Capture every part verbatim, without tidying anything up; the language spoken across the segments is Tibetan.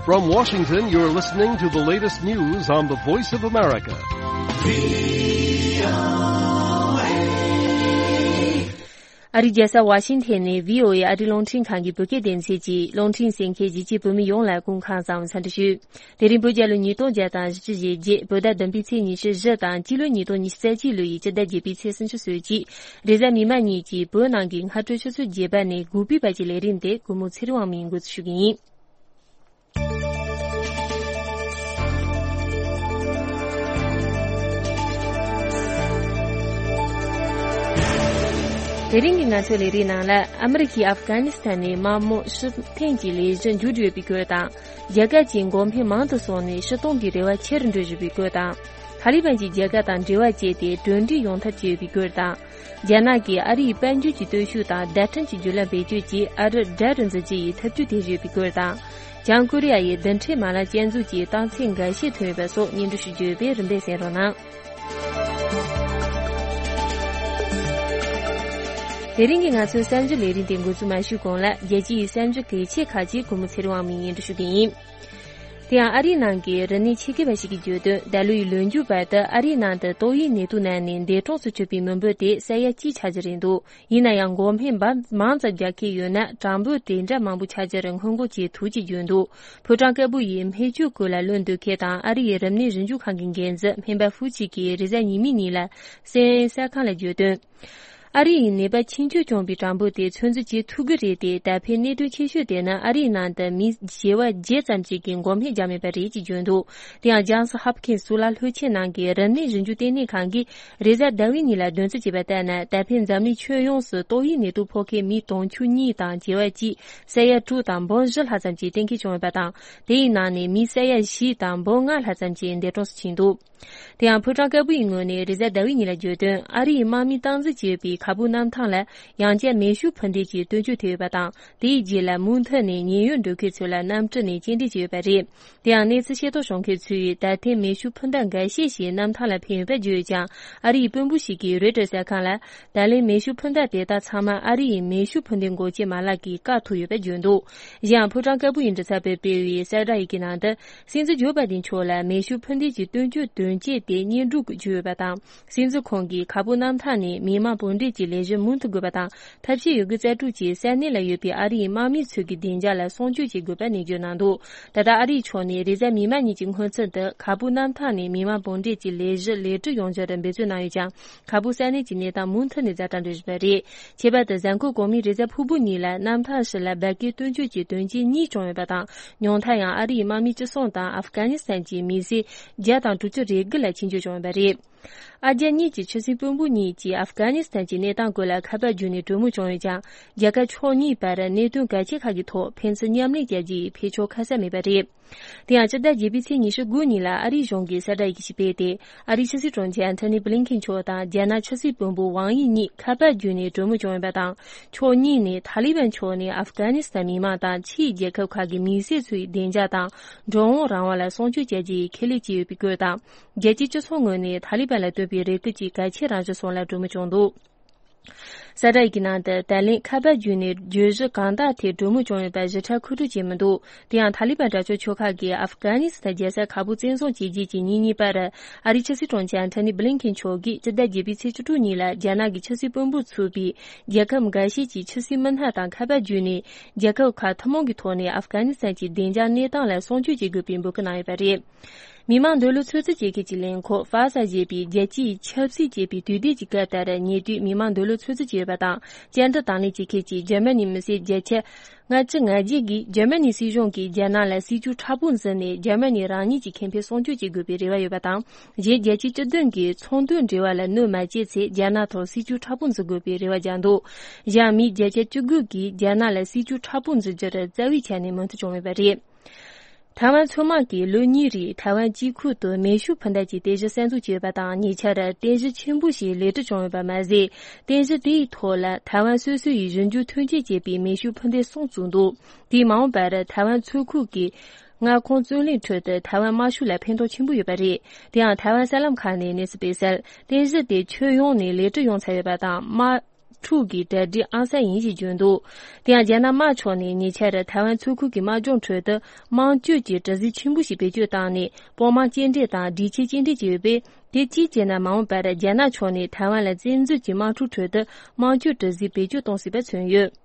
From Washington, you're listening to the latest news on the Voice of America. ཨ་རིའི་རྒྱལ་ས་ཝ་ཤིང་ཐན་ནས་བྷི་ཨོ་ཨེ་ཨ་རིའི་རླུང་འཕྲིན་ཁང་གི་བོད་སྐད་སྡེ་ཚན་གྱི་རླུང་འཕྲིན་གསན་མཁན་གཞིས་བྱེས་བོད་མི་ཡོངས་ལ་སྐུ་ཁམས་བཟང་བའི་འཚམས་འདྲི་ཞུ། དེ་རིང་བོད་རྒྱལ་ལོ་ཉིས་སྟོང་བརྒྱ་དང་བཞི་བཅུ་ཞེ་བརྒྱད། བོད་ཟླ་བདུན་པའི་ཚེས་ཉི་ཤུ་བཞི་དང་སྤྱི་ལོ་ཉིས་སྟོང་ཉི་ཤུ་རྩ་གཅིག་ལོ་ཡི་སྤྱི་ཟླ་བརྒྱད་པའི་ཚེས་སུམ་ཅུ་སོ་གཅིག་རེས་གཟའ་མིག་དམར་ཉིན་གྱི་བོད་ནང་གི་སྔ་དྲོ་ཆུ་ཚོད་བརྒྱད་པ་ནས་དགུ་པའི་བར་གྱི་ལས་རིམ་དེ་གུས་མོ་ཚེ་རིང་དབང་མོས་འགོ་འཛུགས་ཞུ་གི་ཡིན། དེ་རིང་གི་ང་ཚོའི་ལས་རིམ་ནང་ལ། ཨ་མི་རི་ཀས་ཨབ་གྷ་ནི་སི་ཐན་ནས་དམག་དམག་ཕྱིར་འཐེན་གྱི་ལས་གཞི་མཇུག་བསྒྲིལ་ཡོད་པའི་སྐོར་དང་། རྒྱ་གར་གྱི་འགོག་སྨན་མང་དུ་སོང་ནས་སྤྱི་བཏང་གི་རེ་བ་ཆེ་རུ་འགྲོ་བཞིན་པའི་སྐོར་དང་། ཐ་ལི་བན་གྱིས་རྒྱ་གར་དང་འབྲེལ་བ་བཅད་དེ་གྲོས་འགྲིག་ཡོང་ཐབས་བྱས་ཡོད་པའི་སྐོར་དང་། རྒྱ་ནག་གིས་ཨ་རིའི་དཔལ་འབྱོར་གྱི་སྟོབས་ཤུགས་དང་བརྡ་འཕྲིན་གྱི་བརྒྱུད་ལམ་བེད་སྤྱོད་ཀྱིས་ཨ་རི་དགྲ་རུ་འཛིན་རྒྱུ་ཡི་ཐབས་ཇུས་སྟེར་བཞིན་ཡོད་པའི་སྐོར་དང་། བྱང་ཀོ་རི་ཡ་ཡི་རྡུལ་ཕྲན་མ་ལག་སྐྱོན་འཛུགས་ཀྱི་རྟགས་མཚན་འགའ་ཤས་ཐོན་ཡོད་པ་སོགས་སྙན་སྒྲོན་ཞུ་རྒྱུ་ཡོད་པས་རིམ་པས་གསན་རོགས་གནང་། དེ་རིང་གི་ང་ཚོའི་གསར་འགྱུར་ལས་རིམ་དེ་འགོ་འཛུགས་མ་ཞུས་གོང་ལ། རྒྱལ་སྤྱིའི་གསར་འགྱུར་གལ་ཆེ་ཁག་ཅིག་གུས་མོ་ཚེ་རིང་དབང་མོས་སྙན་སྒྲོན་ཞུ་གི་ཡིན། དེ་ཡང་ཨ་རིའི་ནང་གི་རིག་གནས་ཆེད་མཁས་པ་ཞིག་གིས་བརྗོད་དོན། ད་ལོའི་ལོ་མཇུག་བར་དུ་ཨ་རིའི་ནང་དུ་ཏོག་དབྱིབས་ནད་དུག་ན་ནས་འདས་གྲོངས་སུ་གྱུར་པའི་མི་འབོར་དེ་ས་ཡ་གཅིག་ཆགས་རྒྱུ་རེད་འདུག་ཡིན་ན་ཡང་འགོག་སྨན་འབའ་མང་ཙམ་རྒྱག་གི་ཡོད་ན། གྲངས་འབོར་དེ་འདྲ་མང་པོ་ཆགས་རྒྱུར་སྔོན་འགོག་བྱེད་ཐུབ་ཅེས་བརྗོད་འདུག་ཕོ་བྲང་དཀར་པོ་ཡི་སྨན་བཅོས་སྐོར་ལ་བློ་འདོན་མཁན་དང་ཨ་རི་ཡི་རིམས་ནད་ཞིབ་འཇུག་ཁང་གི་འགན་འཛིན་སྨན་པ་ཧྥུ་ཅི་གིས་རེས་གཟའ་ཉི་མའི་ཉིན་ལ་སི་ཨེན་ཨེན་གསར་ཁང་ལ་བརྗོད་དོན། ཨ་རི་ཡི་ནད་པ་ཆེས་ཆེར་བྱུང་བའི་གྲངས་འབོར་དེ་ཚོད་འཛིན་བྱེད་ཐུབ་ཀྱི་རེད་དེ། ད་ཕན་གནད་དོན་ཆེ་ཤོས་དེ་ནི་ཨ་རིའི་ནང་དུ་མི་བྱེ་བ་བརྒྱད་ཙམ་ཞིག་གིས་འགོག་སྨན་རྒྱག་མེད་པ་རེད་ཅེས་བརྗོད་འདུག་དེ་ཡང་ཇཱན་སི་ཧོབ་ཁིན་སི་གཙུག་ལག་སློབ་ཆེན་ནང་གི་རིམས་ནད་ཞིབ་འཇུག་ལྟེ་གནས་ཁང་གིས་རེས་གཟའ་ཟླ་བའི་ཉིན་ལ་བདུན་ཚིགས་བྱས་པ་ལྟར་ན། ད་ཕན་འཛམ་གླིང་ཁྱོན་ཡོངས་སུ་ཏོག་དབྱིབས་ནད་དུག་ཕོག་མཁན་མི་དུང་ཕྱུར་གཉིས་དང་བྱེ་བ་གཅིག་ས་ཡ་དྲུག་དང་འབུམ་བཞི་ལྷག་ཙམ་གྱིས་གཏན་འཁེལ་བྱུང་ཡོད་པ་དང་། དེའི་ནང་ནས་མི་ས་ཡ་བཞི་དང་འབུམ་ལྔ་ལྷག་ཙམ་གྱིས་འདས་གྲོངས་སུ་ཕྱིན་འདུག་དེ་ཡང་ཕོ་བྲང་དཀར་པོ་ཡི་ངོས་ནས་རེས་གཟའ་ཟླ་བའི་ཉིན་ལ་བརྗོད་དོན། ཨ་རིའི་དམག་མིས་སྟངས་འཛིན་བྱས་པའི་ཁ་སྦུག་གནམ་ཐང་ལ་ཡང་བསྐྱར་མེ་ཤུགས་འཕུར་མདེལ་གྱི་སྟོན་བཅོས་ཐེབས་ཡོད་པ་དང་། དེའི་རྗེས་ལ་མུ་མཐུད་ནས་ཉེན་གཡོལ་འགྲོ་མཁན་ཚོ་ལ་གནམ་གྲུ་ནས་སྐྱེལ་འདྲེན་བྱས་ཡོད་པ་རེད། དེ་ཡང་གནས་ཚུལ་ཤེས་རྟོགས་བྱུང་མཁན་ཚོས་ད་ཐེངས་མེ་ཤུགས་འཕུར་མདའ་འགའ་ཤས་ཤིག་གནམ་ཐང་ལ་འཕེན་ཡོད་པ་བརྗོད་ཡོད་ཀྱང་། ཨ་རིའི་དཔོན་པོ་ཞིག་གིས་རོའི་ཊར་གསར་ཁང་ལ། ད་ལན་མེ་ཤུགས་འཕུར་མདའ་དེ་དག་ཚང་མ་ཨ་རི་ཡི་མེ་ཤུགས་འཕུར་མདེལ་འགོག་བྱེད་མ་ལག་གིས་བཀག་ཐུབ་ཡོད་པ་བརྗོད་འདུག་གཞན་ཡང་ཕོ་བྲང་དཀར་པོ་ཡི་མགྲིན་ཚབ་པས་སྤེལ་བའི་གསལ་བསྒྲགས་ཡི་གེའི་ནང་དུ། སྲིད་འཛིན་ཇོ་བྷའི་ཌེན་མཆོག་ལ་མེ་ཤུགས་འཕུར་མདེལ་གྱི་སྟོན་བཅོས་དོན་བཅས་དེ་སྙན་སྒྲོན་ཞུས་ཡོད་པ་དང་། སྲིད་འཛིན་ཁོང་གིས་ཁ་སྦུག་གནམ་ཐང་ནས་མི་མང་འབོར་འདྲེན་གྱི་ལས་གཞི་མུ་མཐུད་དགོས་པ་དང་། ཐབས་ཤེས་ཡོད་རྒུ་རྩལ་སྤྲུགས་ཀྱིས་ས་གནས་ལ་ཡོད་པའི་ཨ་རིའི་དམག་མི་ཚོ་གི་བདེ་འཇགས་ལ་སྲུང་སྐྱོབ་བྱེད་དགོས་པ་ནན་བརྗོད་གནང་འདུག་ད་ལྟ་ཨ་རིའི་ཕྱོགས་ནས་རེས་གཟའ་མིག་དམར་ཉིན་གྱི་སྔོན་ཚུད་དུ་ཁ་སྦུག་གནམ་ཐང་ནས་མི་མང་འབོར་འདྲེན་གྱི་ལས་གཞི་ལེགས་གྲུབ་ཡོང་རྒྱུར་འབད་བརྩོན་གནང་ཡོད་ཀྱང་། ཁ་སྦུག་ས་གནས་ཀྱི་གནས་སྟངས་མུ་མཐུད་ནས་ཛ་དྲག་འགྲོ་བཞིན་པ་རེད། ཁྱད་པར་དུ་གཟའ་འཁོར་གོང་མའི་རེས་གཟའ་ཕུར་བུ་ཉིན་ལ་གནམ་ཐང་ཕྱི་ལ་འབར་གས་སྟོན་བཅོས་ཀྱི་དོན་རྐྱེན་གཉིས་བྱུང་ཡོད་པ་དང་། ཉུང་མཐར་ཡང་ཨ་རིའི་དམག་མི་བཅུ་གསུམ་དང་ཨབ་གྷ་ནི་སི་ཐན་གྱི་མི་སེར་བརྒྱ་དང་དྲུག་ཅུ་རེ་དགུ་ལ་མཆེད་གཅོད་བྱུང་ཡོད་པ་རེད། ཨ་རྒྱ་གཉིས་ཀྱི་ཕྱི་སྲིད་དཔོན་པོ་གཉིས་ཀྱིས་ཨབ་གྷ་ནི་སི་ཐན་གྱི་གནས་སྟངས་སྐོར་ལ་ཁ་པར་བརྒྱུད་ནས་གྲོས་མོལ་བྱུང་ཡོད་ཀྱང་། རྒྱལ་ཁབ་ཕྱོགས་གཉིས་བར་གནད་དོན་གལ་ཆེ་ཁག་གི་ཐོག་ཕན་ཚུན་མཉམ་ལས་བྱ་རྒྱུའི་འཕེན་ཕྱོགས་ཁ་གསལ་མེད་པ་རེད། དེ་ཡང་སྤྱི་ཟླ་བརྒྱད་པའི་ཚེས་ཉི་ཤུ་དགུ་ཉིན་ལ་ཨ་རིའི་གཞུང་གིས་གསལ་བསྒྲགས་ཡི་གེ་ཞིག་སྤེལ་ཏེ། ཨ་རིའི་ཕྱི་སྲིད་དྲུང་ཆེ་ཨན་ཐོ་ནི་བྷི་ལིན་ཁེན་མཆོག་དང་རྒྱ་ནག་ཕྱི་སྲིད་དཔོན་པོ་ཝང་ཡི་གཉིས་ཁ་པར་བརྒྱུད་ནས་གྲོས་མོལ་བྱུང་ཡོད་པ་དང་། ཕྱོགས་གཉིས་ནས་ཐ་ལི་བན་ཕྱོགས་ནས་ཨབ་གྷ་ནི་སི་ཐན་མི་མང་དང་ཕྱིའི་རྒྱལ་ཁབ་ཁག་གི་མི་སེར་ཚོའི་བདེ་འཇགས་དང་འགྲོ་འོང་རང་དབང་ལ་སྲུང་སྐྱོབ་བྱ་རྒྱུའི་ཁས་ལེན་བྱས་ཡོད་པའི་སྐོར་དང་། རྒྱལ་སྤྱིའི་སྤྱི་ཚོགས་ངོས་ནས་ཐ་ལི་བན་ལ་བཏོན་པའི་རེ་སྐུལ་གྱི་གལ་ཆེ་རང་བཞིན་སོགས་ལ་གྲོས་མོལ་བྱུང་འདུག་གསལ་བསྒྲགས་ཡི་གེའི་ནང་དུ། ད་ལན་ཁ་པར་བརྒྱུད་ནས་བརྗོད་གཞི་གང་དག་ཐད་གྲོས་མོལ་བྱུང་ཡོད་པ་ཞིབ་ཕྲ་མཁོ་སྤྲོད་བྱས་མི་འདུག་དེ་ཡང་ཐ་ལི་བན་དྲག་སྤྱོད་ཆོལ་ཁ་གིས་ཨབ་གྷ་ནི་སི་ཐན་རྒྱལ་ས་ཁ་སྦུག་བཙན་བཟུང་བྱས་རྗེས་ཀྱི་ཉིན་གཉིས་པར། ཨ་རིའི་ཕྱི་སྲིད་དྲུང་ཆེ་ཨན་ཐོ་ནི་བྷི་ལིན་ཁེན་མཆོག་གིས་སྤྱི་ཟླ་བརྒྱད་པའི་ཚེས་བཅུ་དྲུག་ཉིན་ལ་རྒྱ་ནག་གི་ཕྱི་སྲིད་དཔོན་པོ་ཚུད་པའི་རྒྱལ་ཁབ་འགའ་ཤས་ཀྱི་ཕྱི་སྲིད་མི་སྣ་དང་ཁ་པར་བརྒྱུད་ནས། རྒྱལ་ཁབ་ཁག་ཐུན་མོང་གི་ཐོག་ནས་ཨབ་གྷ་ནི་སི་ཐན་གྱི་བདེ་འཇགས་གནས་སྟངས་ལ་སྲུང་སྐྱོབ་བྱེད་དགོས་པའི་འབོད་སྐུལ་གནང་ཡོད་པ་རེད། མི་དམངས་འདོད་བློ་ཚོད་འཛིན་བྱེད་མཁན་གྱི་ལས་ཁུངས་ཧྥ་ས་ཞེས་པའི་རྒྱལ་སྤྱིའི་ཆབ་སྲིད་ཅེས་པའི་དུས་དེབ་ཀྱི་སྐབས་ལྟར། ཉེ་དུས་མི་དམངས་འདོད་བློ་ཚོད་འཛིན་བྱས་ཡོད་པ་དང་། བཅར་འདྲི་དང་ལེན་བྱེད་མཁན་གྱི་འཇར་མ་ནིའི་མི་སེར་བརྒྱ་ཆ་ལྔ་བཅུ་ང་བརྒྱད་ཀྱིས་འཇར་མ་ནིའི་སྲིད་གཞུང་གིས་རྒྱ་ནག་ལ་སྲིད་ཇུས་མཁྲེགས་པོ་འཛིན་ནས། འཇར་མ་ནི་རང་ཉིད་ཀྱི་ཁེ་ཕན་སྲུང་སྐྱོབ་བྱེད་དགོས་པའི་རེ་བ་ཡོད་པ་དང་། གཞན་རྒྱལ་སྤྱིའི་སྤྱི་མཐུན་གྱི་ཚོང་དོན་འབྲེལ་བ་ལ་གནོད་མ་བྱས་ཚེ། རྒྱ་ནག་ཐོག་སྲིད་ཇུས་མཁྲེགས་པོ་འཛིན་དགོས་པའི་རེ་བ་བརྒྱབ་འདུག་གཞན་མི་བརྒྱ་ཆ་བཅུ་དགུ་གིས་རྒྱ་ནག་ལ་སྲིད་ཇུས་མཁྲེགས་པོ་འཛིན་རྒྱུར་རྩ་བའི་ཆ་ནས་མོས་མཐུན་བྱུང་ཡོད་པ་རེད། ཐའེ་ཝན་མཚོ་དམག་གིས་ལོ་གཉིས་རིང་ཐའེ་ཝན་དཀྱིལ་ཁུལ་དུ་མེ་ཤུགས་འཕུར་མདའ་གྱི་རྟེན་གཞི་གསར་འཛུགས་བྱས་ཡོད་པ་དང་། ཉེ་ཆར་རྟེན་གཞི་ཆེན་པོ་ཞིག་ལེགས་གྲུབ་བྱུང་ཡོད་པ་མ་ཟད། རྟེན་གཞི་དེའི་ཐོག་ལ་ཐའེ་ཝན་སོ་སོ་ཡིས་ཞིབ་འཇུག་ཐོན་སྐྱེད་བྱས་པའི་མེ་ཤུགས་འཕུར་མདེལ་གསུམ་བཙུགས་འདུག་དེས་མ་འོངས་པར་ཐའེ་ཝན་མཚོ་ཁུལ་གྱི་མངའ་ཁོངས་བརྩོན་ལེན་ཁྲོད་དུ་ཐའེ་ཝན་དམར་ཤོག་ལ་ཕན་ཐོགས་ཆེན་པོ་ཡོད་པ་རེད། དེ་ཡང་ཐའེ་ཝན་གསར་ལམ་ཁག་ནས་གནས་ཚུལ་སྤེལ་གསལ། རྟེན་གཞི་དེ་ཁྱོན་ཡོངས་ནས་ལེགས་གྲུབ་ཡོང་ཚར་ཡོད་པ་དང་། དམག་འཁྲུག་གི་གྲ་སྒྲིག་ཨང་གསར་ཡིན་ཞེས་བརྗོད་འདུག། དེ་ཡང་རྒྱ་ནག་དམར་ཕྱོགས་ནས་ཉེ་ཆར་ཐའེ་ཝན་མཚོ་ཁུལ་གྱི་དམག་སྦྱོང་ཁྲོད་དུ་དམངས་གཅོད་ཀྱི་གྲུ་གཟིངས་ཆེན་པོ་ཞིག་བེད་སྤྱོད་བཏང་ནས་དཔོན་དམག་སྐྱེལ་འདྲེན་དང་སྒྲིག་ཆས་སྐྱེལ་འདྲེན་བྱས་ཡོད་པས། དེ་གཅིག་བྱས་ན་མ་འོངས་པར་རྒྱ་ནག་ཕྱོགས་ནས་ཐའེ་ཝན་ལ་བཙན་འཛུལ་གྱི་དམག་འཁྲུག་ཁྲོད་དུ་དམངས་གཅོད་གྲུ་གཟིངས་བེད་སྤྱོད་གཏོང་སྲིད་པ་མཚོན་ཡོད།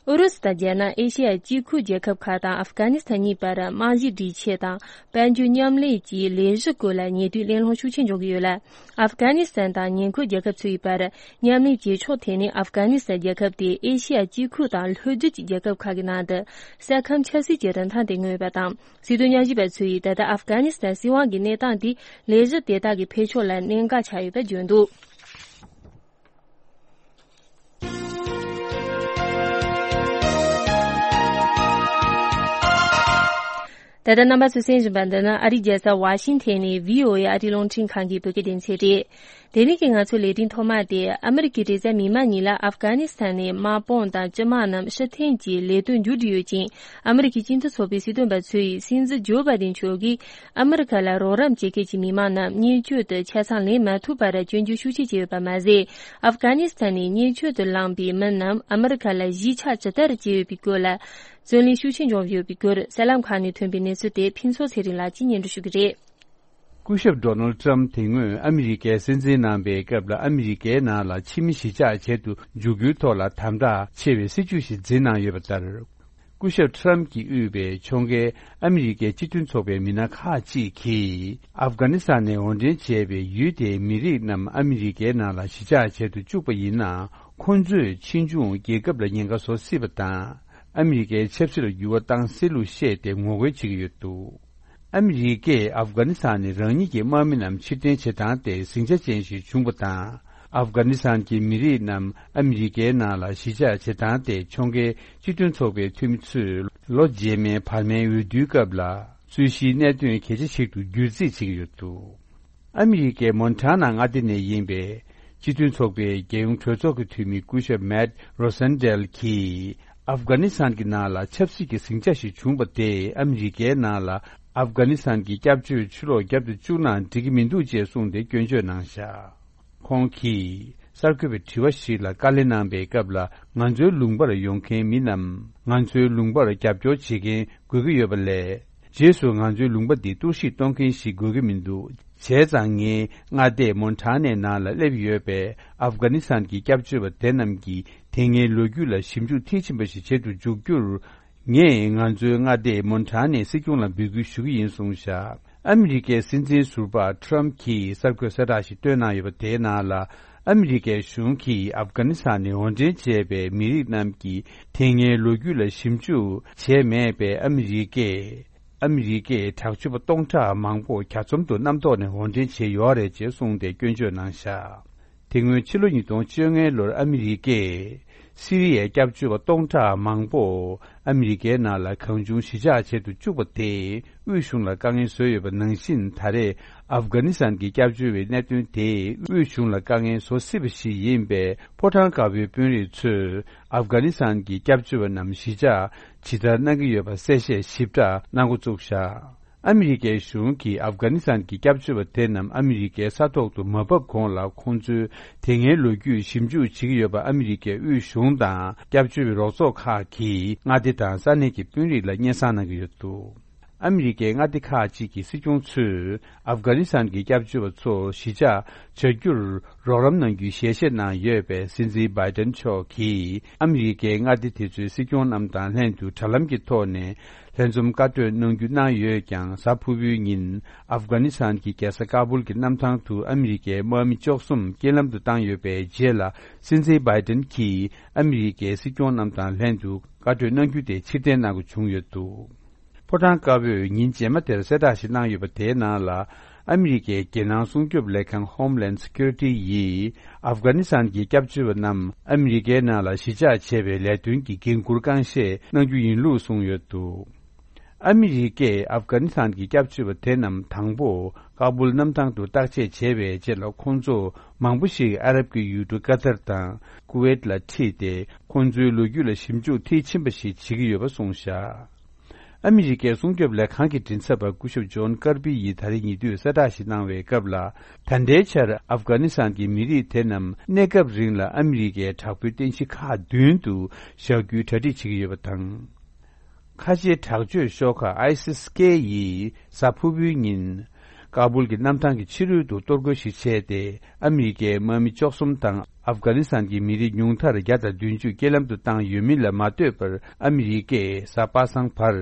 ཨུ་རུ་སུ་དང་རྒྱ་ནག་ཨེ་ཤེ་ཡ་དཀྱིལ་ཁུལ་རྒྱལ་ཁབ་ཁག་དང་ཨབ་གྷ་ནི་སི་ཐན་གཉིས་བར་རྨང་གཞིའི་སྒྲིག་ཆས་དང་དཔལ་འབྱོར་མཉམ་ལས་ཀྱི་ལས་གཞི་སྐོར་ལ་ཉེ་དུས་གླེང་སློང་ཤུགས་ཆེན་འབྱུང་གི་ཡོད་ལ། ཨབ་གྷ་ནི་སི་ཐན་དང་ཉེ་འཁོར་རྒྱལ་ཁབ་ཚོའི་བར་མཉམ་ལས་བྱེད་ཕྱོགས་ཐད་ནས་ཨབ་གྷ་ནི་སི་ཐན་རྒྱལ་ཁབ་དེ་ཨེ་ཤེ་ཡ་དཀྱིལ་ཁུལ་དང་ལྷོ་རྒྱུད་ཀྱི་རྒྱལ་ཁབ་ཁག་གི་ནང་དུ་ས་ཁམས་ཆབ་སྲིད་ཀྱི་རིན་ཐང་དེ་མངོན་ཡོད་པ་དང་། སྲིད་དོན་ཉམས་ཞིབ་པ་ཚོས་ད་ལྟ་ཨབ་གྷ་ནི་སི་ཐན་སྲིད་དབང་གི་གནས་སྟངས་དེ་ལས་གཞི་དེ་དག་གི་འཕེལ་ཕྱོགས་ལ་གནད་འགག་ཆགས་ཡོད་པར་བརྗོད་འདུག། ད་ལྟ་རྣམ་པ་ཚོས་གསན་བཞིན་པ་འདི་ནི་ཨ་རིའི་རྒྱལ་ས་ཝ་ཤིང་ཐན་ནས་བྷི་ཨོ་ཨེ་ཨ་རིའི་རླུང་འཕྲིན་ཁང་གི་བོད་སྐད་སྡེ་ཚན་རེད། དེ་རིང་གི་ང་ཚོའི་ལས་རིམ་ཐོག་མ་དེ་ཨ་མི་རི་ཀའི་རེས་གཟའ་མིག་དམར་ཉིན་ལ་ཨབ་གྷ་ནི་སི་ཐན་ནས་དམག་དཔུང་དང་སྤྱི་དམངས་རྣམས་ཕྱིར་འཐེན་གྱི་ལས་དོན་མཇུག་སྒྲིལ་ཡོད་ཅིང་། ཨ་མི་རི་ཀའི་སྤྱི་མཐུན་ཚོགས་པའི་སྲིད་དོན་པ་ཚོས་སྲིད་འཛིན་ཇོ་བྷའི་ཌེན་མཆོག་གིས་ཨ་མི་རི་ཀ་ལ་རོགས་རམ་བྱེད་མཁན་གྱི་མི་མང་རྣམས་མཉེན་ཆས་དུ་ཆ་ཚང་ལེན་མ་ཐུབ་པར་སྐྱོན་བརྗོད་ཤུགས་ཆེ་བྱས་ཡོད་པ་མ་ཟད། ཨབ་གྷ་ནི་སི་ཐན་ནས་མཉེན་ཆས་དུ་ལངས་པའི་མི་རྣམས་ཨ་མི་རི་ཀ་ལ་གཞིས་ཆགས་ཇི་ལྟར་བྱས་ཡོད་པའི་སྐོར་ལ་རྩོད་གླེང་ཤུགས་ཆེ་འབྱུང་ཡོད་པའི་སྐོར་གསར་ལམ་ཁག་ནས་ཐོན་པའི་གནས་ཚུལ་དེ་ཕུན་ཚོགས་ཚེ་རིང་ལགས་ཀྱིས་སྙན་སྒྲོན་ཞུ་གི་རེད། སྐུ་ཞབས་ཌོ་ནལ་ཊམ་དེ་སྔོན་ཨ་མི་རི་ཀའི་སྲིད་འཛིན་གནང་པའི་སྐབས་ལ་ཨ་མི་རི་ཀའི་ནང་ལ་ཕྱི་མི་གཞིས་ཆགས་བྱེད་དུ་འཇུག་རྒྱུའི་ཐོག་ལ་དམ་དྲག་ཆེ་བའི་སྲིད་ཇུས་ཤིག་འཛིན་གནང་ཡོད་པ་ལྟར། སྐུ་ཞབས་ཊམ་གྱིས་དབུས་པའི་ཕྱོགས་འགལ་ཨ་མི་རི་ཀའི་སྤྱི་མཐུན་ཚོགས་པའི་མི་སྣ་ཁག་ཅིག་གིས་ཨབ་གྷ་ནི་སི་ཐན་ནས་འོར་འདྲེན་བྱས་པའི་ཡུལ་དེའི་མི་རིགས་རྣམས་ཨ་མི་རི་ཀའི་ནང་ལ་གཞིས་ཆགས་བྱེད་དུ་བཅུག་པ་ཡིན་ན། ཁོང་ཚོས་ཕྱིས་འབྱུང་རྒྱལ་ཁབ་ལ་ཉེན་ཁ་བཟོ་སྲིད་པ་དང་། ཨ་མི་རི་ཀའི་ཆབ་སྲིད་ལ་འགྱུར་བ་བཏང་སྲིད་ལུགས་བཤད་དེ་ངོ་རྒོལ་བྱེད་ཀྱི་ཡོད་འདུག། ཨ་མི་རི་ཀས་ཨབ་གྷ་ནི་སི་ཐན་ནས་རང་ཉིད་ཀྱི་དམག་མི་རྣམས་ཕྱིར་འཐེན་བྱེད་སྟངས་དེ་ཟིང་ཆ་ཅན་ཞིག་བྱུང་བ་དང་། ཨབ་གྷ་ནི་སི་ཐན་གྱི་མི་རིགས་རྣམས་ཨ་མི་རི་ཀའི་ནང་ལ་གཞིས་ཆགས་བྱེད་སྟངས་དེ་ཕྱོགས་འགལ་སྤྱི་མཐུན་ཚོགས་པའི་འཐུས་མི་ཚོས་ལོ་རྗེས་མའི་བར་མའི་འོས་བསྡུའི་སྐབས་ལ་རྩོད་གཞིའི་གནད་དོན་གལ་ཆེ་ཞིག་ཏུ་འགྱུར་རྩིས་བྱེད་ཀྱི་ཡོད་འདུག། ཨ་མི་རི་ཀའི་མོན་ཊ་ན་མངའ་སྡེ་ནས་ཡིན་པའི་སྤྱི་མཐུན་ཚོགས་པའི་རྒྱལ་ཡོངས་གྲོས་ཚོགས་ཀྱི་འཐུས་མི་སྐུ་ཞབས་མེད་རོ་སན་ཌེལ་གྱིས་ཨབ་གྷ་ནི་སི་ཐན་གྱི་ནང་ལ་ཆབ་སྲིད་ཀྱི་ཟིང་ཆ་ཞིག་བྱུང་བ་དེས་ཨ་མི་རི་ཀའི་ནང་ལ་ཨབ་གྷ་ནི་སི་ཐན་གྱི་སྐྱབས་བཅོལ་ཕྱིར་ལོག་བརྒྱབ་ཏུ་བཅུག་ན་འགྲིག་གི་མི་འདུག་ཅེས་གསུངས་ཏེ་སྐྱོན་བརྗོད་གནང་བཞག། ཁོང་གིས་གསར་འགོད་པའི་དྲི་བ་ཞིག་ལ་དཀའ་ལས་གནང་པའི་སྐབས་ལ། ང་ཚོའི་ལུང་པར་ཡོང་མཁན་མི་རྣམས་ང་ཚོའི་ལུང་པར་རྒྱབ་སྐྱོར་བྱེད་མཁན་དགོས་ཀྱི་ཡོད་པ་ལས། རྗེས་སུ་ང་ཚོའི་ལུང་པ་འདི་གཏོར་བཤིག་གཏོང་མཁན་ཞིག་དགོས་ཀྱི་མི་འདུག། བྱས་ཙང་ངའི་མངའ་སྡེ་མོན་ཊ་ནའི་ནང་ལ་སླེབས་ཡོད་པའི་ཨབ་གྷ་ནི་སི་ཐན་གྱི་སྐྱབས་བཅོལ་བ་དེ་རྣམས་ཀྱིས་དེ་སྔའི་ལོ་རྒྱུས་ལ་ཞིབ་འཇུག་མཐིལ་ཕྱིན་པ་ཞིག་བྱེད་དུ་འཇུག་རྒྱུར། ངས་ང་ཚོའི་མངའ་སྡེ་མོན་ཊ་ནའི་སྲིད་སྐྱོང་ལ་འབོད་སྐུལ་ཞུ་གི་ཡིན་གསུངས་བཞག། ཨ་མི་རི་ཀའི་སྲིད་འཛིན་ཟུར་པ་ཊམ་གྱིས་གསར་འགོད་གསལ་བསྒྲགས་ཤིག་བཏོན་གནང་ཡོད་པ་དེའི་ནང་ལ། ཨ་མི་རི་ཀའི་གཞུང་གིས་ཨབ་གྷ་ནི་སི་ཐན་ནས་འོར་འདྲེན་བྱས་པའི་མི་རིགས་རྣམས་ཀྱིས་དེ་སྔའི་ལོ་རྒྱུས་ལ་ཞིབ་འཇུག་བྱས་མེད་པའི་ཨ་མི་རི་ཀས། ཨ་མི་རི་ཀས་དྲག་སྤྱོད་པ་སྟོང་ཕྲག་མང་པོ་གྱ་ཚོམ་དུ་གནམ་ཐོག་ནས་འོར་འདྲེན་བྱས་ཡོད་རེད་ཅེས་གསུངས་ཏེ་སྐྱོན་བརྗོད་གནང་བཞག། དེ་སྔོན་ཕྱི་ལོ་ཉིས་སྟོང་བཅོ་ལྔ་ལོར་ཨ་མི་རི་ཀས་སི་རི་ཡའི་སྐྱབས་བཅོལ་བ་སྟོང་ཕྲག་མང་པོ་ཨ་མི་རི་ཀའི་ནང་ལ་གང་བྱུང་གཞིས་ཆགས་བྱེད་དུ་བཅུག་པ་དེས་དབུས་གཞུང་ལ་དཀའ་ངལ་བཟོས་ཡོད་པ་ནང་བཞིན། ད་རེས་ཨབ་གྷ་ནི་སི་ཐན་གྱི་སྐྱབས་བཅོལ་བའི་གནད་དོན་དེས་དབུས་གཞུང་ལ་དཀའ་ངལ་བཟོ་སྲིད་པ་ཞིག་ཡིན་པས། ཕོ་བྲང་དཀར་པོའི་དཔོན་རིགས་ཚོས་ཨབ་གྷ་ནི་སི་ཐན་གྱི་སྐྱབས་བཅོལ་བ་རྣམས་གཞིས་ཆགས་ཇི་ལྟར་གནང་གི་ཡོད་པ་གསལ་བཤད་ཞིབ་ཕྲ་གནང་འགོ་བཙུགས་བཞག། ཨ་མི་རི་ཀའི་གཞུང་གིས་ཨབ་གྷ་ནི་སི་ཐན་གྱི་སྐྱབས་བཅོལ་བ་དེ་རྣམས་ཨ་མི་རི་ཀའི་ས་ཐོག་ཏུ་མ་བབས་གོང་ལ། ཁོང་ཚོའི་དེ་སྔའི་ལོ་རྒྱུས་ཞིབ་འཇུག་བྱེད་ཀྱི་ཡོད་པ་ཨ་མི་རི་ཀའི་དབུས་གཞུང་དང་སྐྱབས་བཅོལ་བའི་རོགས་ཚོགས་ཁག་གིས་མངའ་སྡེ་དང་ས་གནས་ཀྱི་དཔོན་རིགས་ལ་སྙན་སེང་གནང་གི་ཡོད་འདུག། ཨ་མི་རི་ཀའི་མངའ་སྡེ་ཁག་ཅིག་གི་སྲིད་སྐྱོང་ཚོས་ཨབ་གྷ་ནི་སི་ཐན་གྱི་སྐྱབས་བཅོལ་བ་ཚོ་གཞིས་ཆགས་བྱ་རྒྱུར་རོགས་རམ་གནང་རྒྱུའི་ཞལ་བཞེས་གནང་ཡོད་པས། སྲིད་འཛིན་བྷའི་ཏན་མཆོག་གིས་ཨ་མི་རི་ཀའི་མངའ་སྡེ་དེ་ཚོའི་སྲིད་སྐྱོང་རྣམས་དང་ལྷན་དུ་དྲ་ལམ་གྱི་ཐོག་ནས། ལྷན་འཛོམས་བཀའ་གྲོས་གནང་རྒྱུ་གནང་ཡོད་ཀྱང་། གཟའ་ཕུར་བུའི་ཉིན་ཨབ་གྷ་ནི་སི་ཐན་གྱི་རྒྱལ་ས་ཀ་བུལ་གྱི་གནམ་ཐང་དུ་ཨ་མི་རི་ཀའི་དམག་མི་བཅུ་གསུམ་རྐྱེན་ལམ་དུ་བཏང་ཡོད་པའི་རྗེས་ལ། སྲིད་འཛིན་བྷའི་ཏན་གྱིས་ཨ་མི་རི་ཀའི་སྲིད་སྐྱོང་རྣམས་དང་ལྷན་དུ་བཀའ་གྲོས་གནང་རྒྱུ་དེ་ཕྱིར་འཐེན་གནང་དགོས་བྱུང་ཡོད་འདུག། ཕོ་བྲང་དཀར་པོས་ཉིན་རྗེས་མ་དེར་གསལ་བསྒྲགས་ཤིག་གནང་ཡོད་པ་དེའི་ནང་ལ། ཨ་མི་རི་ཀའི་རྒྱལ་ནང་སྲུང་སྐྱོབ་ལས་ཁང་Homeland Security་ཡིས་ཨབ་གྷ་ནི་སི་ཐན་གྱི་སྐྱབས་བཅོལ་བ་རྣམས་ཨ་མི་རི་ཀའི་ནང་ལ་གཞིས་ཆགས་བྱས་པའི་ལས་དོན་གྱི་འགན་འཁུར་རྐང་བཞེས་གནང་རྒྱུ་ཡིན་ལུགས་གསུངས་ཡོད་འདུག། ཨ་མི་རི་ཀས་ཨབ་གྷ་ནི་སི་ཐན་གྱི་སྐྱབས་བཅོལ་བ་དེ་རྣམས་དང་པོ་ཀ་བུལ་གནམ་ཐང་དུ་བརྟག་དཔྱད་བྱས་པའི་རྗེས་ལ། ཁོང་ཚོ་མང་པོ་ཞིག་ཨ་རབ་ཀྱི་ཡུལ་གྲུ་ཀ་ཏར་དང་ཀུ་ཝེད་ལ་ཁྲིད་དེ། ཁོང་ཚོའི་ལོ་རྒྱུས་ལ་ཞིབ་འཇུག་མཐིལ་ཕྱིན་པ་ཞིག་བྱེད་ཀྱི་ཡོད་པ་གསུངས་བཞག། ཨ་མི་རི་ཀའི་སྲུང་སྐྱོབ་ལས་ཁང་གི་མགྲིན་ཚབ་པ་སྐུ་ཞབས་ཇོན་ཀར་པི་ཡིས་ད་རེས་ཉེ་དུས་གསལ་བསྒྲགས་ཤིག་གནང་བའི་སྐབས་ལ། ད་ལྟའི་ཆར་ཨབ་གྷ་ནི་སི་ཐན་གྱི་མི་རིགས་དེ་རྣམས་གནས་སྐབས་རིང་ལ་ཨ་མི་རི་ཀའི་དྲག་པོའི་རྟེན་གཞི་ཁག་བདུན་དུ་བཞག་རྒྱུའི་གྲ་སྒྲིག་བྱེད་ཀྱི་ཡོད་པ་དང་། ཁ་ཆེའི་དྲག་སྤྱོད་ཤོག་ཁག་ཨའི་སི་ཨེས་ཀེ་ཡིས་གཟའ་ཕུར་བུའི་ཉིན། ཀ་སྦུལ་གྱི་གནམ་ཐང་གི་ཕྱི་རོལ་དུ་གཏོར་རྒོལ་ཞིག་བྱས་ཏེ། ཨ་མི་རི་ཀའི་དམག་མི་བཅུ་གསུམ་དང་ཨབ་གྷ་ནི་སི་ཐན་གྱི་མི་རིགས་ཉུང་མཐར་བརྒྱ་དང་བདུན་ཅུ་རྐྱེན་ལམ་དུ་བཏང་ཡོད་མིན་ལ་མ་ལྟོས་པར། ཨ་མི་རི་ཀས་གཟའ་པ་སངས་བར་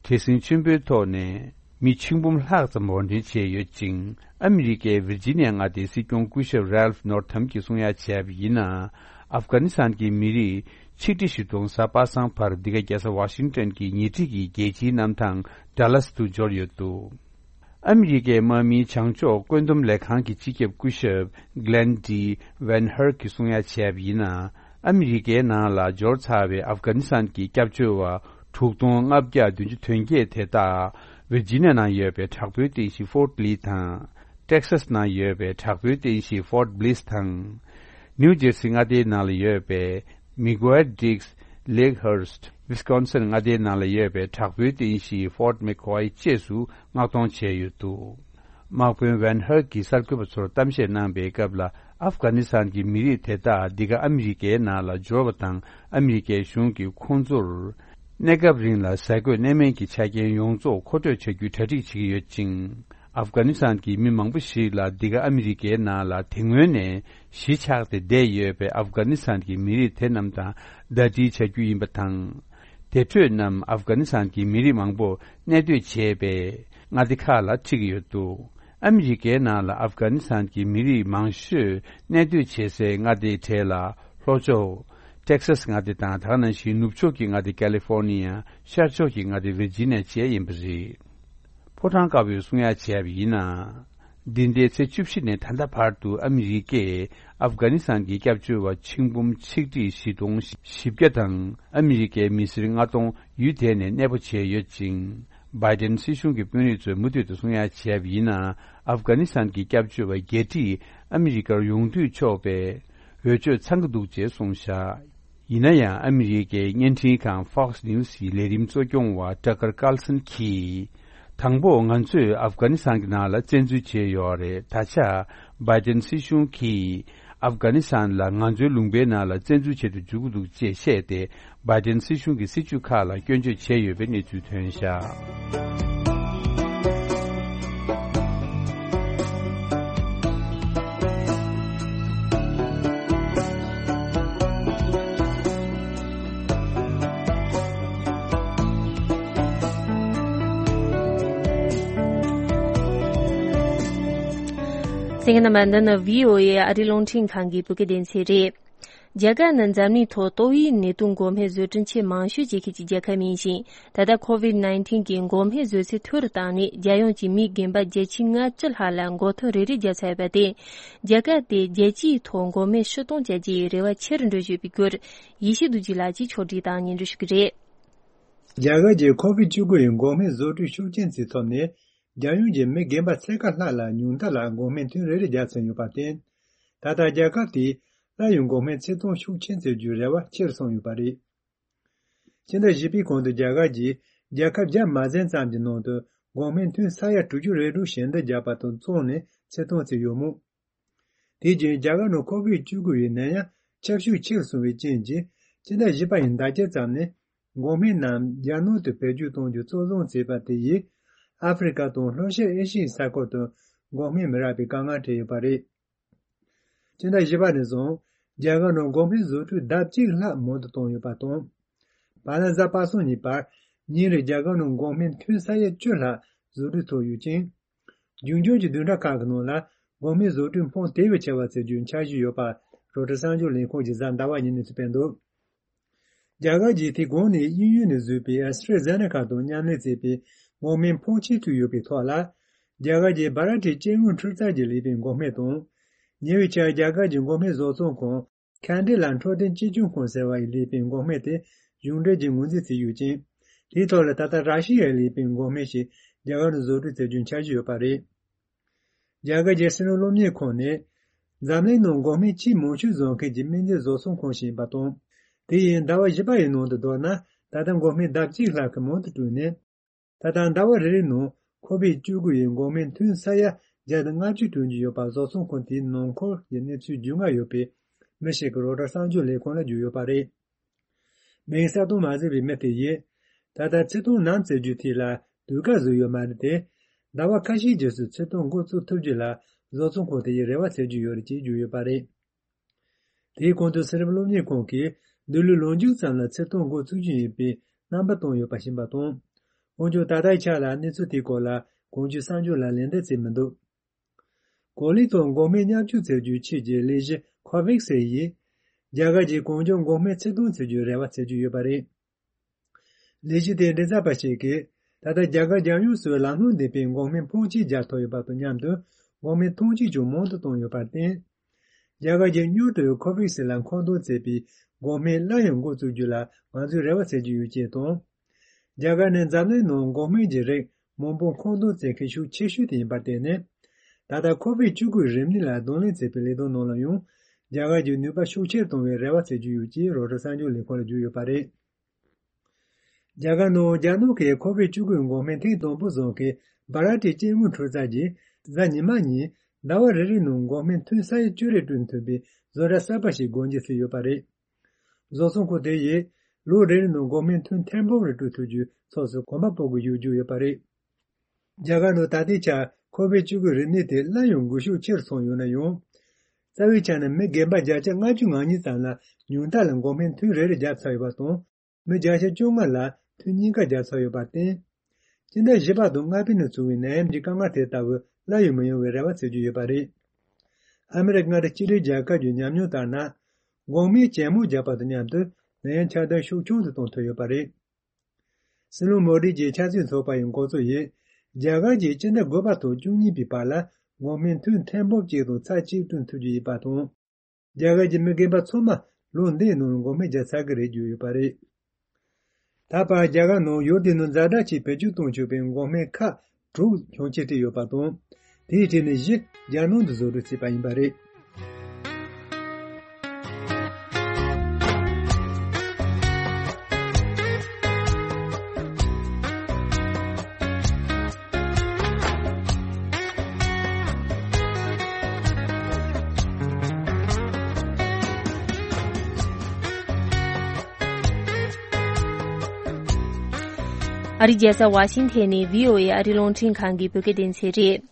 བྲེལ་ཟིང་ཆེན་པོའི་ཐོག་ནས་མི་ཆིག་འབུམ་ལྷག་ཙམ་དབོར་འདྲེན་བྱས་ཡོད་ཅིང་། ཨ་མི་རི་ཀའི་ཝིར་ཇི་ནི་ཡ་མངའ་སྡེའི་སྲིད་སྐྱོང་སྐུ་ཞབས་རལ་ཧྥ་ནོར་ཐམ་གྱིས་གསུང་ཡ་བྱས་པ་ཡིན་ན། ཨབ་གྷ་ནི་སི་ཐན་གྱི་མི་རིགས་ཆིག་ཁྲི་བཞི་སྟོང་གཟའ་པ་སངས་བར་འདི་ག་རྒྱལ་ས་ཝ་ཤིང་ཏོན་གྱི་ཉེ་འཁྲིས་ཀྱི་རྒྱལ་སྤྱིའི་གནམ་ཐང་ཌ་ལཱ་སི་ཏུ་འབྱོར་ཡོད་འདུག་ཨ་མི་རི་ཀའི་དམག་མིའི་བྱང་ཕྱོགས་བཀོད་འདོམས་ལས་ཁང་གི་སྤྱི་ཁྱབ་སྐུ་ཞབས་Glenn D Van Herk གིས་གསུང་ཡ་བྱས་པ་ཡིན་ན། ཨ་མི་རི་ཀའི་ནང་ལ་འབྱོར་ཚར་བའི་ཨབ་གྷ་ནི་སི་ཐན་གྱི་སྐྱབས་བཅོལ་བ་དྲུག་སྟོང་ལྔ་བརྒྱ་བདུན་ཅུ་དོན་བརྒྱད་དེ་དག་ཝིར་ཇི་ནི་ཡ་ནང་ཡོད་པའི་དྲག་པོའི་རྟེན་གཞི་ཕོར་ལི་དང་། ཏེག་སཱས་ནང་ཡོད་པའི་དྲག་པོའི་རྟེན་གཞི་ཕོར་བྷི་ལིས་དང་། ནིའུ་ཇེར་སི་མངའ་སྡེའི་ནང་ལ་ཡོད་པའི་མི་གོའེ་ཌིགས། ལེག་ཧར་སི། ཝི་སི་ཀོན་སིན་མངའ་སྡེའི་ནང་ལ་ཡོད་པའི་དྲག་པོའི་རྟེན་གཞི་ཕོར་མེག་ཀོའེ་བཅས་སུ་མངགས་གཏོང་བྱས་ཡོད་འདུག་དམག་དཔོན་ཝན་ཧར་གྱིས་གསར་འགོད་པ་ཚོར་གཏམ་བཤད་གནང་པའི་སྐབས་ལ། ཨབ་གྷ་ནི་སི་ཐན་གྱི་མི་རིགས་དེ་དག་འདི་ག་ཨ་མི་རི་ཀའི་ནང་ལ་འབྱོར་བ་དང་། ཨ་མི་རི་ཀའི་གཞུང་གིས་ཁོང་ཚོར་གནས་སྐབས་རིང་ལ་ཟས་གོས་གནས་མལ་གྱི་ཆ་རྐྱེན་ཡོངས་རྫོགས་མཁོ་སྤྲོད་བྱ་རྒྱུའི་གྲ་སྒྲིག་བྱེད་ཀྱི་ཡོད་ཅིང་། ཨབ་གྷ་ནི་སི་ཐན་གྱི་མི་མང་པོ་ཞིག་ལ་འདི་ག་ཨ་མི་རི་ཀའི་ནང་ལ་དེ་སྔོན་ནས་གཞིས་ཆགས་ཏེ་བསྡད་ཡོད་པའི་ཨབ་གྷ་ནི་སི་ཐན་གྱི་མི་རིགས་དེ་རྣམས་དང་ཟླ་སྒྲིལ་བྱ་རྒྱུ་ཡིན་པ་དང་། དེ་འཕྲོས་རྣམས་ཨབ་གྷ་ནི་སི་ཐན་གྱི་མི་རིགས་མང་པོ་གནས་སྡོད་བྱས་པའི་མངའ་སྡེ་ཁག་ལ་ཁྲིད་ཀྱི་ཡོད་འདུག་ཨ་མི་རི་ཀའི་ནང་ལ་ཨབ་གྷ་ནི་སི་ཐན་གྱི་མི་རིགས་མང་ཤོས་གནས་སྡོད་བྱེད་སའི་མངའ་སྡེའི་གྲས་ལ་ལྷོ་ཕྱོགས་ཏེག་སཱས་མངའ་སྡེ་དང་། དེ་ག་ནང་བཞིན་ནུབ་ཕྱོགས་ཀྱི་མངའ་སྡེ་ཀ་ལི་ཧྥོར་ནི་ཡ། ཤར་ཕྱོགས་ཀྱི་མངའ་སྡེ་ཝིར་ཇི་ནི་ཡ་བཅས་ཡིན་པ་རེད། ཕོ་བྲང་དཀར་པོས་གསུང་ཡ་བྱས་པ་ཡིན་ན། འདི་ཟླའི་ཚེས་བཅུ་བཞི་ནས་ད་ལྟ་བར་དུ་ཨ་མི་རི་ཀས་ཨབ་གྷ་ནི་སི་ཐན་གྱི་སྐྱབས་བཅོལ་བ་ཆིག་འབུམ་ཆིག་ཁྲི་བཞི་སྟོང་བཞི་བརྒྱ་དང་། ཨ་མི་རི་ཀའི་མི་སེར་ལྔ་སྟོང་ཡུལ་དེ་ནས་གནས་སྤོ་བྱས་ཡོད་ཅིང་། བྷའི་ཏན་སྲིད་གཞུང་གི་དཔོན་རིགས་ཚོས་མུ་མཐུད་དུ་གསུང་ཡ་བྱས་པ་ཡིན་ན། ཨབ་གྷ་ནི་སི་ཐན་གྱི་སྐྱབས་བཅོལ་བ་བརྒྱད་ཁྲི་ཨ་མི་རི་ཀར་ཡོང་སྡོད་ཆོག་པའི་འོས་ཆོས་ཚང་གི་འདུག་ཅེས་གསུངས་བཞག་ཡིན་ན་ཡང་། ཨ་མི་རི་ཀའི་བརྙན་འཕྲིན་ཁང་Fox News ཡི་ལས་རིམ་གཙོ་སྐྱོང་བ་ཊ་ཀར་ཀར་སན་གྱིས། དང་པོ་ང་ཚོས་ཨབ་གྷ་ནི་སི་ཐན་གྱི་ནང་ལ་བཙན་འཛུལ་བྱས་ཡོད་རེད། ད་ཆ་བྷའི་ཏན་སྲིད་གཞུང་གིས་ཨབ་གྷ་ནི་སི་ཐན་ལ་ང་ཚོའི་ལུང་པའི་ནང་ལ་བཙན་འཛུལ་བྱེད་དུ་འཇུག་གི་འདུག་ཅེས་བཤད་དེ། བྷའི་ཏན་སྲིད་གཞུང་གི་སྲིད་ཇུས་ཁག་ལ་སྐྱོན་བརྗོད་བྱས་ཡོད་པའི་གནས་ཚུལ་ཐོན་བཞག་གསན་མཁན་རྣམ་པ། འདི་ནི་བྷི་ཨོ་ཨེ་ཨ་རིའི་རླུང་འཕྲིན་ཁང་གི་བོད་སྐད་སྡེ་ཚན་རེད། རྒྱ་གར་ནི་འཛམ་གླིང་ཐོག་ཏོག་དབྱིབས་ནད་དུག་འགོག་སྨན་བཟོ་སྐྲུན་ཆེས་མང་ཤོས་བྱེད་མཁན་གྱི་རྒྱལ་ཁབ་ཡིན་ཞིང་། ད་ལྟ་ཁོ་ཝིད་ནའིན་ཊིན་གྱི་འགོག་སྨན་བཟོ་ཚད་མཐོ་རུ་བཏང་ནས། རྒྱལ་ཡོངས་ཀྱི་མིའི་རྒན་པ་བརྒྱད་ཅུ་ལྔ་བཅུ་ལྷག་ལ་འགོག་ཐབས་རེ་རེ་བརྒྱབ་ཚར་ཡོད་པ་སྟེ། རྒྱ་གར་དེ་རྒྱལ་སྤྱིའི་ཐོག་འགོག་སྨན་ཕྱིར་གཏོང་བྱ་རྒྱུའི་རེ་བ་ཆེ་རུ་འགྲོ་བཞིན་ཡོད་པའི་སྐོར། ཡེ་ཤེས་རྡོ་རྗེ་ལགས་ཀྱིས་ཕྱོགས་སྒྲིག་དང་སྙན་སྒྲོན་ཞུ་གི་རེད། རྒྱ་གར་གྱི་ཁོ་ཝིད་བཅུ་དགུ་ཡི་འགོག་སྨན་བཟོ་སྐྲུན་ཤུགས་རྐྱེན་ཚད་ཐོབ་ནས། རྒྱལ་ཡོངས་ཀྱི་མི་རྒན་པ་ཚད་བཀག་ལྷག་ལ་ཉུང་མཐའ་ལ་འགོག་སྨན་ཐུན་རེ་རེ་བརྒྱབ་ཚར་ཡོད་པར་བརྟེན། ད་ལྟ་རྒྱལ་ཁབ་དེས་སླར་ཡང་འགོག་སྨན་ཚད་མཐོང་ཤུགས་ཆེན་བཙལ་རྒྱུའི་རེ་བ་ཆེ་རུ་སོང་ཡོད་པ་རེད། ཕྱི་ཟླ་བཞི་པའི་གོང་དུ་རྒྱ་གར་གྱིས་རྒྱལ་ཁབ་བརྒྱ་མ་ཟིན་ཙམ་གྱི་ནང་དུ་འགོག་སྨན་ཐུན་ས་ཡ་དྲུག་ཅུ་རེ་དྲུག་ཞལ་འདེབས་བརྒྱབ་པ་དང་བཙུགས་ནས་ཚད་མཐོང་བཙལ་ཡོད་མོད། དེ་རྗེས་རྒྱ་གར་ནང་ཁོ་ཝིད་བཅུ་དགུ་ཡི་ནད་ཡམས་ཁྱབ་ཤུགས་ཆེ་རུ་སོང་བའི་རྐྱེན་གྱིས། ཕྱི་ཟླ་བཞི་པ་ཡི་ཟླ་དཀྱིལ་ཙམ་ནས་འགོག་སྨན་རྣམས་རྒྱ་ནང་དུ་བེད་སྤྱོད་གཏོང་རྒྱུ་གཙོ་བཟུང་བྱས་པ་དེ་ཡིས། ཨ་ཧྥེ་རི་ཀ་དང་ལྷོ་ཤར་ཨེ་ཤི་ཡའི་ས་ཁུལ་དུ་འགོག་སྨན་མི་རག་པའི་དཀའ་ངལ་འཕྲད་ཡོད་པ་རེད། ཕྱི་ཟླ་བཞི་པ་ནས་བཟུང་རྒྱ་གར་ནང་འགོག་སྨན་བཟོ་སྐྲུན་ལྡབ་གཅིག་ལྷག་མང་དུ་བཏང་ཡོད་པ་དང་། བར་ལ་གཟའ་པ་སངས་ཉིན་པར་ཉིན་རེར་རྒྱ་གར་ནང་འགོག་སྨན་ཐུན་ས་ཡ་བཅུ་ལྷག་བཟོ་སྐྲུན་ཐུབ་ཡོད་ཅིང་། རྒྱུན་སྐྱོང་གི་བདུན་ཕྲག་ཁག་གི་ནང་ལ་འགོག་སྨན་བཟོ་སྐྲུན་ཕོན་དེ་བས་ཆེ་བ་བཙལ་རྒྱུའི་འཆར་གཞི་ཡོད་པ། རོའི་ཊར་གསར་འགྱུར་ལས་ཁང་གིས་གཟའ་ཟླ་བ་ཉིན་ནས་གསུངས་འདུག་རྒྱ་གར་གྱིས་དེ་གོང་ནས་དབྱིན་ཡུལ་ནས་བཟོས་པའི་ཨེ་སི་ཊྲ་ཛེ་ནེ་ཀ་དང་མཉམ་ལས་བྱས་པའི་འགོག་སྨན་ཕོན་ཆེ་ཐུག་ཡོད་པའི་ཐོག་ལ། རྒྱ་གར་གྱི་བྷ་ར་ཏི་སྐྱེ་དངོས་འཕྲུལ་རྩལ་གྱིས་ལས་པའི་འགོག་སྨན་དང་། ཉེ་བའི་ཆར་རྒྱ་གར་གྱི་འགོག་སྨན་བཟོ་ཚོང་ཁང་ཁན་ཌི་ལ་འཕྲོད་བསྟེན་གཅེས་སྐྱོང་ཁང་ཟེར་བ་ཡིས་ལས་པའི་འགོག་སྨན་དེ་གཞུང་འབྲེལ་གྱི་ངོས་འཛིན་བྱས་ཡོད་ཅིང་། དེའི་ཐོག་ལ་ད་ལྟ་ར་ཤི་ཡས་ལས་པའི་འགོག་སྨན་ཞིག་རྒྱ་གར་ནང་བཟོ་སྐྲུན་བྱ་རྒྱུའི་འཆར་གཞི་ཡོད་པ་རེད། རྒྱ་གར་གྱི་ཕྱི་ནང་སློབ་གཉེར་ཁང་ནི། འཛམ་གླིང་ནང་འགོག་སྨན་ཆེས་མང་ཤོས་བཟོ་མཁན་གྱི་སྨན་རྫས་བཟོ་ཚོང་ཁང་ཞིག་ཡིན་པ་དང་། དེ་ཡིས་ཟླ་བ་བཞི་པ་ཡི་ནང་དུ་བསྡོམས་ན། ད་ལྟ་འགོག་སྨན་ལྡབ་གཅིག་ལྷག་གི་མང་དུ་བསྐྲུན་ནས། ད་ལྟ་ཟླ་བ་རེ་རེའི་ནང་ཁོ་བིད་བཅུ་དགུ་ཡི་འགོག་སྨན་ཐུན་ས་ཡ་བརྒྱ་དང་ལྔ་བཅུ་བསྐྲུན་རྒྱུ་ཡོད་པ་བཟོ་ཚོང་ཁང་དེའི་ནང་འཁོད་ཀྱི་གནས་ཚུལ་རྒྱུས་མངའ་ཡོད་པའི་མི་ཞིག་གིས་རོའི་ཊར་གསར་འགྱུར་ལས་ཁང་ལ་བརྗོད་ཡོད་པ་རེད། མིང་གསལ་སྟོན་མ་བྱས་པའི་མི་དེ་ཡིས། ད་ལྟ་ཚིག་ཐོ་ནང་བཙལ་རྒྱུ་དེ་ལ་དུས་བཀག་བཟོས་ཡོད་མ་རེད་དེ། ཟླ་བ་ཁ་ཤས་རྗེས་སུ་ཚིག་ཐོ་འགོ་བཙུགས་ཐུབ་རྒྱུ་ལ་བཟོ་ཚོང་ཁང་དེ་ཡིས་རེ་བ་བྱེད་ཀྱི་ཡོད་རེད་ཅེས་བརྗོད་ཡོད་པ་རེད། དེའི་གོང་དུ་གསེར་རབ་སློབ་གཉེར་ཁང་གིས་འདི་ལོའི་ལོ་མཇུག་ཙམ་ལ་ཚིག་ཐོ་འགོ་ཚུགས་རྒྱུ་ཡིན་པའི་རྣམ་པ་བཏོན་ཡོད་པ་ཤེས་པ་དང་། འོན་ཀྱང་ད་ལྟའི་ཆ་ལ་གནས་ཚུལ་དེའི་སྐོར་ལ་གང་ཅིའི་གསར་འགྱུར་ལ་ལན་འདེབས་བྱས་མི་འདུག་གོ་ལའི་ཐོག་འགོག་སྨན་མཉམ་སྤྱོད་བྱེད་རྒྱུའི་ཆེད་ཀྱི་ལས་གཞི་ཁོ་བེག་སི་ཡིས། རྒྱ་གར་གྱི་གང་མགྱོགས་འགོག་སྨན་ཚིག་ཐོ་འཚོལ་རྒྱུའི་རེ་བ་བྱེད་ཀྱི་ཡོད་པ་རེད། ལས་གཞི་དེའི་མགྲིན་ཚབ་པ་ཞིག་གིས། ད་ལྟ་རྒྱ་གར་རྒྱལ་ཡོངས་སུ་ལམ་ལྷོང་ལྡན་པའི་འགོག་སྨན་ཕོན་ཆེ་རྒྱག་ཐུབ་ཡོད་པ་དང་མཉམ་དུ། འགོག་སྨན་ཐོན་སྐྱེད་ཀྱང་མང་དུ་བཏང་ཡོད་པར་བརྟེན། རྒྱ་གར་གྱིས་མྱུར་དུ་ཁོ་བེག་སི་ལ་མཁོ་འདོན་བྱས་པའི་འགོག་སྨན་སླར་ཡང་འགོ་བཙུགས་རྒྱུ་ལ་ང་ཚོས་རེ་བ་བྱེད་ཀྱི་ཡོད་ཅེས་དང་། རྒྱ་གར་ནི་འཛམ་གླིང་ནང་འགོག་སྨན་གྱི་རིགས་མང་པོ་མཁོ་འདོན་བྱེད་མཁན་ཤུགས་ཆེ་ཤོས་དེ་ཡིན་པར་བརྟེན་ནས། ད་ལྟ་ཁོ་བིད་བཅུ་དགུ་རིམས་ནད་ལ་གདོང་ལེན་བྱེད་པའི་ལས་དོན་ནང་ལ་ཡང་རྒྱ་གར་གྱི་ནུས་པ་ཤུགས་ཆེར་གཏོང་བའི་རེ་བ་བྱེད་ཀྱི་ཡོད་ཅེས་རོའི་ཊར་གསར་འགྱུར་ལས་ཁང་ལ་བརྗོད་ཡོད་པ་རེད། རྒྱ་གར་ནང་རྒྱ་ནག་གིས་ཁོ་བིད་བཅུ་དགུ་འགོག་སྨན་ཐེངས་དང་པོ་བཟོ་མཁན་སྦ་ར་ཏི་སྐྱེ་དངོས་འཕྲུལ་རྩལ་གྱིས་གཟའ་ཉི་མ་ཉིན་ཟླ་བ་རེ་རེའི་ནང་འགོག་སྨན་ཐུན་ས་ཡ་བཅུ་རེ་བསྐྲུན་ཐུབ་པའི་བཟོ་གྲྭ་གསར་པ་ཞིག་སྒོ་འབྱེད་བྱས་ཡོད་པ་རེད། བཟོ་ཚོང་ཁང་དེ་ཡིས་ལོ་རེ་རེའི་ནང་འགོག་སྨན་ཐུན་ཐེར་འབུམ་རེ་བསྐྲུན་ཐུབ་རྒྱུའི་ཕྱོགས་སུ་གོམ་པ་སྤོ་དགོས་ཡོད་རྒྱུ་ཡོད་པ་རེད། རྒྱ་གར་ནང་ད་ལྟའི་ཆར་ཁོ་བིད་བཅུ་དགུ་རིམས་ནད་དེ་སླར་ཡང་འགོས་ཤུགས་ཆེ་རུ་སོང་ཡོད་ན་ཡང་། རྩ་བའི་ཆ་ནས་མི་རྒན་པ་བརྒྱ་ཆ་ལྔ་བཅུ་ང་གཉིས་ཙམ་ལ་ཉུང་མཐའ་ལ་འགོག་སྨན་ཐུན་རེ་རེ་བརྒྱབ་ཚར་ཡོད་པ་དང་། མི་བརྒྱ་ཆ་བཅོ་ལྔ་ལ་ཐུན་གཉིས་ཀ་བརྒྱབ་ཚར་ཡོད་པར་བརྟེན། སྤྱི་ཟླ་བཞི་པ་དང་ལྔ་པའི་ནང་བྱུང་བའི་ནད་ཡམས་ཀྱི་དཀའ་ངལ་དེ་ལྟ་བུ་སླར་ཡང་མི་ཡོང་བའི་རེ་བ་བྱེད་ཀྱི་ཡོད་པ་རེད། ཨ་མི་རི་ཀ་མངའ་སྡེ་གཅིག་སྒྲིལ་རྒྱལ་ཁབ་ཀྱི་ཉམས་མྱོང་ལྟར་ན། འགོག་སྨན་ཇེ་མང་རྒྱག་པ་དང་མཉམ་དུ་ནད་ཡམས་ཁྱབ་གདལ་ཤུགས་ཆུང་དུ་གཏོང་ཐུབ་ཡོད་པ་རེད། སྲིད་བློན་མོ་ཌི་གྱིས་ཆབ་སྲིད་ཚོགས་པ་ཡི་འགོ་གཙོ་ཡིས། རྒྱ་གར་གྱིས་སྤྱི་ཟླ་དགུ་པ་དང་བཅུ་གཉིས་པའི་བར་ལ་འགོག་སྨན་ཐུན་ཐེར་འབུམ་གཅིག་དང་ཚེག་གཅིག་བསྐྲུན་ཐུབ་རྒྱུ་ཡིན་པ་དང་། རྒྱ་གར་གྱི་མི་རྒན་པ་ཚང་མ་ལོ་འདིའི་ནང་འགོག་སྨན་བརྒྱབ་ཚར་གྱི་རེད་བརྗོད་ཡོད་པ་རེད། ད་བར་རྒྱ་གར་ནང་ཡུལ་དེའི་ནང་ཛ་དྲག་ཆེད་བེད་སྤྱོད་གཏོང་ཆོག་པའི་འགོག་སྨན་ཁག་དྲུག་ཤུགས་ཆེ་སྤྲད་ཡོད་པ་དང་། དེའི་གྲས་ནས་བཞི་རྒྱལ་ནང་དུ་བཟོ་སྐྲུན་བྱས་པ་ཡིན་པ་རེད། ཨ་རིའི་རྒྱལ་ས་ཝ་ཤིང་ཐན་ནས་བྷི་ཨོ་ཨེ་ཨ་རིའི་རླུང་འཕྲིན་ཁང་གི་བོད་སྐད་སྡེ་ཚན་རེད།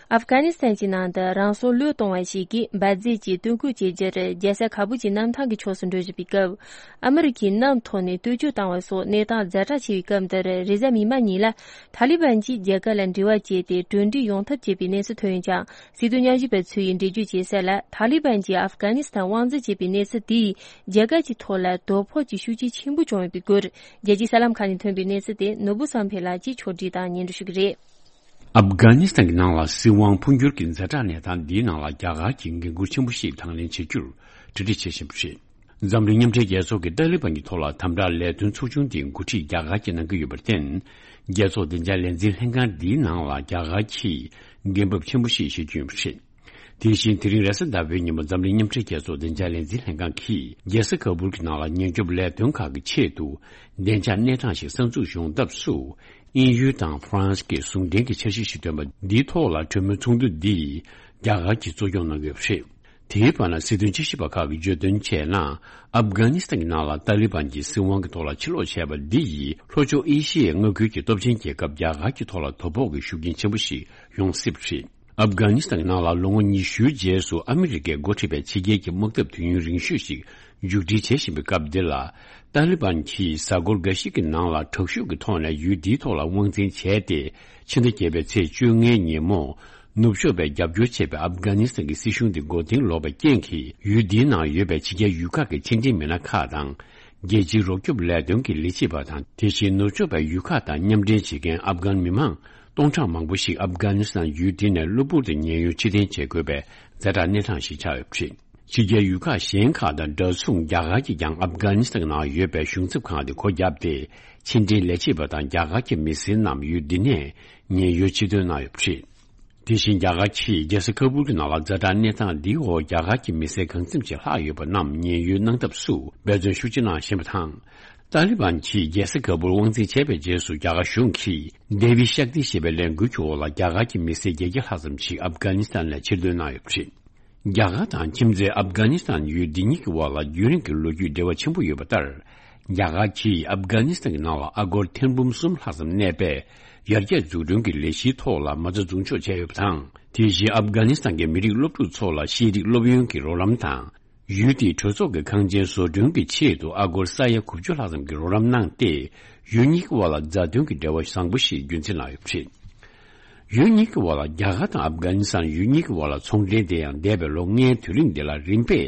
ཨབ་གྷ་ནི་སི་ཐན་གྱི་ནང་དུ་རང་སྲོག་བློས་གཏོང་བ་ཞིག་གིས་འབར་རྫས་ཀྱི་སྟོན་སྐུལ་བྱེད་རྒྱུར་རྒྱལ་ས་ཁ་བུལ་གྱི་གནམ་ཐང་གི་ཕྱོགས་སུ་འགྲོ་བཞིན་པའི་སྐབས། ཨ་མི་རི་ཀའི་གནམ་ཐོག་ནས་རྟུལ་ཞུགས་བཏང་བ་སོགས་གནས་སྟངས་ཛ་དྲག་ཆེ་བའི་སྐབས་འདིར། རེས་གཟའ་མིག་དམར་ཉིན་ལ་ཐ་ལི་བན་གྱིས་རྒྱ་གར་ལ་འབྲེལ་བ་བྱས་ཏེ་གྲོས་འགྲིག་ཡོང་ཐབས་བྱས་པའི་གནས་ཚུལ་ཐོན་ཡོད་ཀྱང་། སྲིད་དོན་ཉམས་ཞིབ་པ་ཚོས་འགྲེལ་བརྗོད་བྱས་གསལ་ལ། ཐ་ལི་བན་གྱིས་ཨབ་གྷ་ནི་སི་ཐན་དབང་འཛིན་བྱེད་པའི་གནས་ཚུལ་དེས་རྒྱ་གར་གྱི་ཐོག་ལ་དོ་ཕོག་ཅིག་ཤུགས་རྐྱེན་ཆེན་པོ་བྱུང་ཡོད་པའི་སྐོར། རྒྱལ་སྤྱིའི་གསར་ལམ་ཁག་ནས་ཐོན་པའི་གནས་ཚུལ་དེ་ནོར་བུ་བསམ་འཕེལ་ལགས་ཀྱིས་ཕྱོགས་སྒྲིག་དང་སྙན་སྒྲོན་ཞུ་གི་རེད། ཨབ་གྷ་ནི་སི་ཐན་གྱི་ནང་ལ་སྲིད་དབང་འཕོ་འགྱུར་གྱི་ཛ་དྲག་གནས་སྟངས་འདིའི་ནང་ལ་རྒྱ་གར་གྱིས་འགན་འཁུར་ཆེན་པོ་ཞིག་དང་ལེན་བྱེད་རྒྱུར་གྲ་སྒྲིག་བྱེད་བཞིན་པ་རེད། འཛམ་གླིང་མཉམ་འབྲེལ་རྒྱལ་ཚོགས་ཀྱིས་ཏཱ་ལི་བན་གྱི་ཐོག་ལ་དམ་དྲག་ལས་དོན་ཚོགས་ཆུང་དེའི་འགོ་ཁྲིད་རྒྱ་གར་གྱིས་གནང་གི་ཡོད་པར་བརྟེན། རྒྱལ་ཚོགས་བདེ་འཇགས་ལས་འཛིན་ལྷན་ཁང་འདིའི་ནང་ལ་རྒྱ་གར་གྱིས་འགན་འབབ་ཆེན་པོ་ཞིག་བཞེས་རྒྱུ་ཡིན་པ་རེད། དེ་བཞིན་དེ་རིང་རེས་གཟའ་ཟླ་བའི་ཉིན་མོ་འཛམ་གླིང་མཉམ་འབྲེལ་རྒྱལ་ཚོགས་བདེ་འཇགས་ལས་འཛིན་ལྷན་ཁང་གིས་རྒྱལ་ས་ཁ་བུལ་གྱི་ནང་ལ་ཉེན་སྐྱོབ་ལས་དོན་ཁག་གི་ཆེད་དུ་བདེ་འཇགས་གནས་སྟངས་ཤིག་གསར་འཛུགས་ཡོང་ཐབས་སུ། དབྱིན་ཡུལ་དང་ཧྥ་རན་སི་གིས་ཟུང་འབྲེལ་གྱི་འཆར་གཞི་ཞིག་བཏོན་པ་འདིའི་ཐོག་ལ་གྲོས་མོལ་ཚོགས་འདུ་འདི་རྒྱ་གར་གྱིས་གཙོ་སྐྱོང་གནང་གི་ཡོད་པ་རེད། དེའི་བར་ན་སྲིད་དོན་དཔྱད་ཞིབ་པ་ཁག་གིས་བརྗོད་དོན་བྱས་ན། ཨབ་གྷ་ནི་སི་ཐན་གྱི་ནང་ལ་ཏཱ་ལི་བན་གྱིས་སྲིད་དབང་གི་ཐོག་ལ་ཕྱིར་ལོག་བྱས་པ་འདི་ཡིས་ལྷོ་ཕྱོགས་ཨེ་ཤི་ཡའི་མངའ་ཁུལ་གྱི་སྟོབས་ཆེན་རྒྱལ་ཁབ་རྒྱ་གར་གྱི་ཐོག་ལ་དོ་ཕོག་གི་ཤུགས་རྐྱེན་ཆེན་པོ་ཞིག་ཡོང་སྲིད་པ་རེད། ཨབ་གྷ་ནི་སི་ཐན་གྱི་ནང་ལ་ལོ་ངོ་ཉི་ཤུའི་རྗེས་སུ་ཨ་མི་རི་ཀས་འགོ་ཁྲིད་པའི་ཕྱི་རྒྱལ་གྱི་དམག་འཐབ་དུས་ཡུན་རིང་ཤོས་ཤིག་མཇུག་སྒྲིལ་བྱེད་བཞིན་པའི་སྐབས་འདི་ལ། ཏཱ་ལི་བན་གྱིས་གཟའ་འཁོར་འགའ་ཞིག་གི་ནང་ལ་དྲག་ཤུགས་ཀྱི་ཐོག་ནས་ཡུལ་འདིའི་ཐོག་ལ་དབང་འཛིན་བྱས་ཏེ། ཕྱི་ཟླ་བརྒྱད་པའི་ཚེས་བཅོ་ལྔའི་ཉིན་མོ། ནུབ་ཕྱོགས་པས་རྒྱབ་སྐྱོར་བྱས་པའི་ཨབ་གྷ་ནི་སི་ཐན་གྱི་སྲིད་གཞུང་དེ་མགོ་རྟིང་ལོག་པའི་རྐྱེན་གྱིས། ཡུལ་འདིའི་ནང་ཡོད་པའི་ཕྱི་རྒྱལ་ཡུལ་ཁག་གི་ཕྱི་འབྲེལ་མི་སྣ་ཁག་དང་། རྒྱལ་སྤྱིའི་རོགས་སྐྱོབ་ལས་དོན་གྱི་ལས་བྱེད་པ་དང་། དེ་བཞིན་ནུབ་ཕྱོགས་པའི་ཡུལ་ཁག་དང་མཉམ་འབྲེལ་བྱེད་མཁན་ཨབ་གྷན་མི་མང་སྟོང་ཕྲག་མང་པོ་ཞིག་ཨབ་གྷ་ནི་སི་ཐན་ཡུལ་དེ་ནས་གློ་བུར་དུ་ཉེན་གཡོལ་ཕྱིར་འཐེན་བྱེད་དགོས་པའི་ཛ་དྲག་གནས་སྟངས་ཤིག་ཆགས་ཡོད་པ་རེད། ཕྱི་རྒྱལ་ཡུལ་ཁག་གཞན་ཁག་དང་འདྲ་མཚུངས། རྒྱ་གར་གྱིས་ཀྱང་ཨབ་གྷ་ནི་སི་ཐན་ནང་ཡོད་པའི་གཞུང་ཚབ་ཁང་དེ་སྒོ་བརྒྱབ་སྟེ། ཕྱི་འབྲེལ་ལས་བྱེད་པ་དང་རྒྱ་གར་གྱི་མི་སེར་རྣམས་ཡུལ་འདི་ནས་ཉེན་གཡོལ་ཕྱིར་ཐོན་གནང་ཡོད་པ་རེད། དེ་བཞིན་རྒྱ་གར་གྱིས་རྒྱལ་ས་ཁ་བུལ་གྱི་ནང་ལ་ཛ་དྲག་གནས་སྟངས་འདིའི་འོག་རྒྱ་གར་གྱི་མི་སེར་གང་འཚམ་ཞིག་ལྷག་ཡོད་པ་རྣམས་ཉེན་གཡོལ་གནང་ཐབས་སུ་འབད་བརྩོན་ཤུགས་ཆེ་གནང་བཞིན་པ་དང་། ཏཱ་ལི་བན་གྱིས་རྒྱལ་ས་ཀ་བུལ་དབང་འཛིན་བྱས་པའི་རྗེས་སུ། རྒྱ་གར་གཞུང་གིས་དེ་བི་ཤཀ་ཏི་ཞེས་པའི་ལས་འགུལ་གྱི་འོག་ལ། རྒྱ་གར་གྱི་མི་སེར་བརྒྱད་བརྒྱ་ལྷག་ཙམ་ཞིག་ཨབ་གྷ་ནི་སི་ཐན་ལ་ཕྱིར་འདོན་གནང་ཡོད་པ་རེད། རྒྱ་གར་དང་ཁྱིམ་མཚེས་ཨབ་གྷ་ནི་སི་ཐན་ཡུལ་འདི་གཉིས་ཀྱི་དབར་ལ་རྒྱུན་རིང་གི་ལོ་རྒྱུས་འབྲེལ་བ་ཆེན་པོ་ཡོད་པ་ལྟར། རྒྱ་གར་གྱིས་ཨབ་གྷ་ནི་སི་ཐན་གྱི་ནང་ལ་ཨ་སྒོར་ཐེར་འབུམ་གསུམ་ལྷག་ཙམ་གནས་པའི་ཡར་རྒྱས་འཛུགས་སྐྲུན་གྱི་ལས་གཞིའི་ཐོག་ལ་མ་རྩ་འཛུགས་འཇོག་བྱས་ཡོད་པ་དང་། དེ་བཞིན་ཨབ་གྷ་ནི་སི་ཐན་གྱི་མི་རིགས་སློབ་ཕྲུག་ཚོ་ལ་ཤེས་རིག་སློབ་ཡོན་གྱི་རོགས་རམ་དང་། ཡུལ་དེའི་གྲོས་ཚོགས་ཀྱི་ཁང་ཆེན་བཟོ་སྐྲུན་གྱི་ཆེད་དུ་ཨ་སྒོར་ས་ཡ་དགུ་བཅུ་ལྷག་ཙམ་གྱི་རོགས་རམ་གནང་སྟེ། ཡུལ་གཉིས་ཀྱི་དབར་ལ་མཛའ་མཐུན་གྱི་འབྲེལ་བ་བཟང་པོ་ཞིག་རྒྱུན་འཛིན་གནང་ཡོད་པ་རེད། ཡུལ་གཉིས་ཀྱི་དབར་ལ། རྒྱ་གར་དང་ཨབ་གྷ་ནི་སི་ཐན་ཡུལ་གཉིས་ཀྱི་དབར་ལ་ཚོང་འབྲེལ་དེ་ཡང་འདས་པའི་ལོ་ལྔའི་དུས་རིང་འདི་ལ་རིམ་པས་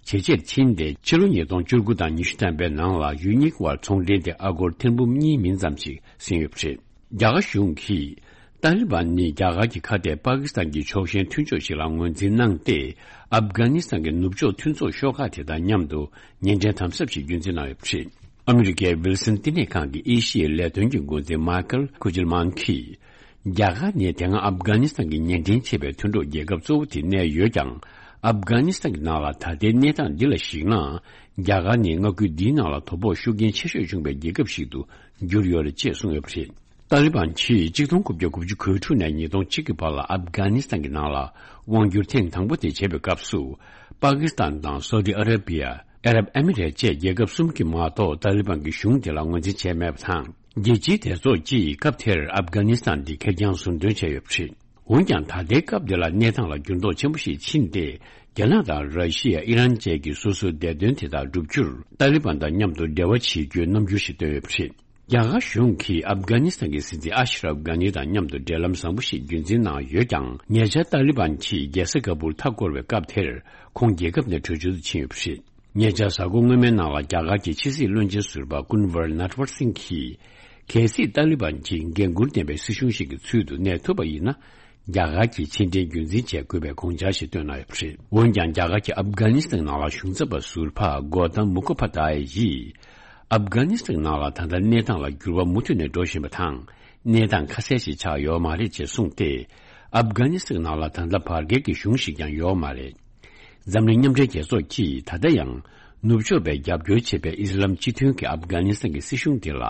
ཇེ་ཆེར་ཕྱིན་ཏེ། ཕྱི་ལོ་ཉིས་སྟོང་བཅུ་དགུ་དང་ཉི་ཤུ་ཐམ་པའི་ནང་ལ་ཡུལ་གཉིས་ཀྱི་དབར་ཚོང་འབྲེལ་དེ་ཨ་སྒོར་ཐེར་འབུམ་གཉིས་མིན་ཙམ་ཞིག་ཟིན་ཡོད་པ་རེད། རྒྱ་གར་གཞུང་གིས་ཏཱ་ལི་བན་ནི་རྒྱ་གར་གྱི་ཁ་གཏད་པ་ཀི་སི་ཐན་གྱི་ཕྱོགས་ཞེན་མཐུན་ཕྱོགས་ཤིག་ལ་ངོས་འཛིན་གནང་སྟེ། ཨབ་གྷ་ནི་སི་ཐན་གྱི་ནུབ་ཕྱོགས་མཐུན་ཚོགས་ཤོག་ཁག་དེ་དང་མཉམ་དུ་ཉེ་འབྲེལ་དམ་ཟབ་ཞིག་རྒྱུན་འཛིན་གནང་ཡོད་པ་རེད། ཨ་མི་རི་ཀའི་ཝིལ་སན་བསྟི་གནས་ཁང་གི་ཨེ་ཤི་ཡའི་ལས་དོན་གྱི་འགོ་འཛིན་མཱ་ཁལ་ཁུ་ཇིལ་མན་གྱིས། རྒྱ་གར་ནི་དེ་སྔ་ཨབ་གྷ་ནི་སི་ཐན་གྱི་ཉེ་འབྲེལ་ཆེ་བའི་མཐུན་གྲོགས་རྒྱལ་ཁབ་གཙོ་བོ་དེ་གནས་ཡོད་ཀྱང་། ཨབ་གྷ་ནི་སི་ཐན་གྱི་ནང་ལ་ད་ལྟའི་གནས་སྟངས་འདི་ལ་གཞིགས་ན། རྒྱ་གར་ནི་མངའ་ཁུལ་འདིའི་ནང་ལ་དོ་ཕོག་ཤུགས་རྐྱེན་ཆེ་ཤོས་བྱུང་བའི་རྒྱལ་ཁབ་ཞིག་ཏུ་གྱུར་ཡོད་རེད་ཅེས་གསུངས་ཡོད་པ་རེད། ཏཱ་ལི་བན་གྱིས་གཅིག་སྟོང་དགུ་བརྒྱ་དགུ་བཅུ་གོ་དྲུག་ནས་ཉིས་སྟོང་གཅིག་གི་བར་ལ་ཨབ་གྷ་ནི་སི་ཐན་གྱི་ནང་ལ་དབང་བསྒྱུར་ཐེངས་དང་པོ་དེ་བྱས་པའི་སྐབས་སུ། པ་ཀི་སི་ཐན་དང་སོ་ཏི་ཨ་ར་བི་ཡ། ཨ་རབ་ཨ་མི་རེ་བཅས་རྒྱལ་ཁབ་གསུམ་གྱིས་མ་གཏོགས་ཏཱ་ལི་བན་གྱི་གཞུང་དེ་ལ་ངོས་འཛིན་བྱས་མེད་པ་དང་། རྒྱལ་སྤྱིའི་སྡེ་ཚོགས་ཀྱིས་སྐབས་དེར་ཨབ་གྷ་ནི་སི་ཐན་འདི་ཁེར་རྐྱང་ཟུར་འདོན་བྱས་ཡོད་པ་རེད། འོན་ཀྱང་། ད་ལྟའི་སྐབས་འདི་ལ་གནས་སྟངས་ལ་འགྱུར་ལྡོག་ཆེན་པོ་ཞིག་ཕྱིན་ཏེ། རྒྱ་ནག་དང་ར་ཤི་ཡ། ཨི་རན་བཅས་ཀྱིས་སོ་སོའི་བདེ་དོན་དེ་དག་བསྒྲུབ་རྒྱུར་ཏཱ་ལི་བན་དང་མཉམ་དུ་འབྲེལ་བ་བྱེད་རྒྱུའི་རྣམ་འགྱུར་ཞིག་བཏོན་ཡོད་པ་རེད། རྒྱ་གར་གཞུང་གིས་ཨབ་གྷ་ནི་སི་ཐན་གྱི་སྲིད་འཛིན་ཨ་ཤི་རབ་གྷ་ནི་དང་མཉམ་དུ་འབྲེལ་ལམ་བཟང་པོ་ཞིག་རྒྱུན་འཛིན་གནང་ཡོད་ཀྱང་། ཉེ་ཆར་ཏཱ་ལི་བན་གྱིས་རྒྱལ་ས་ཀ་བུལ་མཐའ་བསྐོར་བའི་སྐབས་དེར། ཁོང་རྒྱལ་ཁབ་ནས་བྲོས་བྱོལ་དུ་ཕྱིན་ཡོད་པ་རེད། ཉེ་ཆར་གཟའ་འཁོར་སྔོན་མའི་ནང་ལ་རྒྱ་གར་གྱི་ཕྱི་སྲིད་བློན་ཆེན་ཟུར་པ་ཀུན་ཝར་ནཊ་ཝར་སིང་གིས། གལ་སྲིད་ཏཱ་ལི་བན་གྱིས་འགན་འཁུར་ལྡན་པའི་སྲིད་གཞུང་ཞིག་གི་ཚུལ་དུ་གནས་ཐུབ་པ་ཡིན་ན། རྒྱ་གར་གྱི་ཕྱི་འབྲེལ་རྒྱུན་འཛིན་བྱེད་དགོས་པའི་དགོངས་འཆར་ཞིག་བཏོན་གནང་ཡོད་པ་རེད། འོན་ཀྱང་། རྒྱ་གར་གྱི་ཨབ་གྷ་ནི་སི་ཐན་ནང་ལ་གཞུང་ཚབ་པ་ཟུར་པ་གོ་ཏམ་མུ་ཁོ་པ་དྷ་ཡ་ཡིས། ཨབ་གྷ་ནི་སི་ཐན་ནང་ལ་ད་ལྟ་གནས་སྟངས་ལ་འགྱུར་བ་མུ་མཐུད་ནས་འགྲོ་བཞིན་པ་དང་། གནས་སྟངས་ཁ་གསལ་ཞིག་ཆགས་ཡོད་མ་རེད་ཅེས་གསུངས་ཏེ། ཨབ་གྷ་ནི་སི་ཐན་ནང་ལ་ད་ལྟ་བར་བརྒལ་གྱི་གཞུང་ཞིག་ཀྱང་ཡོད་མ་རེད། འཛམ་གླིང་མཉམ་འབྲེལ་རྒྱལ་ཚོགས་ཀྱིས་ད་ལྟ་ཡང་ནུབ་ཕྱོགས་པས་རྒྱབ་སྐྱོར་བྱེད་པའི་ཨི་སི་ལམ་སྤྱི་མཐུན་གྱི་ཨབ་གྷ་ནི་སི་ཐན་གྱི་སྲིད་གཞུང་དེ་ལ་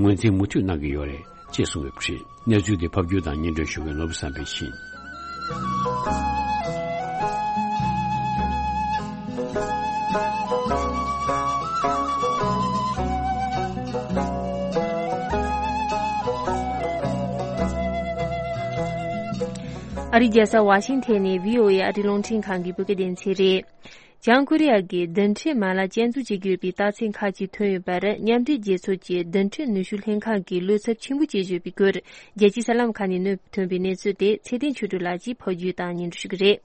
ངོས་འཛིན་མུ་མཐུད་གནང་གི་ཡོད་རེད་ཅེས་གསུངས་ཡོད་པ་རེད། གནས་ཚུལ་དེ་ཕབ་སྒྱུར་དང་སྙན་སྒྲོན་ཞུ་མཁན་ནོར་བུ་བསམ་འཕེལ་ཡིན། ཨ་རིའི་རྒྱལ་ས་ཝ་ཤིང་ཐན་ནས་བྷི་ཨོ་ཨེ་ཨ་རིའི་རླུང་འཕྲིན་ཁང་གི་བོད་སྐད་སྡེ་ཚན་རེད། བྱང་ཀོ་རི་ཡ་གིས་རྡུལ་ཕྲན་མ་ལག་སྐྱོན་འཛུགས་བྱེད་ཀྱི་ཡོད་པའི་རྟགས་མཚན་ཁག་ཅིག་ཐོན་ཡོད་པར། མཉམ་འབྲེལ་རྒྱལ་ཚོགས་ཀྱི་རྡུལ་ཕྲན་ནུས་ཤུགས་ལྷན་ཁང་གིས་བློ་འཚབ་ཆེན་པོ་བྱེད་བཞིན་ཡོད་པའི་སྐོར། རྒྱལ་སྤྱིའི་གསར་ལམ་ཁག་ནས་གནས་ཐོན་པའི་གནས་ཚུལ་དེ་ཚེ་བརྟན་ཆོས་སྒྲོན་ལགས་ཀྱིས་ཕབ་སྒྱུར་དང་སྙན་སྒྲོན་ཞུ་གི་རེད།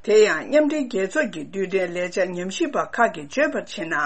དེ་ཡང་མཉམ་འབྲེལ་རྒྱལ་ཚོགས་ཀྱི་རྡུལ་ཕྲན་ལས་འཆར་ཉམས་ཞིབ་པ་ཁག་གིས་བརྗོད་པར་བྱས་ན།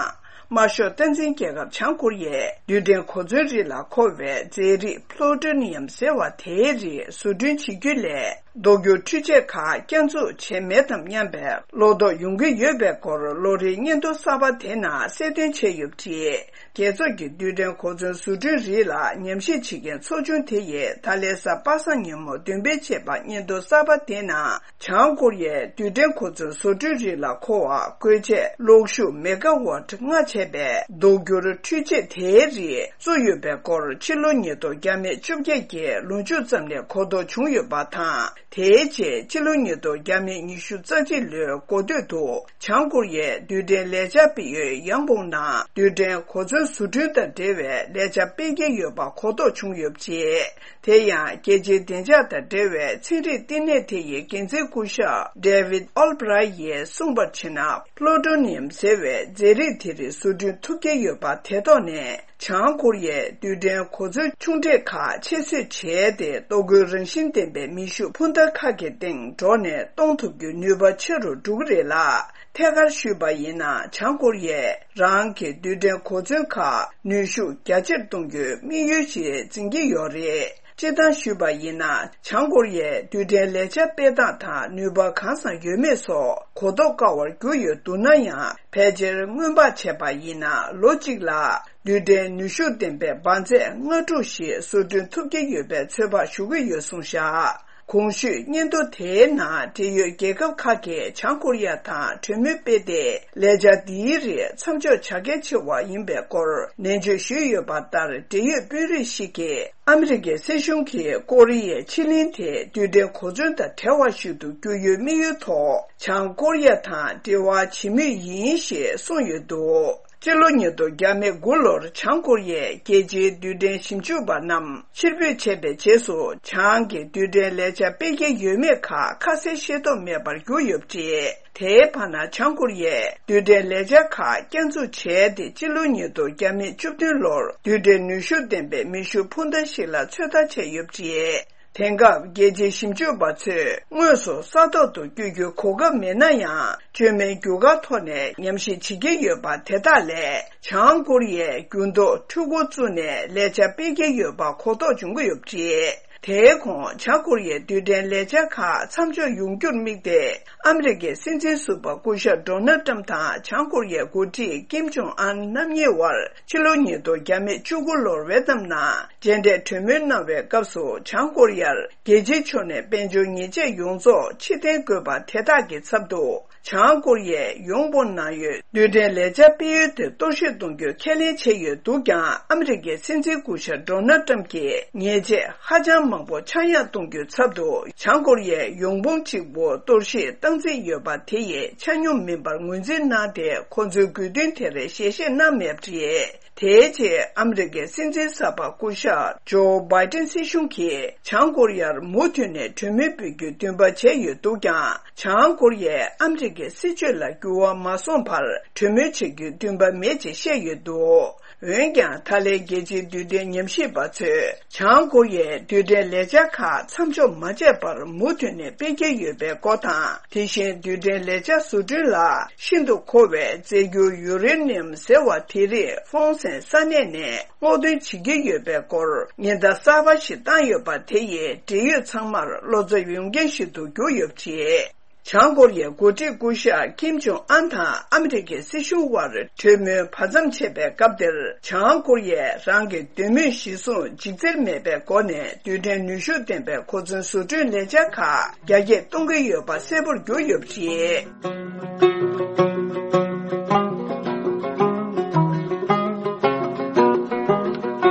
དམར་ཤོག་སྟངས་འཛིན་རྒྱལ་ཁབ་བྱང་ཀོ་རི་ཡས་རྡུལ་ཕྲན་གོ་མཚོན་རིགས་ལ་མཁོ་བའི་རྫས་རིགས་པློ་ཊོ་ནི་ཡམ་ཟེར་བ་དེའི་རིགས་བཟོ་སྐྲུན་བྱེད་རྒྱུ་ལས། ལྡོག་སྐྱོར་འཕྲུལ་ཆས་ཁག་བསྐྱར་འཛུགས་བྱས་མེད་དམ་སྙམ་པའི་བློ་དོགས་ཡོང་གི་ཡོད་པའི་སྐོར། ལོ་རེའི་སྙན་ཐོ་གསར་པ་དེ་ནང་གསལ་སྟོན་བྱས་ཡོད་པ་རེད། རྒྱལ་ཚོགས་ཀྱི་རྡུལ་ཕྲན་གོ་མཚོན་བཟོ་སྐྲུན་རིགས་ལ་ཉམས་ཞིབ་བྱེད་མཁན་ཚོགས་ཆུང་དེ་ཡིས་ད་ལན་གཟའ་པ་སངས་ཉིན་མོ་འདོན་སྤེལ་བྱས་པ་སྙན་ཐོ་གསར་པ་དེ་ནང་། བྱང་ཀོ་རི་ཡས་རྡུལ་ཕྲན་གོ་མཚོན་བཟོ་སྐྲུན་རིགས་ལ་མཁོ་བ་བཀོལ་ཆས་གློག་ཤུགས་མེ་ག་ཝཊ་ལྔ་བྱས་པའི་ལྡོག་སྐྱོར་འཕྲུལ་ཆས་དེའི་རིགས་བཙུགས་ཡོད་པའི་སྐོར། ཕྱི་ལོ་ཉིས་སྟོང་བརྒྱ་མེད་བཅོ་བརྒྱད་ཀྱི་ལོ་མཇུག་ཙམ་ནས་གོ་རྟོགས་བྱུང་ཡོད་པ་དང་། དེའི་རྗེས་ཕྱི་ལོ་ཉིས་སྟོང་བརྒྱ་མེད་ཉི་ཤུ་རྩ་གཅིག་ལོའི་འགོ་སྟོད་དུ། བྱང་ཀོ་རི་ཡའི་རྡུལ་ཕྲན་ལས་འཆར་སྤེལ་ཡུལ་ཡང་བོང་ནང་རྡུལ་ཕྲན་གོ་མཚོན་བཟོ་སྐྲུན་དང་འབྲེལ་བའི་ལས་འཆར་སྤེལ་གྱི་ཡོད་པ་གོ་རྟོགས་བྱུང་ཡོད་པ་རེད། དེ་ཡང་རྒྱལ་སྤྱིའི་བདེ་འཇགས་དང་འབྲེལ་བའི་ཚན་རིག་བསྟི་གནས་དེ་ཡི་འགན་འཛིན་སྐུ་ཞབས་David Albright ཡིས་གསུངས་པར་བྱས་ན། པློ་ཊོ་ནི་ཡམ་ཟེར་བའི་རྫས་རིགས་དེ་རིགས་བཟོ་སྐྲུན་ཐུབ་ཀྱི་ཡོད་པ་དེ་ཐོག་ནས། བྱང་ཀོ་རི་ཡས་རྡུལ་ཕྲན་གོ་མཚོན་ཆུང་གྲས་ཁག་ཆེད་བཟོས་བྱས་ཏེ། ལྡོག་སྐྱོར་རང་བཞིན་ལྡན་པའི་མེ་ཤུགས་འཕུར་མདའ་ཁག་གི་སྟེང་འགྲོ་ནས་གཏོང་ཐུབ་རྒྱུའི་ནུས་པ་ཆེ་རུ་འགྲོ་གི་རེད་ལ། ཐད་ཀར་ཞུས་པ་ཡིན་ན། བྱང་ཀོ་རི་ཡས་རང་གི་རྡུལ་ཕྲན་གོ་མཚོན་ཁག་ནུས་ཤུགས་རྒྱ་ཆེར་གཏོང་རྒྱུའི་དམིགས་ཡུལ་ཞིག་འཛིན་གྱི་ཡོད་རེད། སྤྱིར་བཏང་ཞུས་པ་ཡིན་ན། བྱང་ཀོ་རི་ཡས་རྡུལ་ཕྲན་ལས་འཆར་སྤེལ་སྟངས་དང་ནུས་པ་གང་ཙམ་ཡོད་མེད་སོགས་གོ་རྟོགས་དཀའ་བར་གྱུར་ཡོད་འདུག་ན་ཡང་། ཕལ་ཆེར་སྔོན་དཔག་བྱས་པ་ཡིན་ན། ལོ་གཅིག་ལ་རྡུལ་ཕྲན་ནུས་ཤུགས་ལྡན་པའི་འབར་རྫས་ལྔ་ཕྲུག་ཞིག་བཟོ་སྐྲུན་ཐུབ་ཀྱི་ཡོད་པའི་ཚོད་དཔག་ཞུ་གི་ཡོད་གསུངས་བཞག་གོང་ཞུས་སྙན་ཐོ་དེའི་ནང་འབྲེལ་ཡོད་རྒྱལ་ཁབ་ཁག་གིས་བྱང་ཀོ་རི་ཡ་དང་གྲོས་མོལ་སྤེལ་ཏེ། ལས་འཆར་འདིའི་རིགས་མཚམས་འཇོག་བྱ་གལ་ཆེ་བ་ཡིན་པའི་སྐོར་ནན་བརྗོད་ཞུས་ཡོད་པ་ལྟར། འབྲེལ་ཡོད་དཔོན་རིགས་ཤིག་གིས་ཨ་མི་རི་ཀའི་སྲིད་གཞུང་གིས་ཀོ་རི་ཡའི་ཕྱེད་གླིང་དེ་རྡུལ་ཕྲན་གོ་མཚོན་དང་བྲལ་བ་ཞིག་ཏུ་བསྒྱུར་ཡོད་དམིགས་ཡུལ་ཐོག་བྱང་ཀོ་རི་ཡ་དང་འབྲེལ་བ་བྱེད་མུས་ཡིན་ཞེས་གསུངས་ཡོད་འདུག་སྤྱི་ལོ་ཉིས་སྟོང་དགུ་ལོར་བྱང་ཀོ་རི་ཡས་རྒྱལ་སྤྱིའི་རྡུལ་ཕྲན་ཞིབ་འཇུག་པ་རྣམས་ཕྱིར་འབུད་བྱས་པའི་རྗེས་སུ། བྱང་གི་རྡུལ་ཕྲན་ལས་འཆར་སྤེལ་གྱི་ཡོད་མེད་ཁག་ཁ་གསལ་ཤེས་རྟོགས་མེད་པར་གྱུར་ཡོད་པ་རེད། དེའི་བར་ན། བྱང་ཀོ་རི་ཡས་རྡུལ་ཕྲན་ལས་འཆར་ཁག་བསྐྱར་འཛུགས་བྱས་ཏེ། སྤྱི་ལོ་ཉིས་སྟོང་བཅུ་བདུན་ལོར་རྡུལ་ཕྲན་ནུས་ཤུགས་ལྡན་པའི་མེ་ཤུགས་འཕུར་མདའ་ཞིག་ལ་ཚོད་ལྟ་བྱས་ཡོད་པ་རེད། དེང་སྐབས་རྒྱལ་སྤྱིའི་ཞིབ་འཇུག་པ་ཚོས་དངོས་སུ་ས་ཐོག་ཏུ་བསྐྱོད་རྒྱུའི་གོ་སྐབས་མེད་ན་ཡང་། བཅོས་མའི་རྒྱུ་སྐར་ཐོག་ནས་ཉམས་ཞིབ་བྱེད་ཀྱི་ཡོད་པ་དེ་དག་ལས། བྱང་ཀོ་རི་ཡས་འགྱུར་ལྡོག་འཕྲུལ་འཁོར་བཙུགས་ནས་ལས་འཆར་སྤེལ་གྱི་ཡོད་པ་གོ་རྟོགས་བྱུང་གི་ཡོད་པ་རེད། དེའི་གོང་། བྱང་ཀོ་རི་ཡའི་རྡུལ་ཕྲན་ལས་འཆར་ཁག་མཚམས་འཇོག་ཡོང་རྒྱུར་དམིགས་ཏེ། ཨ་མི་རི་ཀའི་སྲིད་འཛིན་ཟུར་པ་སྐུ་ཞབས་ཌོ་ནལ་ཏྲམ་དང་བྱང་ཀོ་རི་ཡའི་འགོ་ཁྲིད་ཀིམ་ཇོང་ཨན་རྣམ་གཉིས་དབར་ཕྱི་ལོ་ཉིས་སྟོང་བཅུ་དགུ་ལོར་ཝེ་ཏམ་ནང་མཇལ་འཕྲད་གྲོས་མོལ་གནང་བའི་སྐབས་སུ། བྱང་ཀོ་རི་ཡར་རྒྱལ་སྤྱིའི་ཕྱོགས་ནས་དཔལ་འབྱོར་ཉེས་ཆད་ཡོངས་རྫོགས་ཕྱིར་འཐེན་དགོས་པ་དེ་དག་གི་ཚབ་ཏུ། བྱང་ཀོ་རི་ཡས་ཡོང་སྤོ་གནང་ཡོད་རྡུལ་ཕྲན་ལས་འཆར་སྤེལ་ཡུལ་དེ་གཏོར་བཤིག་གཏོང་རྒྱུ་ཁས་ལེན་བྱས་ཡོད་འདུག་ཀྱང་། ཨ་མི་རི་ཀའི་སྲིད་འཛིན་སྐུ་ཞབས་ཌོ་ནལ་ཏྲམ་གྱིས་ཉེས་ཆད་ཧ་ཅང་མང་པོ་ཆག་ཡང་གཏོང་རྒྱུའི་ཚབ་ཏུ། བྱང་ཀོ་རི་ཡས་ཡོང་སྤོ་གཅིག་པུ་གཏོར་བཤིག་བཏང་རྩིས་ཡོད་པ་དེ་ཡི་ཆ་སྙོམས་མིན་པར་ངོས་འཛིན་གནང་སྟེ། ཁོ་ཚོའི་དགོས་འདུན་དེར་ཞལ་བཞེས་གནང་མེད་པ་རེད། དེའི་རྗེས་ཨ་མི་རི་ཀའི་སྲིད་འཛིན་གསར་པ་སྐུ་ཞབས་ཇོ་བྷའི་ཏིན་སྲིད་གཞུང་གིས་བྱང་ཀོ་རི་ཡར་མུ་མཐུད་ནས་གྲོས་མོལ་སྤེལ་རྒྱུའི་འདུན་པ་བྱས་ཡོད་འདུག་ཀྱང་། བྱང་ཀོ་རི་ཡས་ཨ་མི་རི་ཀའི་སྲིད་བྱུས་ལ་འགྱུར་བ་མ་སོང་བར་གྲོས་མོལ་བྱེད་རྒྱུའི་འདུན་པ་མེད་ཅེས་བཤད་ཡོད་འདུག་འོན་ཀྱང་། ད་ལན་རྒྱལ་སྤྱིའི་རྡུལ་ཕྲན་ཉམས་ཞིབ་པ་ཚོས་བྱང་ཀོ་རི་ཡའི་རྡུལ་ཕྲན་ལས་འཆར་ཁག་མཚམས་འཇོག་མ་བྱས་པར་མུ་མཐུད་ནས་སྤེལ་གྱི་ཡོད་པའི་སྐོར་དང་། དེ་བཞིན་རྡུལ་ཕྲན་ལས་འཆར་བཟོ་སྐྲུན་ལ་ཤིན་ཏུ་མཁོ་བའི་རྫས་འགྱུར་ཡུ་རེ་ནི་ཡམ་ཟེར་བ་དེ་རིགས་ཧྥོང་སན་ས་གནས་ནས་སྔོག་འདོན་བྱེད་ཀྱི་ཡོད་པའི་སྐོར་ཉེན་བརྡ་གསར་པ་ཞིག་བཏང་ཡོད་པ་དེ་ཡིས་འབྲེལ་ཡོད་ཚང་མར་བློ་འཚབ་ཡོང་རྐྱེན་ཞིག་ཏུ་གྱུར་ཡོད་པ་རེད། བྱང་ཀོ་རི་ཡའི་འགོ་ཁྲིད་སྐུ་ཞབས་ཀིམ་ཇོང་ཨན་དང་ཨ་མི་རི་ཀའི་སྲིད་གཞུང་དབར་གྲོས་མོལ་བར་མཚམས་ཆད་པའི་སྐབས་དེར། བྱང་ཀོ་རི་ཡས་རང་གི་འདོད་མོས་གཞིར་བཟུང་འཇིགས་འཚེར་མེད་པའི་སྒོ་ནས་རྡུལ་ཕྲན་ནུས་ཤུགས་ལྡན་པའི་གོ་མཚོན་བཟོ་སྐྲུན་ལས་འཆར་ཁག་རྒྱ་སྐྱེད་གཏོང་གི་ཡོད་པ་གསལ་པོར་གྱུར་ཡོད་པ་རེད།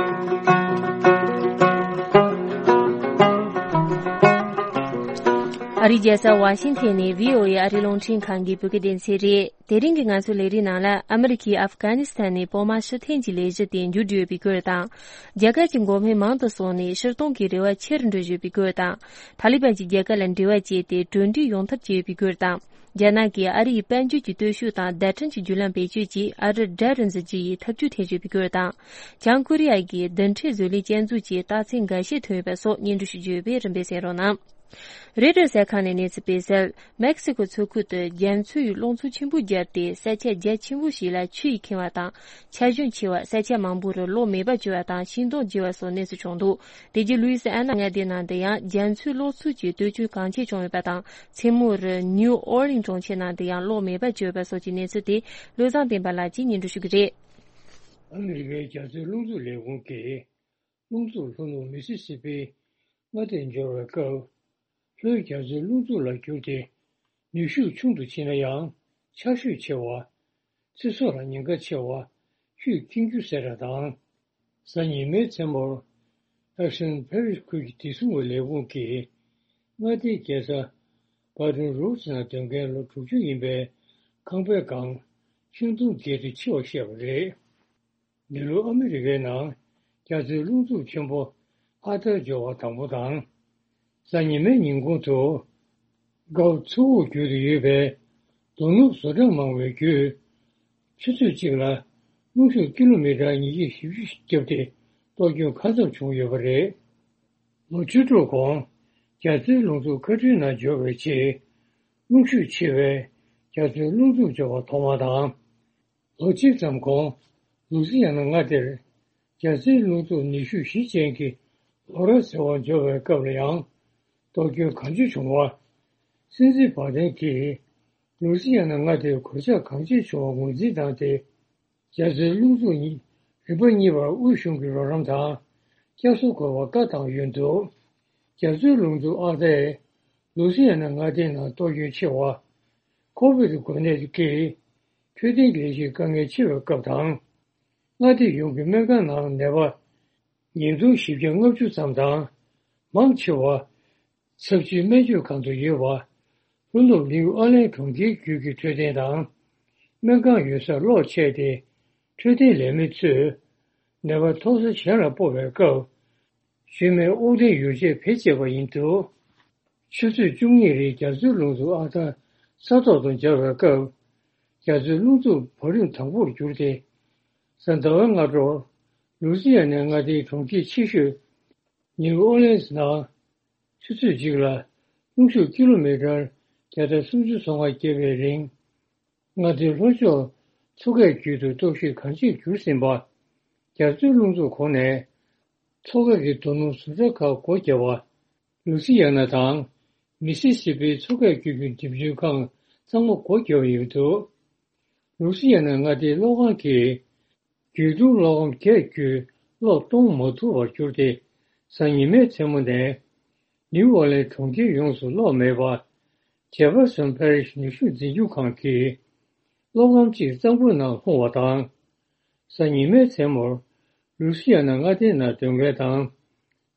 ཨ་རིའི་རྒྱལ་ས་ཝ་ཤིང་ཐན་ནས་བྷི་ཨོ་ཨེ་ཨ་རིའི་རླུང་འཕྲིན་ཁང་གི་བོད་སྐད་སྡེ་ཚན་རེད། དེ་རིང་གི་ང་ཚོའི་ལས་རིམ་ནང་ལ། ཨ་མི་རི་ཀས་ཨབ་གྷ་ནི་སི་ཐན་ནས་བོད་དམག་ཕྱིར་འཐེན་གྱི་ལས་གཞི་དེ་མཇུག་བསྒྲིལ་ཡོད་པའི་སྐོར་དང་། རྒྱ་གར་གྱི་འགོག་སྨན་མང་དུ་སོང་ནས་ཕྱིར་གཏོང་གི་རེ་བ་ཆེ་རུ་འགྲོ་བཞིན་ཡོད་པའི་སྐོར་དང་། ཐ་ལི་བན་གྱིས་རྒྱ་གར་ལ་འབྲེལ་བ་བཅད་དེ་གྲོས་འགྲིག་ཡོང་ཐབས་བྱས་ཡོད་པའི་སྐོར་དང་། རྒྱ་ནག་གིས་ཨ་རི་ཡི་དཔལ་འབྱོར་གྱི་སྟོབས་ཤུགས་དང་བརྡ་འཕྲིན་གྱི་བརྒྱུད་ལམ་བེད་སྤྱོད་ཀྱིས་ཨ་རིར་དགྲ་རུ་འཛིན་རྒྱུ་ཡི་ཐབས་ཇུས་འཐེན་བཞིན་ཡོད་པའི་སྐོར་དང་། བྱང་ཀོ་རི་ཡ་གིས་རྡུལ་ཕྲན་བཟོ་ལས་བསྐྱར་འཛུགས་ཀྱི་རྟགས་མཚན་འགའ་ཤས་ཐོན་ཡོད་པ་སོགས་སྙན་སྒྲོན་ཞུ་རྒྱུ་ཡོད་པས་རིམ་པས་གསན་རོགས་གནང་། རོའི་ཊར་གསར་ཁང་ནས་གནས་ཚུལ་སྤེལ་གསལ། མེག་སི་ཀོ་མཚོ་ཁུལ་དུ་རྒྱ་མཚོའི་གློག་འཚུབ་ཆེན་པོ་བརྒྱབ་སྟེ། ས་ཆ་རྒྱ་ཆེན་པོ་ཞིག་ལ་ཆུ་ཡིས་ཁེངས་པ་དང་། ཆར་ཞོད་ཆེ་བ། ས་ཆ་མང་པོ་རུ་གློག་མེ་འབར་བྱུང་བ་དང་ཤིང་སྡོང་རྒྱས་པ་སོགས་གནས་ཚུལ་བྱུང་འདུག་དེ་རྗེས་ལུའི་སི་ཨན་ན་མངའ་སྡེའི་ནང་དུ་ཡང་རྒྱ་མཚོའི་གློག་འཚུབ་ཀྱི་གཏོ་བཅོས་གང་ཆེ་བྱུང་ཡོད་པ་དང་། མཚན་མོ་རུ་ནིའུ་ཨོར་ལིན་གྲོང་ཁྱེར་ནང་དུ་ཡང་གློག་མེ་འབར་བྱུང་ཡོད་པ་སོགས་ཀྱི་གནས་ཚུལ་དེ་བློ་བཟང་བསྟན་པ་ལགས་ཀྱིས་སྙན་སྒྲོན་ཞུ་གི་རེད། ཨ་མི་རི་ཀའི་རྒྱ་མཚོའི་རླུང་འཚུབ་ལས་ཁུངས་ཀྱིས། རླུང་འཚུབ་ལྷོ་ནུབ་མི་སི་སི་པིའི་མངའ་སྡེར་འབྱོར་བའི་སྐབས། ལྷོའི་རྒྱ་མཚོའི་རླུང་འཚུབ་ལ་གྱུར་ཏེ། ནུས་ཤུགས་ཆུང་དུ་ཕྱིན་ན་ཡང་། ཆར་ཞོད་ཆེ་བ། ཚེ་སྲོག་ལ་ཉེན་ཁ་ཆེ་བ། ཆུས་ཁེངས་རྒྱུ་ཟེར་བ་དང་། གཟའ་ཉི་མའི་མཚན་མོར། ཨེག་སན་ཕེ་རིས་ཁུལ་གྱི་བདེ་སྲུང་བའི་ལས་ཁུངས་ཀྱིས། མངའ་སྡེའི་རྒྱལ་ས་བྷ་ཏོན་རུ་ཚི་ནང་སྡོད་མཁན་ལོ་དྲུག་ཅུ་ཡིན་པའི་ཁང་པའི་སྒང་ཤིང་སྡོང་རྒྱས་ཏེ་འཆི་བར་བཤད་པ་རེད། འདི་ལོ་ཨ་མི་རི་ཀའི་ནང་རྒྱ་མཚོའི་རླུང་འཚུབ་ཆེན་པོ་ཨ་ཐར་འབྱོར་བ་དང་པོ་དང་། གཟའ་ཉི་མའི་ཉིན་གུང་དུ་གའུ་མཚོ་འུར་འགྱུར་དུ་ཡོད་པའི་རྡོ་ནུབ་བཟོ་གྲྭ་མང་བའི་བརྒྱུད། ཆུ་ཚོད་གཅིག་ལ་རླུང་ཤུགས་ཀི་ལོ་མི་ཊར་ཉིས་བརྒྱ་བཞི་བཅུ་ཞིག་བརྒྱབ་སྟེ་གཏོར་སྐྱོན་གང་འཚམ་བྱུང་ཡོད་པ་རེད། ལོ་བཅུ་དྲུག་གོང་རྒྱ་མཚོའི་རླུང་འཚུབ་ཁ་ཁྲིའི་ནང་འབྱོར་བའི་རྗེས། རླུང་ཤུགས་ཆེ་བའི་རྒྱ་མཚོའི་རླུང་འཚུབ་འབྱོར་བ་ཐོག་མ་དང་། ལོ་གཅིག་ཙམ་གོང་ལུ་སི་ཡ་ན་མངའ་སྡེར་རྒྱ་མཚོའི་རླུང་འཚུབ་ནུས་ཤུགས་བཞི་ཅན་གྱི་ལོ་ར་ཟེར་བ་འབྱོར་བའི་སྐབས་ལ་ཡང་གཏོར་སྐྱོན་གང་ཆེ་བྱུང་བ། སྲིད་འཛིན་བྷ་དན་གྱིས་ལུ་སི་ཡ་ན་མངའ་སྡེའི་གོད་ཆག་གང་ཆེ་བྱུང་བ་ངོས་འཛིན་བཏང་སྟེ། རྒྱ་མཚོའི་རླུང་འཚུབ་གཉིས་རིམ་པ་གཉིས་པར་དབུས་གཞུང་གི་རོགས་རམ་དང་བསྐྱར་གསོ་དགོས་པར་བཀའ་བཏང་ཡོད་འདུག་རྒྱ་མཚོའི་རླུང་འཚུབ་ཨར་ཏའི་ལུའུ་སི་ཡ་ན་མངའ་སྡེའི་ནང་གཏོར་སྐྱོན་ཆེ་བ། ཁོ་བིད་འགོས་ནད་ཀྱིས་འཕྲོད་བསྟེན་གྱི་ལས་གཞིར་དཀའ་ངལ་ཆེ་བའི་སྐབས་དང་། མངའ་སྡེ་ཡོངས་ཀྱི་སྨན་ཁང་ནང་ནད་པ་ཉིས་སྟོང་བཞི་བརྒྱ་ལྔ་བཅུ་ཙམ་དང་། མང་ཆེ་བ་ཚབས་ཆེའི་སྨན་བཅོས་ཁང་དུ་ཡོད་པ། ལྷོ་ནུབ་ནིའུ་ཨོ་ལན་གྲོང་ཁྱེར་བརྒྱུད་ཀྱི་འཕྲོད་བསྟེན་དང་། སྨན་ཁང་ཡོད་སར་གློག་ཆད་དེ། འཕྲོད་བསྟེན་ལས་མི་ཚོས་ནད་པ་མཐོང་ས་གཞན་ལ་སྤོ་བའི་སྐབས། བཞུགས་མོལ་དབུགས་འཐེན་ཡོ་བྱད་བེད་སྤྱད་པ་ཡིན་འདུག་ཆུ་ཚོད་བཅུ་གཉིས་རིང་རྒྱ་མཚོའི་རླུང་འཚུབ་ཨར་ཏ་ས་ཐོག་ཏུ་འབྱར་བའི་སྐབས། རྒྱ་མཚོའི་རླུང་འཚུབ་བང་རིམ་དང་པོར་གྱུར་ཏེ། གཟའ་ཟླ་བའི་སྔ་དྲོར་ལུའུ་སི་ཡ་ནའི་མངའ་སྡེའི་གྲོང་ཁྱེར་ཆེ་ཤོས་ནིའུ་ཨོ་ལེན་སི་ནང་ཆུ་ཚོད་གཅིག་ལ་རླུང་ཤུགས་ཀི་ལོ་མི་ཊར་བརྒྱ་དང་སུམ་ཅུ་སོ་ལྔ་བརྒྱབ་པའི་རིང་། མངའ་སྡེའི་ལྷོ་ཕྱོགས་མཚོ་ཁའི་རྒྱུད་དུ་གཏོར་བཤིག་གང་ཆེར་གྱུར་ཟིན་པ། རྒྱ་མཚོའི་རླུང་འཚུབ་གོང་ནས་མཚོ་ཁ་གི་རྡོ་སྣུམ་བཟོ་གྲྭ་ཁག་སྒོ་བརྒྱབ་པ། ལུའུ་སི་ཡ་ན་དང་མི་སི་སི་པིའི་མཚོ་ཁའི་རྒྱུད་ཀྱི་འགྲེམས་འཇུག་ཁང་ཚང་མ་སྒོ་བརྒྱབ་ཡོད་འདུག་ལུའུ་སི་ཡ་ན་མངའ་སྡེའི་གློག་ཁང་གིས་རྒྱུད་དྲུག་གློག་སྒམ་བརྒྱད་བརྒྱུད་གློག་གཏོང་མ་ཐུབ་པར་གྱུར་ཏེ། གཟའ་ཉི་མའི་མཚན་མོ་ནས་ནིའུ་ཨོ་ལེན་གྲོང་ཁྱེར་ཡོངས་སུ་གློག་མེད་པ། ཇེ་ཕར་སོན་ཕེ་རིཤ་ནུས་ཤུགས་འཛིན་སྐྱོང་ཁང་གིས་གློག་སྒམ་གཅིག་གཙང་པོའི་ནང་ལྷུང་བ་དང་། གཟའ་ཉི་མའི་མཚན་མོར་ལུའུ་སི་ཡ་ན་མངའ་སྡེའི་ནང་སྡོད་མཁན་དང་།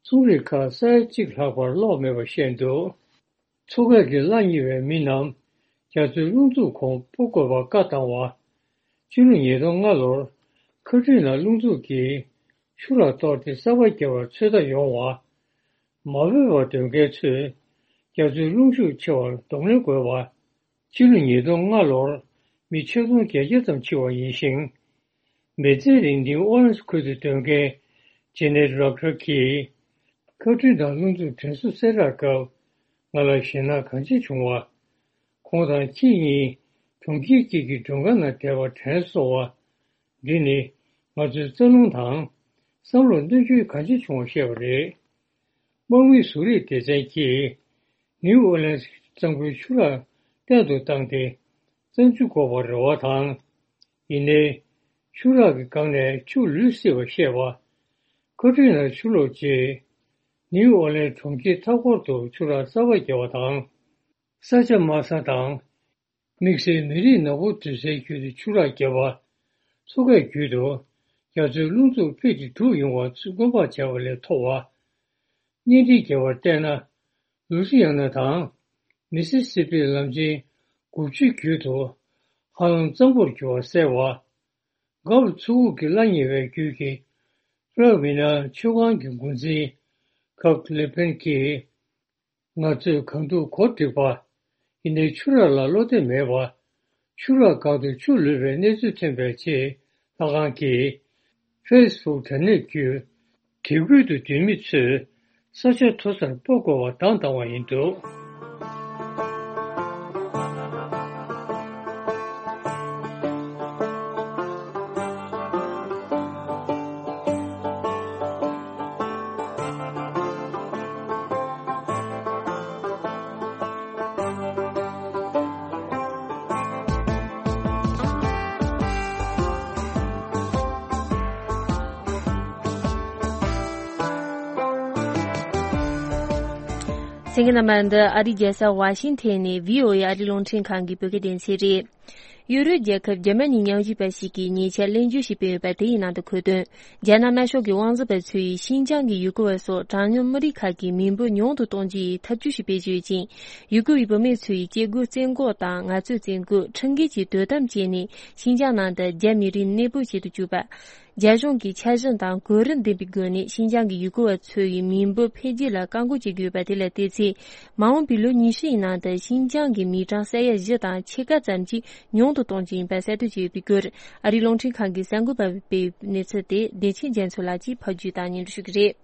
ཚོང་རིགས་ཁག་ས་ཡ་གཅིག་ལྷག་པར་གློག་མེད་པ་བཤད་འདུག་མཚོ་ཁ་གི་གླ་རྙེད་པའི་མི་རྣམས་རྒྱ་མཚོའི་རླུང་འཚུབ་གོང་སྤོ་དགོས་པར་བཀའ་བཏང་བ། ཕྱི་ལོ་ཉིས་སྟོང་ལྔ་ལོར་ཁ་ཊི་རི་ན་རླུང་འཚུབ་ཀྱིས་ཆུ་རགས་གཏོར་ཏེ་གསར་པ་བརྒྱབ་པར་ཚོད་ལྟ་ཡོང་བ། མ་འོས་པར་སྡོད་མཁན་ཚོས་རྒྱ་མཚོའི་རླུང་ཤུགས་ཆེ་བར་གདོང་ལེན་དགོས་པ། ཕྱི་ལོ་ཉིས་སྟོང་ལྔ་ལོར་མི་ཆིག་སྟོང་བརྒྱད་བརྒྱ་ཙམ་འཆི་བ་ཡིན་ཞིང་། མི་ཚེ་རིང་ནིའུ་ཨོ་ལེན་སི་ཁུལ་དུ་སྡོད་མཁན་ཇེ་ནེད་རོག་ཊར་གྱིས། ཁ་ཊི་རི་ན་རླུང་འཚུབ་དྲན་གསོ་གསལ་བསྒྲགས་སྐབས། ང་ལ་ཞེད་སྣང་གང་ཆེ་བྱུང་བ། ཁོང་དང་ཁྱེད་གཉིས་གྲོང་ཁྱེར་གཅིག་གི་མགྲོན་ཁང་ནང་བསྡད་པ་དྲན་གསོ་བ། འདི་ནི་ང་ཚོའི་རྩ་རླུང་དང་བསམ་བློར་གནོད་སྐྱོན་གང་ཆེ་བྱུང་བ་བཤད་པ་རེད། དམག་མིའི་བཟོ་རིག་སྡེ་ཚན་གྱིས་ནིའུ་ཨོ་ལེན་སི་གཙང་པོའི་ཆུ་རགས་བརྟན་དུ་བཏང་སྟེ་གཙང་ཆུ་འགོག་པར་རེ་བ་དང་། ཡིན་ནའི། ཆུ་རགས་ཀྱི་སྒང་ནས་ཆུ་ལུད་སྲིད་པ་བཤད་པ། ཁ་ཊི་རི་ན་ཆུ་ལོག་རྗེས། ནིའུ་ཨོ་ལེན་གྲོང་ཁྱེར་མཐའ་འཁོར་དུ་ཆུ་རགས་གསར་པ་བརྒྱབ་པ་དང་། ས་ཆ་དམའ་ས་དང་། དམིགས་བསལ་མི་རིགས་ནག་པོ་སྡོད་སའི་རྒྱུད་དུ་ཆུ་རགས་བརྒྱབ་པ། མཚོ་ཁའི་རྒྱུད་དུ་རྒྱ་མཚོའི་རླུང་འཚུབ་ཕི་ཊི་དྲུག་ཡོང་བ་ཚུར་སྔོན་དཔག་བྱས་པ་ལས་མཐོ་བ། བརྙན་འཕྲིན་རྒྱས་པར་བལྟས་ན། ལུའུ་སི་ཡ་ན་དང་། མི་སི་སི་པིའི་ལམ་ཆེན་དགུ་བཅུའི་རྒྱུད་དུ་ཧ་ལམ་གཙང་པོར་གྱུར་བ་གསལ་བ། གྷལཕ་མཚོ་ཁུག་གི་གླ་རྙེད་པའི་རྒྱུད་ཀྱི་ཕ་ལ་ཝི་ན་མཆོད་ཁང་གི་འགོ་འཛིན་ཁག་ལེ་ཕན་གྱིས། ང་ཚོས་གང་ཐུབ་གོ་སྒྲིག་པ། ཡིན་ནའི་ཆུ་རགས་ལ་བློ་གཏད་མེད་པ། ཆུ་རགས་སྒང་དུ་ཆུ་ལུད་པའི་གནས་ཚུལ་ཐོན་པའི་རྗེས། ལྷ་ཁང་གིས་ཕེ་སི་བུག་དྲ་གནས་བརྒྱུད། དེ་ཁུལ་དུ་སྡོད་མི་ཚོས་ས་ཆ་མཐོ་སར་སྤོ་དགོས་པ་བདང་བཏང་བ་ཡིན་འདུག་གསན་མཁན་རྣམ་པ། འདི་ཨ་རིའི་རྒྱལ་ས་ཝ་ཤིང་ཐན་ནས་བྷི་ཨོ་ཨེ་ཨ་རིའི་རླུང་འཕྲིན་ཁང་གི་བོད་སྐད་སྡེ་ཚན་རེད། ཡུ་རོབ་རྒྱལ་ཁབ་འཇར་མ་ནིའི་ཉམས་ཞིབ་པ་ཞིག་གིས་ཉེ་ཆར་གླེང་བརྗོད་ཞིག་སྤེལ་ཡོད་པ་དེ་ཡི་ནང་དུ་འཁོད་དོན། རྒྱ་ནག་དམར་ཤོག་གི་དབང་འཛིན་པ་ཚོས་ཤིན་ཅང་གི་ཡུ་གུར་བ་སོགས་གྲངས་ཉུང་མི་རིགས་ཁག་གི་མི་འབོར་ཉུང་དུ་གཏོང་རྒྱུ་ཡི་ཐབས་ཇུས་ཤིག་སྤེལ་གྱི་ཡོད་ཅིང་། ཡུ་གུར་བའི་བུད་མེད་ཚོ་ཡི་སྐྱེ་སྒོ་བཙན་འགོག་དང་ངལ་རྩོལ་བཙན་སྐུལ། ཁྲིམས་འགལ་གྱི་དོ་དམ་བྱས་ནས་ཤིན་ཅང་ནང་དུ་རྒྱ་མི་རིགས་གནས་སྤོ་བྱེད་དུ་བཅུག་པ། རྒྱ་གཞུང་གིས་འཆར་གཞི་དང་གོ་རིམ་ལྡན་པའི་སྒོ་ནས་ཤིན་ཅང་གི་ཡུ་གུར་བ་ཚོ་ཡི་མི་འབོར་འཕེལ་རྒྱས་ལ་བཀག་འགོག་བྱེད་དགོས་པ་དེ་ལ་བལྟས་ཚེ། མ་འོངས་པའི་ལོ་ཉི་ཤུ་ཡི་ནང་དུ་ཤིན་ཅང་གི་མི་གྲངས་ས་ཡ་བཞི་དང་ཕྱེད་ཀ་ཙམ་གྱིས་ཉུང་དུ་གཏོང་རྒྱུ་ཡིན་པ་གསལ་སྟོན་བྱས་ཡོད་པའི་སྐོར། ཨ་རིའི་རླུང་འཕྲིན་ཁང་གི་གསར་འགོད་པ་སྤེལ་བའི་གནས་ཚུལ་དེ་བདེ་ཆེན་རྒྱ་མཚོ་ལགས་ཀྱིས་ཕབ་སྒྱུར་དང་སྙན་སྒྲོན་ཞུ་གི་རེད།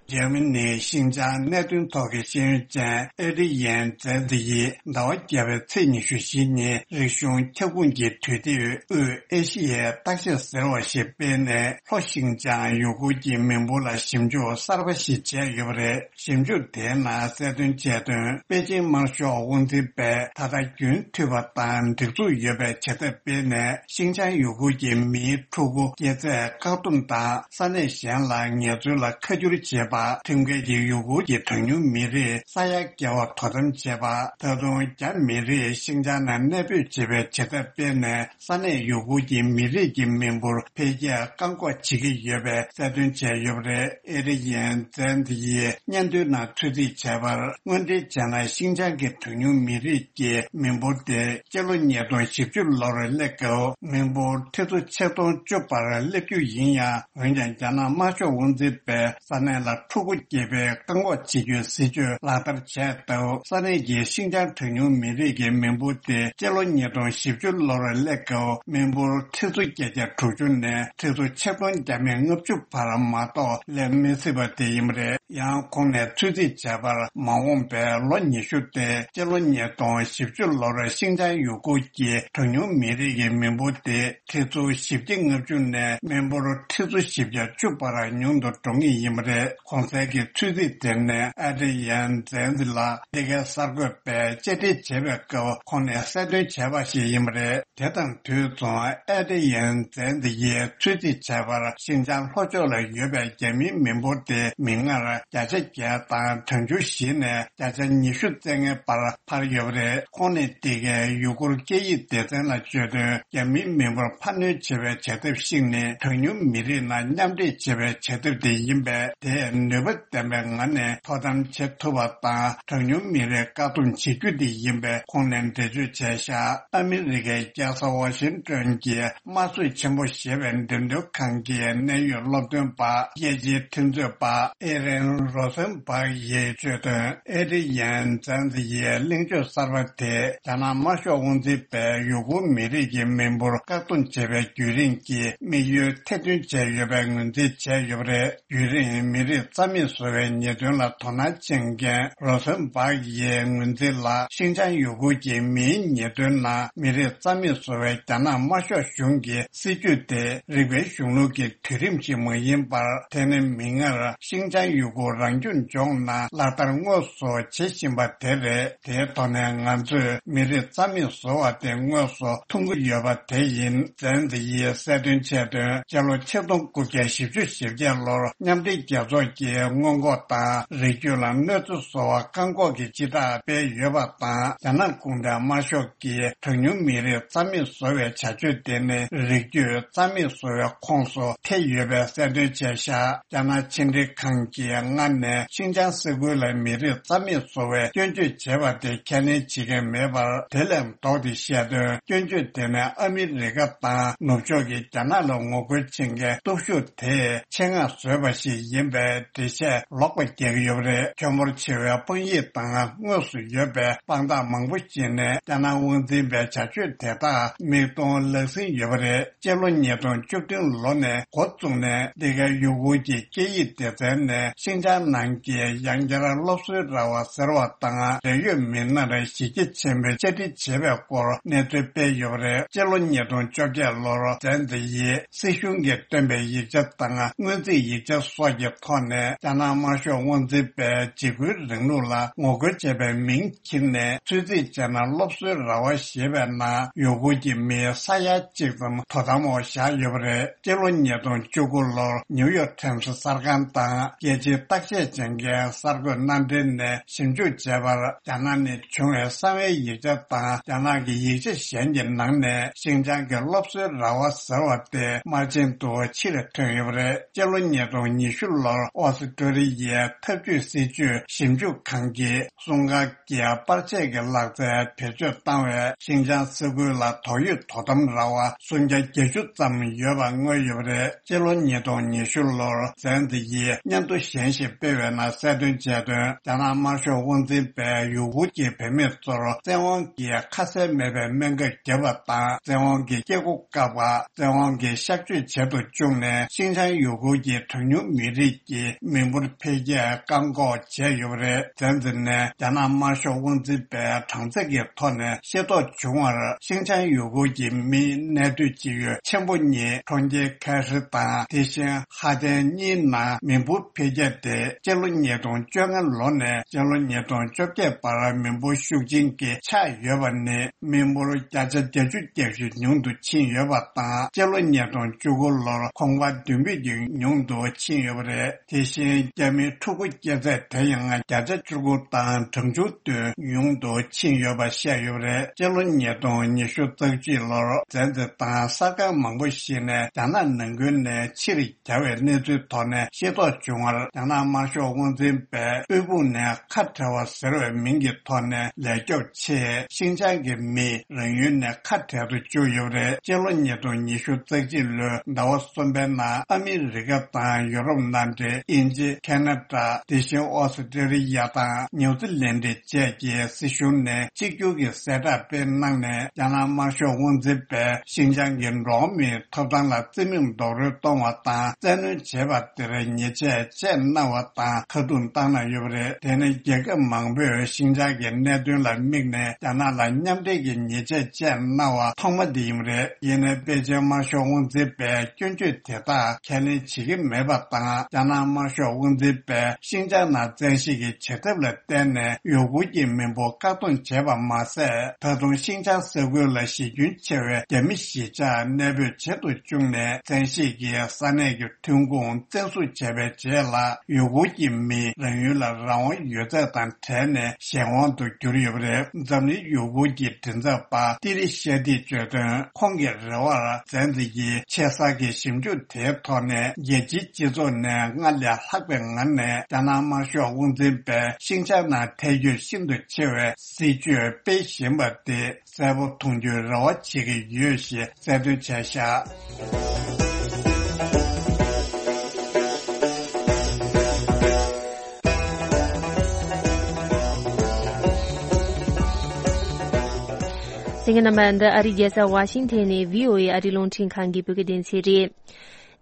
འཇར་མ་ནིའི་ཤིན་ཅང་གནད་དོན་ཐོག་གི་ཤེས་ཡོན་ཅན་ཨེ་ཌི་ཡན་ཛེ་ཛི་ཡིས་ཟླ་བ་བརྒྱད་པའི་ཚེས་ཉི་ཤུ་བཞི་ཉིན་རིག་གཞུང་ཁྱབ་ཁོངས་ཀྱི་དུས་དེབ་དབུས་ཨེ་ཤི་ཡའི་བརྟག་ཞིབ་ཟེར་བ་ཞིག་སྤེལ་ནས། ལྷོ་ཤིན་ཅང་ཡུ་གུར་གྱི་མི་འབོར་ལ་ཞིབ་འཇུག་གསར་པ་ཞིག་བྱས་ཡོད་པ་རེད། ཞིབ་འཇུག་དེའི་ནང་གསལ་སྟོན་བྱས་དོན། པེ་ཅིང་དམར་ཤོག་དབང་འཛིན་པས་ད་ལྟ་རྒྱུན་མཐུད་པ་དང་སྒྲིག་འཛུགས་ཡོད་པའི་བྱེད་ཐབས་སྤེལ་ནས། ཤིན་ཅང་ཡུ་གུར་གྱི་མིའི་ཕྲུ་གུ་སྐྱེས་ཚད་བཀག་སྡོམ་དང་ས་གནས་གཞན་ལ་ངལ་རྩོལ་ལ་ཁ་བསྒྱུར་བྱེད་པ། པ། ཁྲིམས་འགལ་གྱི་ཡུ་གུར་གྱི་གྲངས་ཉུང་མི་རིགས་ས་ཡ་བརྒལ་བ་དོ་དམ་བྱས་པ། ད་དུང་རྒྱ་མི་རིགས་ཤིང་ཅང་ནང་གནས་སྤོས་བྱེད་པའི་བྱེད་ཐབས་སྤེལ་ནས། ས་གནས་ཡུ་གུར་གྱི་མི་རིགས་ཀྱི་མི་འབོར་འཕེལ་རྒྱས་བཀག་འགོག་བྱེད་ཀྱི་ཡོད་པའི་གསལ་སྟོན་བྱས་ཡོད་པ་རེད། ཨེ་རི་ཡན་ཛན་ཛི་ཡིས་སྙན་ཐོའི་ནང་ཚོད་རྩིས་བྱས་པར། དངོས་འབྲེལ་བྱས་ན། ཤིང་ཅང་གི་གྲངས་ཉུང་མི་རིགས་ཀྱི་མི་འབོར་དེ་སྤྱི་ལོ་ཉིས་སྟོང་བཞི་བཅུ་ལོར་སླེབས་སྐབས། མི་འབོར་ཁྲི་ཚོ་ཆིག་སྟོང་བཅུ་བར་སླེབས་རྒྱུ་ཡིན་ཡང་། འོན་ཀྱང་། རྒྱ་ནག་དམར་ཤོག་དབང་འཛིན་པས་ས་གནས་ལ་འཁྲུག་པ་སྐྱེལ་བའི་བཀག་འགོག་བྱེད་རྒྱུའི་སྲིད་ཇུས་ལག་བསྟར་བྱས་སྟབས། ས་གནས་ཀྱི་ཤིང་ཅང་གྲངས་ཉུང་མི་རིགས་ཀྱི་མི་འབོར་དེ་སྤྱི་ལོ་ཉིས་སྟོང་བཞི་བཅུ་ལོར་སླེབས་སྐབས། མི་འབོར་ཁྲི་ཚོ་བརྒྱད་བརྒྱ་དྲུག་ཅུ་ནས་ཁྲི་ཚོ་ཆིག་སྟོང་བརྒྱ་མེད་ལྔ་བཅུ་བར་མ་གཏོགས་སླེབས་མི་སྲིད་པ་དེ་ཡིན་པ་རེད། ཡང་ཁོང་ནས་ཚོད་རྩིས་བྱས་པར། མ་འོངས་པའི་ལོ་ཉི་ཤུ་སྟེ། སྤྱི་ལོ་ཉིས་སྟོང་བཞི་བཅུ་ལོར་ཤིང་ཅང་ཡུ་གུར་གྱི་གྲངས་ཉུང་མི་རིགས་ཀྱི་མི་འབོར་དེ་ཁྲི་ཚོ་བཞི་བརྒྱ་ལྔ་བཅུ་ནས་མི་འབོར་ཁྲི་ཚོ་བཞི་བརྒྱ་བཅུ་བར་ཉུང་དུ་འགྲོ་ངེས་ཡིན་པ་རེད། གོང་གསལ་གྱི་ཚོད་རྩིས་དེ་ནི་ཨ་ཏི་ཡན་ཛན་ཛི་ལགས་འདི་གའི་གསར་འགོད་པས་བཅར་འདྲི་བྱེད་པའི་སྐབས་ཁོང་ནས་གསལ་སྟོན་བྱས་པ་ཞིག་ཡིན་པ་རེད། དེ་དང་དུས་མཚུངས། ཨེ་ཏི་ཡན་ཛན་ཛི་ཡིས་ཚོད་རྩིས་བྱས་པར། ཤིན་ཅང་ལྷོ་ཕྱོགས་ལ་ཡོད་པའི་རྒྱ་མིའི་མི་འབོར་དེ་མིག་སྔར་བརྒྱ་ཆ་བརྒྱད་དང་གྲངས་ཆུང་བཞི་ནས་བརྒྱ་ཆ་ཉི་ཤུ་རྩ་ལྔའི་བར་འཕར་ཡོད་པ་རེད། ཁོང་ནས་འདི་གའི་ཡུ་གུར་སྐད་ཡིག་སྡེ་ཚན་ལ་བརྗོད་དོན། རྒྱ་མིའི་མི་འབོར་འཕར་སྣོན་བྱེད་པའི་བྱ་ཐབས་ཤིག་ནི། གྲངས་ཉུང་མི་རིགས་ནང་མཉམ་འདྲེས་བྱེད་པའི་བྱ་ཐབས་དེ་ཡིན་པས། དེས་ནུས་པ་ལྡན་པའི་ངང་ནས་དོ་དམ་བྱེད་ཐུབ་པ་དང་། གྲངས་ཉུང་མི་རིགས་བཀག་སྡོམ་བྱེད་རྒྱུ་དེ་ཡིན་པས། ཁོང་ནས་འགྲེལ་བརྗོད་བྱས་བཞག་ཨ་མི་རི་ཀའི་རྒྱལ་ས་ཝ་ཤིང་ཏོན་གྱི་དམར་གསོད་ཆེན་པོ་ཞེས་པའི་འགྲེམས་སྟོན་ཁང་གི་གནད་ཡོད་སློབ་སྟོན་པ། རྒྱལ་སྤྱིའི་འཕྲིན་རྩོད་པ་ཨེ་རན་རོ་སན་སྦག་ཡིས་བརྗོད་དོན། ཨེ་ཏི་ཡན་ཛན་ཛི་ཡིས་གླེང་བརྗོད་གསར་པ་དེས། རྒྱ་ནག་དམར་ཤོག་དབང་འཛིན་པས་ཡུ་གུར་མི་རིགས་ཀྱི་མི་འབོར་བཀག་སྡོམ་བྱེད་པའི་བརྒྱུད་རིམ་གྱི་དམིགས་ཡུལ་ཐེར་འདོན་བྱས་ཡོད་པའི་ངོས་འཛིན་བྱས་ཡོད་པ་རེད། བརྒྱུད་རིམ་མི་རིགས་རྩ་མེད་བཟོ་བའི་ཉེས་དོན་ལ་དོ་སྣང་ཆེན་མཁན་རོ་སན་སྦག་ཡིས་ངོས་འཛིན་ལ། ཤིན་ཅང་ཡུ་གུར་གྱི་མིའི་ཉེས་དོན་ནང་མི་རིགས་རྩ་མེད་བཟོ་བའི་རྒྱ་ནག་དམར་ཤོག་གཞུང་གི་སྲིད་ཇུས་དེ་རིག་པའི་གཞུང་ལུགས་ཀྱི་དུས་རིམ་ཞིག་མ་ཡིན་པར། དེ་ནི་མིག་སྔར་ཤིན་ཅང་ཡུ་གུར་རང་སྐྱོང་ལྗོངས་ནང་ལག་བསྟར་དངོས་སུ་བྱེད་བཞིན་པ་དེ་རེད། དེའི་ཐོག་ནས་ང་ཚོས་མི་རིགས་རྩ་མེད་བཟོ་བ་དེ་དངོས་སུ་མཐོང་གི་ཡོད་པ་དེ་ཡིན། ཛན་ཛི་ཡིས་གསལ་སྟོན་བྱས་དོན། སྤྱི་ལོ་ཆིག་སྟོང་དགུ་བརྒྱ་བཞི་བཅུ་ཞེ་བརྒྱད་ལོར་མཉམ་འབྲེལ་རྒྱལ་ཚོགས་ཀྱིས་སྔོན་འགོག་དང་རིགས་རྒྱུད་ལ་གནོད་འཚེ་བཟོ་བ་བཀག་འགོག་གི་སྤྱི་བསྒྲགས་སྤེལ་ཡོད་པ་དང་། རྒྱ་ནག་གུང་ཁྲན་དམར་ཤོག་གིས་གྲངས་ཉུང་མི་རིགས་རྩ་མེད་བཟོ་བའི་བྱ་སྤྱོད་དེ་ནི་རིགས་རྒྱུད་རྩ་མེད་བཟོ་བའི་ཁོངས་སུ་ཐེ་ཡོད་པའི་གསལ་སྟོན་བྱས་བཞག་རྒྱ་ནག་ཕྱི་འབྲེལ་ཁང་གིས་སྔར་ནས་ཤིན་ཅང་ས་ཁུལ་ལ་མི་རིགས་རྩ་མེད་བཟོ་བའི་སྐྱོན་བརྗོད་བྱས་པ་དེ་ཁས་ལེན་བྱེད་མཁན་མེད་པར། དེ་ལས་ལྡོག་སྟེ་བཤད་དོན། སྐྱོན་བརྗོད་དེ་ནི་ཨ་མི་རི་ཀ་དང་ནུབ་ཕྱོགས་ཀྱིས་རྒྱ་ནག་ལ་ངོ་རྒོལ་བྱེད་མཁན་སྟོབས་ཤུགས་དེས་ཆེད་མངགས་བཟོས་པ་ཞིག་ཡིན་པའི་འགྲེལ་བཤད་ལོག་པ་རྒྱག་གི་ཡོད་པ་རེད། ཁྱད་པར་ཆེ་བའི་དཔང་ཡིག་དང་དངོས་སུ་ཡོད་པའི་དཔང་རྟགས་མང་པོ་ཞིག་ནས་རྒྱ་ནག་དབང་འཛིན་པའི་བྱ་སྤྱོད་དེ་དག་མིག་མཐོང་ལག་ཟིན་ཡོད་པ་རེད། སྤྱི་ལོ་ཉིས་སྟོང་བཅུ་བདུན་ལོ་ནས་འགོ་བཙུགས་ནས། འདི་གའི་ཡུ་གུར་གྱི་སྐད་ཡིག་སྡེ་ཚན་ནས་ཤིན་ཅང་ནང་གི་ཡང་བསྐྱར་སློབ་གསོའི་ར་བ་ཟེར་བ་དང་། འབྲེལ་ཡོད་མི་སྣར་གཞི་རྒྱ་ཆེན་པོས་བཅར་འདྲི་བྱས་པའི་སྐོར་གནས་ཚུལ་སྤེལ་ཡོད་པ་རེད། སྤྱི་ལོ་ཉིས་སྟོང་བཅོ་བརྒྱད་ལོར་ཛན་ཛི་ཡིས་སྲིད་གཞུང་གིས་བཏོན་པའི་ཡིག་ཆ་དང་སྔོན་རྩིས་ཡིག་ཆ་སོགས་ཀྱི་ཐོག་ནས། རྒྱ་ནག་དམར་ཤོག་དབང་འཛིན་པས་འཇིགས་སྐུལ་རིང་ལུགས་ལ་ངོ་རྒོལ་བྱས་པའི་མིང་ཁྱེར་ནས། ཚོད་རྩིས་བྱས་ན། སློབ་གསོའི་ར་བ་ཞེས་པའི་ནང་ཡུ་གུར་གྱི་མི་ས་ཡ་གཅིག་ཙམ་དོ་དམ་འོག་བཞག་ཡོད་པ་རེད། སྤྱི་ལོ་ཉིས་སྟོང་བཅུ་དགུ་ལོར་ནིའུ་ཡོག་ཊའིམ་སི་གསར་ཁང་དང་རྒྱལ་སྤྱིའི་བརྟག་དཔྱད་བྱེད་མཁན་གསར་འགོད་མནའ་འབྲེལ་ནས་ཞིབ་འཇུག་བྱས་པར། རྒྱ་ནག་ནས་བྱུང་བའི་གསང་བའི་ཡིག་ཆ་དང་རྒྱ་ནག་གི་ཡིག་ཆ་གཞན་གྱི་ནང་ནས། ཤིན་ཅང་གི་སློབ་གསོའི་ར་བ་ཟེར་བ་དེ་དམར་རྗེན་དུ་ཕྱིར་ཐོན་ཡོད་པ་རེད། སྤྱི་ལོ་ཉིས་སྟོང་ཉི་ཤུ་ལོར་ཨོ་སི་ཀྲོ་ལི་ཡའི་འཐབ་ཇུས་སྲིད་ཇུས་ཞིབ་འཇུག་ཁང་གིས་སྲུང་སྐར་གྱི་པར་ཆས་ཀྱི་ལག་རྩལ་བེད་སྤྱོད་བཏང་བས། ཤིན་ཅང་ས་ཁུལ་ལ་དོགས་ཡོད་དོ་དམ་ར་བ་སུམ་བརྒྱ་བརྒྱད་ཅུ་ཙམ་ཡོད་པ་མངོན་ཡོད་པ་རེད། སྤྱི་ལོ་ཉིས་སྟོང་ཉི་ཤུ་ལོར་ཛན་ཛི་ཡིས་སྙན་ཐོ་གཞན་ཞིག་སྤེལ་བའི་ནང་གསལ་སྟོན་བྱས་དོན། རྒྱ་ནག་དམར་ཤོག་དབང་འཛིན་པས་ཡུ་གུར་གྱི་བུད་མེད་ཚོར་བཙན་དབང་གིས་ཁ་གསལ་མེད་པའི་སྨན་ཁབ་བརྒྱབ་པ་དང་། བཙན་དབང་གིས་སྐྱེ་སྒོ་བཀག་པ། བཙན་དབང་གིས་གཤག་བཅོས་བྱེད་དུ་བཅུག་ནས། ཤིན་ཅང་ཡུ་གུར་གྱི་གྲངས་ཉུང་མི་རིགས་ཀྱི་མི་འབོར་འཕེལ་རྒྱས་བཀག་འགོག་བྱས་ཡོད་པ་རེད། ཛན་ཛི་ནས་རྒྱ་ནག་དམར་ཤོག་དབང་འཛིན་པའི་གྲངས་ཚད་ཀྱི་ཐོག་ནས་ཤེས་རྟོགས་བྱུང་བར། ཤིན་ཅང་ཡུ་གུར་གྱི་མིའི་གནས་སྡོད་སྤྱི་ཡུལ་ཆེན་པོ་གཉིས། གྲོང་ཁྱེར་ཁ་ཧྲི་དང་དེ་བཞིན་ཧ་ཏན་གཉིས་ནང་མི་འབོར་འཕེལ་རྒྱས་དེ་སྤྱི་ལོ་ཉིས་སྟོང་བཅོ་ལྔ་ལོ་ནས་སྤྱི་ལོ་ཉིས་སྟོང་བཅོ་བརྒྱད་བར་མི་འབོར་ཤུགས་ཆེན་གྱི་ཆག་ཡོད་པ་ནི། མི་འབོར་བརྒྱ་ཆ་བརྒྱད་ཅུ་གྱ་བཞི་ཉུང་དུ་ཕྱིན་ཡོད་པ་དང་། སྤྱི་ལོ་ཉིས་སྟོང་བཅུ་དགུ་ལོར་གོང་འཕར་བདུན་བོད་ཀྱི་ཉུང་དུ་ཕྱིན་ཡོད་པ་རེད། དེ་ དེ་བཞིན་རྒྱ་མིའི་ཕྲུ་གུ་སྐྱེས་ཚད་དེ་ཡང་བརྒྱ་ཆ་བཅུ་དགུ་དང་གྲངས་ཆུང་དུ་ཉུང་དུ་ཕྱིན་ཡོད་པ་བཤད་ཡོད་པ་རེད། སྤྱི་ལོ་ཉིས་སྟོང་ཉི་ཤུ་རྩ་གཅིག་ལོར་བཙན་འཛུལ་དང་གསར་ཁང་མང་པོ་ཞིག་ནས་རྒྱ་ནག་ནང་ཁུལ་ནས་ཕྱིར་གྱར་བའི་གནས་ཚུལ་ཐོག་ནས་ཤེས་རྟོགས་བྱུང་བར། རྒྱ་ནག་དམར་ཤོག་དབང་འཛིན་པས་དབུལ་ཕོངས་ནས་ཁ་བྲལ་བ་ཟེར་བའི་མིང་གི་ཐོག་ནས་ལས་སྐྱོབ་ཆེད་ཤིན་ཅང་གི་མི་རང་ཡུལ་ནས་ཁ་བྲལ་དུ་བཅུག་ཡོད་པ་རེད། སྤྱི་ལོ་ཉིས་སྟོང་ཉི་ཤུ་རྩ་གཅིག་ལོའི་ཟླ་བ་གསུམ་པའི་ནང་ཨ་མི་རི་ཀ་དང་ཡོ་རོབ་མནའ་འབྲེལ་དབྱིན་ཇི། ཁེ་ན་ཌ། དེ་བཞིན་ཨོ་སི་ཀྲི་ལི་ཡ་དང་ནིའུ་ཛི་ལན་ཌི་བཅས་ཀྱི་སྲིད་གཞུང་ནས་གཅིག་གྱུར་གྱི་གསལ་བསྒྲགས་སྤེལ་གནང་ནས། རྒྱ་ནག་དམར་ཤོག་དབང་འཛིན་པས་ཤིན་ཅང་གི་འགྲོ་བ་མིའི་ཐོབ་ཐང་ལ་བརྩི་མེད་རྡོག་རོལ་གཏོང་བ་དང་བཙན་གནོན་བྱས་པ་དེར་ཉེས་ཆད་བཅད་གནང་བ་དང་ཁ་རྡུང་བཏང་གནང་ཡོད་པ་རེད། དེ་ནི་རྒྱལ་ཁབ་མང་པོས་ཤིན་ཅང་གི་གནད་དོན་ལ་དམིགས་ནས་རྒྱ་ནག་ལ་མཉམ་འབྲེལ་གྱི་ཉེས་ཆད་བཅད་གནང་བ་ཐོག་མ་དེ་ཡིན་པ་རེད། ཡིན་ནའི་པེ་ཅིན་དམར་ཤོག་དབང་འཛིན་པས་སྐྱོན་བརྗོད་དེ་དག་ཁས་ལེན་བྱེད་ཀྱི་མེད་པ་དང་། རྒྱ་ནག་དམར་ཤོག་དབང་འཛིན་པས་ཤིན་ཅང་ནང་བཙན་ཤེད་ཀྱི་བྱེད་ཐབས་ལ་བརྟེན་ནས་ཡུ་གུར་གྱི་མི་འབོར་བཀག་སྡོམ་བྱས་པ་མ་ཟད། ད་དུང་ཤིན་ཅང་ས་ཁུལ་ལ་གཞིས་ཁྱོན་ཆེ་བའི་རྒྱ་མི་གཞིས་ཆགས་གནས་སྤོས་བྱེད་དུ་བཅུག་ནས་བཙན་ཤེད་ཀྱིས་ས་གནས་ཀྱི་ཐོན་ཁུངས་བཙན་བཟུང་བྱས་པའི་རྗེས་ལ། ཡུ་གུར་གྱི་མི་རང་ཡུལ་ལ་རང་དབང་ཡོད་ཚད་དང་བྲལ་ནས་གཞན་དབང་དུ་གྱུར་ཡོད་པ་རེད། འཛམ་གླིང་ཡུ་གུར་གྱི་མགྲིན་ཚབ་པ་ཏི་རི་ཤ་ཏིས་བརྗོད་དོན། ཁོང་གི་རེ་བར་བཙན་འཛུལ་གྱི་ཆེ་ས་གི་ཞིབ་འཇུག་དེའི་ཐོག་ནས་རྒྱལ་སྤྱིའི་སྤྱི་ཚོགས་ནས་སྔར་ལས་ལྷག་པའི་ངང་ནས་རྒྱ་ནག་དམར་ཤོག་དབང་འཛིན་པས་ཤིན་ཅང་ནང་ཐལ་འགྱུར་ཤིན་ཏུ་ཆེ་བའི་སྲིད་བྱུས་སྤེལ་བཞིན་པ་དེ་གསལ་པོ་མཐོང་རྒྱུའི་རེ་བ་བྱེད་ཀྱི་ཡོད་ཞེས་གསལ་སྟོན་བྱས་བཞག་གསན་མཁན་རྣམ་པ། འདི་ཨ་རིའི་རྒྱལ་ས་ཝ་ཤིང་ཐན་ནས་བྷི་ཨོ་ཨེ་ཨ་རིའི་རླུང་འཕྲིན་ཁང་གི་བོད་སྐད་སྡེ་ཚན་རེད།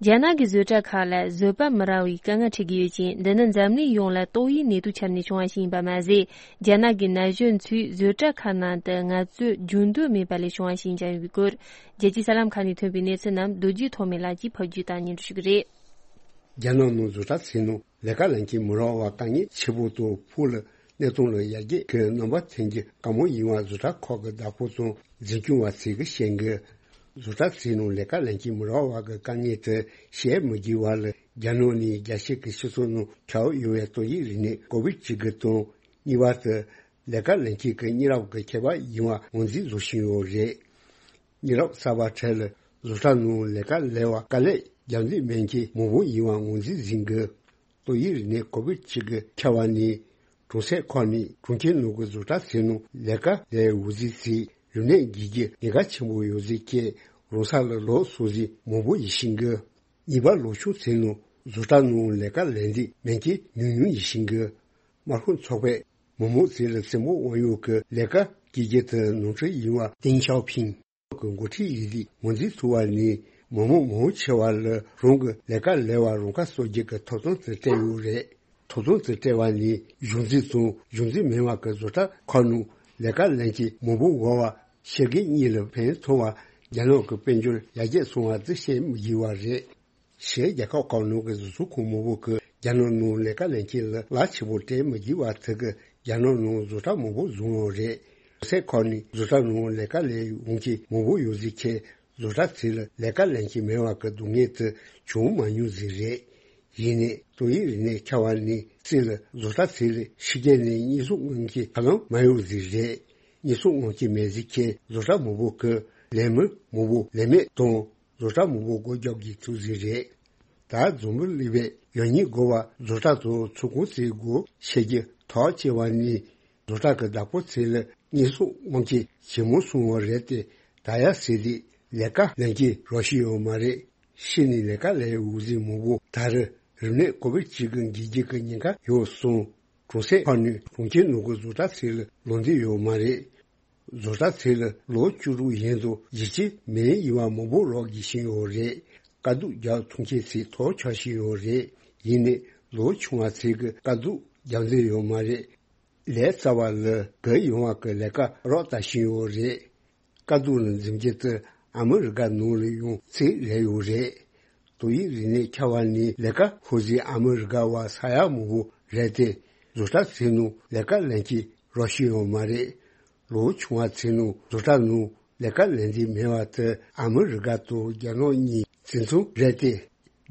རྒྱ་ནག་གི་བཟོ་གྲྭ་ཁག་ལ་བཟོད་པ་མི་རག་པའི་དཀའ་ངལ་འཕྲད་ཀྱི་ཡོད་ཅིང་། འདི་ནི་འཛམ་གླིང་ཡོངས་ལ་ཏོག་དབྱིབས་ནད་དུག་ཁྱབ་ནས་བྱུང་བ་ཞིག་ཡིན་པ་མ་ཟད། རྒྱ་ནག་གི་ན་གཞོན་ཚོས་བཟོ་གྲྭ་ཁག་ནང་དུ་ངལ་རྩོལ་རྒྱུན་སྡོད་མེད་པ་ལས་བྱུང་བ་ཞིག་ཀྱང་ཡིན་པའི་སྐོར། རྒྱལ་སྤྱིའི་གསར་ལམ་ཁག་ནས་ཐོན་པའི་གནས་ཚུལ་རྣམས་རྡོ་རྗེ་ཐོགས་མེད་ལགས་ཀྱིས་ཕབ་བསྒྱུར་དང་སྙན་སྒྲོན་ཞུ་གི་རེད། རྒྱ་ནག་ནང་བཟོ་གྲྭ་ཚོའི་ནང་ལས་ཀ་ལེན་གྱི་མི་རག་པ་དཀའ་ངལ་ཆེ་པོ་དང་། ཕུགས་ལ་གནས་སྟངས་ལ་ཡར་རྒྱས་ཀྱི་རྣམ་པ་ཐོན་གྱི་དཀའ་མོ་ཡིན་པ་བཟོ་གྲྭ་ཁག་གི་བདག་པོ་དང་འཛིན་སྐྱོང་བ་ཚོས་ཀྱིས་བཤད་འདུག་བཟོ་གྲྭ་ཚོའི་ནང་ལས་ཀ་ལེན་གྱི་མི་རག་པ་གི་དཀའ་ངལ་དེ་བཤད་མི་དགོས་པ་ལ། རྒྱ་ནག་ནས་རྒྱལ་སྤྱི་གི་སྤྱི་ཚོགས་ནང་ཁྱབ་ཡོད་པའི་ཏོག་དབྱིབས་རིམས་ནད་ཀོ་བིད་བཅུ་དགུ་དང་། གཉིས་པ་དེ་ལས་ཀ་ལེན་མཁན་གྱི་མི་རབས་ཀྱི་ཁྱད་པར་ཡིན་པ་ངོས་འཛིན་བཟོ་བཞིན་ཡོད་རེད། མི་རབས་གསར་པ་ཁྲོད་ལ་བཟོ་གྲྭ་ནང་ལས་ཀ་ལས་པར་དཀའ་ལས་རྒྱག་འདོད་མེད་མཁན་མང་པོ་ཡིན་པ་ངོས་འཛིན་བཟོ་གི་འདུག་ཏོག་དབྱིབས་རིམས་ནད་ཀོ་བིད་བཅུ་དགུ་ཁྱབ་པ་ནས་གྲོང་གསེབ་ཁག་ནས་གྲོང་ཁྱེར་ནང་གི་བཟོ་གྲྭ་ཚོའི་ནང་ལས་ཀ་ལས་འོས་འཚམ་ཞིག་རིམས་ནད་འགོས་ཀྱི་ཉེན་ཁ་ཆེན་པོ་ཡོད་ཟེར་མཁན་རང་ས་ལ་ལོག་སོང་ཟེར་མང་པོ་ཡོད་བཞིན་གི། གཉིས་པ་ལོ་ཆུང་ཚོའི་ནང་བཟོ་གྲྭ་ནང་ལས་ཀ་ལས་འདོད་མེད་མཁན་ཉུང་ཉུང་ཡོད་བཞིན་གི། དམར་ཤོག་ཚོགས་པས་མི་མང་ཚོ་ལ་སེམས་པ་དབང་ཡོད་ཀྱི་ལས་ཀ་སྐྱེལ་རྒྱུ་དེ་ནོར་འཁྲུལ་ཡིན་པ་ཏེང་ཞའོ་ཕིང་གི་འགོ་ཁྲིད་ཡིན་དུས་ངོས་འཛིན་ཐུབ་པ་ནི། མི་མང་མང་ཆེ་བ་ལ་རང་གི་ལས་ཀ་ལས་པར་རང་ཁ་གསོ་རྒྱུ་གི་ཐོབ་ཐང་དེ་སྤྲད་ཡོད་རེད། ཐོབ་ཐང་དེ་སྤྲད་པ་ནི་གཞུང་འཛིན་དང་གཞུང་འཛིན་མིན་པ་གི་བཟོ་གྲྭ་ཁག་ནང་ལས་ཀ་ལེན་མཁན་མང་པོ་ཡོད་པ་ཤེས་མཁན་གཉིས་ལ་ཕན་ཐོགས་པ་རྒྱ་ནག་གི་དཔལ་འབྱོར་ཡར་རྒྱས་སོང་བ་དེ་བཤད་མི་དགོས་པ་རེད། ཕྱིའི་རྒྱལ་ཁབ་ཁག་ནང་གི་བཟོ་ཚོང་ཁང་མང་པོ་གིས་རྒྱ་ནག་ནང་ལས་ཀ་ལེན་མཁན་ལ་གླ་ཆེན་པོ་སྤྲད་མི་དགོས་པ་དེ་གིས་རྒྱ་ནག་ནང་བཟོ་གྲྭ་མང་པོ་བཟོས་ཡོད་རེད། གྲོང་གསེབ་ཁག་ནས་བཟོ་གྲྭ་ནང་ལས་ཀ་ལས་འོང་མཁན་མང་པོ་ཡོད་ཟེར་མཁན་བཟོ་གྲྭ་ཚོ་ལ་ལས་ཀ་ལེན་མཁན་མེད་པ་གི་སྡུག་བསྔལ་དེ་བྱུང་མ་མྱོང་ཟེར་རེད། ཡིན་ནའི་ཏོག་དབྱིབས་རིམས་ནད་ཁྱབ་པ་ནས་སྲིད་ལ་བཟོ་གྲྭ་ཚོ་ལ་ཕྱི་རྒྱལ་ནས་རྙེད་སོར་མངགས་མཁན་ཧ་ལམ་མ་ཡོང་ཟེར་རེད། རྙེད་སོར་མངགས་མཁན་མེད་ཟེར་མཁན་བཟོ་གྲྭ་མང་པོ་གིས་ལས་མི་མང་པོ་ལས་མེད་དང་། བཟོ་གྲྭ་མང་པོ་སྒོ་རྒྱག་དགོས་ཐུག་ཟིན་རེད། ད་འཛམ་བུ་གླིང་པའི་ཡོད་ཉེས་དགོས་པ་བཟོ་གྲྭ་དང་ཚོང་ཁང་ཚོའི་སྒོ་ཕྱེ་རྒྱུ་ཐག་བཅད་པ་ནི། བཟོ་གྲྭ་གི་བདག་པོ་ཚོ་ལ་རྙེད་སོར་དབང་ཆ་ཇེ་མང་སོང་བ་རེད་དེ། ད་ཡ་ཟེར་དུས་ལས་ཀ་ལེན་གྱི་རོགས་ཞུས་ཡོད་མ་རེད། ཕྱི་ནས་ལས་ཀ་ལས་འོས་འཛིན་མང་པོ་ད་རེས་རིམས་ནད་ཀོ་བིད་བཅུ་དགུ་འགོས་རྒྱུ་གི་ཉེན་ཁ་ཡོད་གསུངས། གྲོང་གསེབ་ཁག་ནས་གྲོང་ཁྱེར་ནང་གི་བཟོ་གྲྭ་ཚོ་ལ་ལོག་འདོད་ཡོད་མ་རེད། བཟོ་གྲྭ་ཚོ་ལ་ལོ་བཅུ་དྲུག་ཡན་དུ་གཞིས་སྤྱི་མིན་ཡིན་པ་མང་པོ་རོགས་དགོས་བཞིན་ཡོད་རེད། དཀའ་སྡུག་རྒྱག་ཐུབ་མཁན་ཚོས་ཐག་ཆོད་བཞིན་ཡོད་རེད། ཡིན་ནའི་ལོ་ཆུང་བ་ཚོས་ཀྱི་དཀའ་སྡུག་རྒྱག་འདོད་ཡོད་མ་རེད། ལས་ཚ་བ་ལ་གུ་ཡངས་པ་གི་ལས་ཀ་རོགས་ལྟ་བཞིན་ཡོད་རེད། དཀའ་སྡུག་ལ་འཛེམ་རྒྱུ་དེ་ཨ་མི་རི་ཀ་ནང་ལ་ཡང་ཚད་རེ་ཡོད་རེད། ཏོག་དབྱིབས་རིམས་ནད་ཁྱབ་པ་ནས་ལས་ཀ་ཤོར་ཟིན་ཨ་མི་རི་ཀ་བ་ས་ཡ་མང་པོ་རེད་དེ། བཟོ་གྲྭ་ཚོའི་ནང་ལས་ཀ་ལེན་གྱི་རོགས་ཞུས་ཡོད་མ་རེད། ལོ་ཆུང་བ་ཚོའི་ནང་བཟོ་གྲྭ་ནང་ལས་ཀ་ལེན་འདོད་མེད་པ་དེ་ཨ་མི་རི་ཀ་དང་རྒྱ་ནག་གཉིས་འཛིན་ཚུལ་རེད་དེ།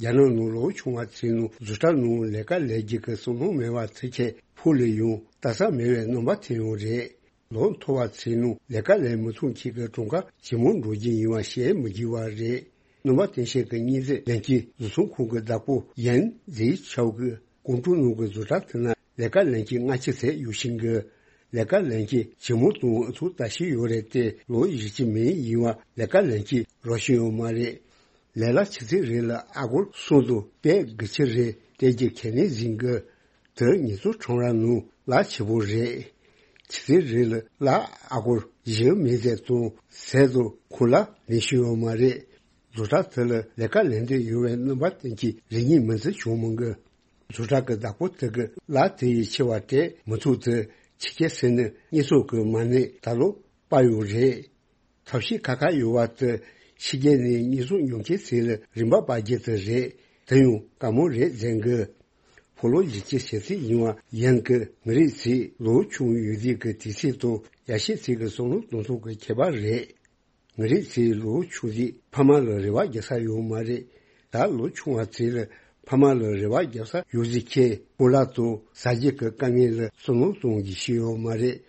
རྒྱ་ནག་ནང་ལོ་ཆུང་བ་ཚོའི་ནང་བཟོ་གྲྭ་ནང་ལས་ཀ་ལས་རྒྱུ་གི་བསམ་བློ་མེད་པ་ཚོ་ཁྱེད་ཕུགས་ལ་ཡང་ལྟ་ས་མེད་པའི་རྣམ་པ་ཐོན་ཡོང་རེད། ལོ་མཐོ་བ་ཚོའི་ནང་ལས་ཀ་ལས་མི་ཐུབ་མཁན་གྱི་གྲངས་ཀ་ཇེ་མང་འགྲོ་གི་ཡིན་པ་བཤད་མི་དགོས་པ་རེད། རྣམ་པ་སྟོན་བཤད་ཀྱི་སྙན་ཚིག་ལན་གྱི་བཟོ་ཚོང་ཁང་གི་བདག་པོ་ཡན་ཛེ་ཆའོ་གིས་ཀོང་ཀྲུག་ནང་གི་བཟོ་གྲྭ་དེ་ན་ལས་ཀ་ལེན་མཁན་ལྔ་བཅུ་ཙམ་ཡོད་བཞིན་གི། ལས་ཀ་ལེན་མཁན་ཇེ་མང་དང་ཨུ་ཚུགས་ལྟ་བཞིན་ཡོད་རེད་དེ། ལོ་བཞི་བཅུ་མན་ཡིན་པ་ལས་ཀ་ལེན་མཁན་རག་བཞིན་ཡོད་མ་རེད། ལས་གླ་ཆུ་ཚོད་རེ་ལ་ཨ་སྒོར་གསུམ་དང་པད་དགུ་བཅུ་རེ་སྟེར་རྒྱུ་ཁས་ལེན་ཟིན་གི། དེ་ཉི་ཚོ་ཁྲོམ་ར་ནང་གླ་ཆེ་པོ་རེད། ཆུ་ཚོད་རེ་ལ་གླ་ཨ་སྒོར་བཞི་མན་ཙམ་དང་ཟས་དང་ཁོག་ལ་ལེན་བཞིན་ཡོད་མ་རེད། བཟོ་གྲྭ་དེ་ལ་ལས་ཀ་ལེན་འདོད་ཡོད་པའི་རྣམ་པ་སྟོན་མཁན་རེ་གཉིས་མིན་ཙམ་བྱུང་མི་འགི། བཟོ་གྲྭ་གི་བདག་པོ་དེ་གི་གླ་དེ་ཡི་ཆེ་བ་སྤྲད་མི་ཐུབ་དུས་ཕྱི་རྒྱལ་ཟེར་ནས་དངོས་ཟོག་གི་མ་གནས་ད་ལོ་པ་ཡོད་རེད། ཐབས་ཤེས་ཁ་ཁ་ཡོད་པ་དེ་ཕྱི་རྒྱལ་ནས་དངོས་ཟོག་ཉོ་མཁན་ཚོ་ལ་རིན་པ་སྤར་རྒྱུ་དེ་རེད། དེ་ཡང་དཀའ་མོ་རེད་ཟེར་གི། ཕོ་ལོ་བཞི་བཅུ་ཞེ་གཅིག་ཡིན་པ་ཡན་གི་མི་རིགས་ཚོས་ལོ་ཆུང་ཡོད་དུས་ཀྱི་དུས་ཚོད་དང་ཡར་ཤེས་ཚོས་ཀྱི་བསམ་བློ་གཏོང་སྟངས་ཀྱི་ཁྱད་པར་རེད། མི་རིགས་ཚོས་ལོ་ཆུང་དུས་ཕ་མ་ལ་རེ་བ་རྒྱག་ས་ཡོད་མ་རེད། ད་ལོ་ཆུང་བ་ཚོས་ལ་ཕ་མ་ལ་རེ་བ་རྒྱག་ས་ཡོད་ཟིག་ཁྱེད་སྤོ་ལགས་དང་ཟ་རྒྱུ་གི་དཀའ་ངལ་ལ་བསམ་བློ་གཏོང་རྒྱུ་ཞིག་ཡོད་མ་རེད།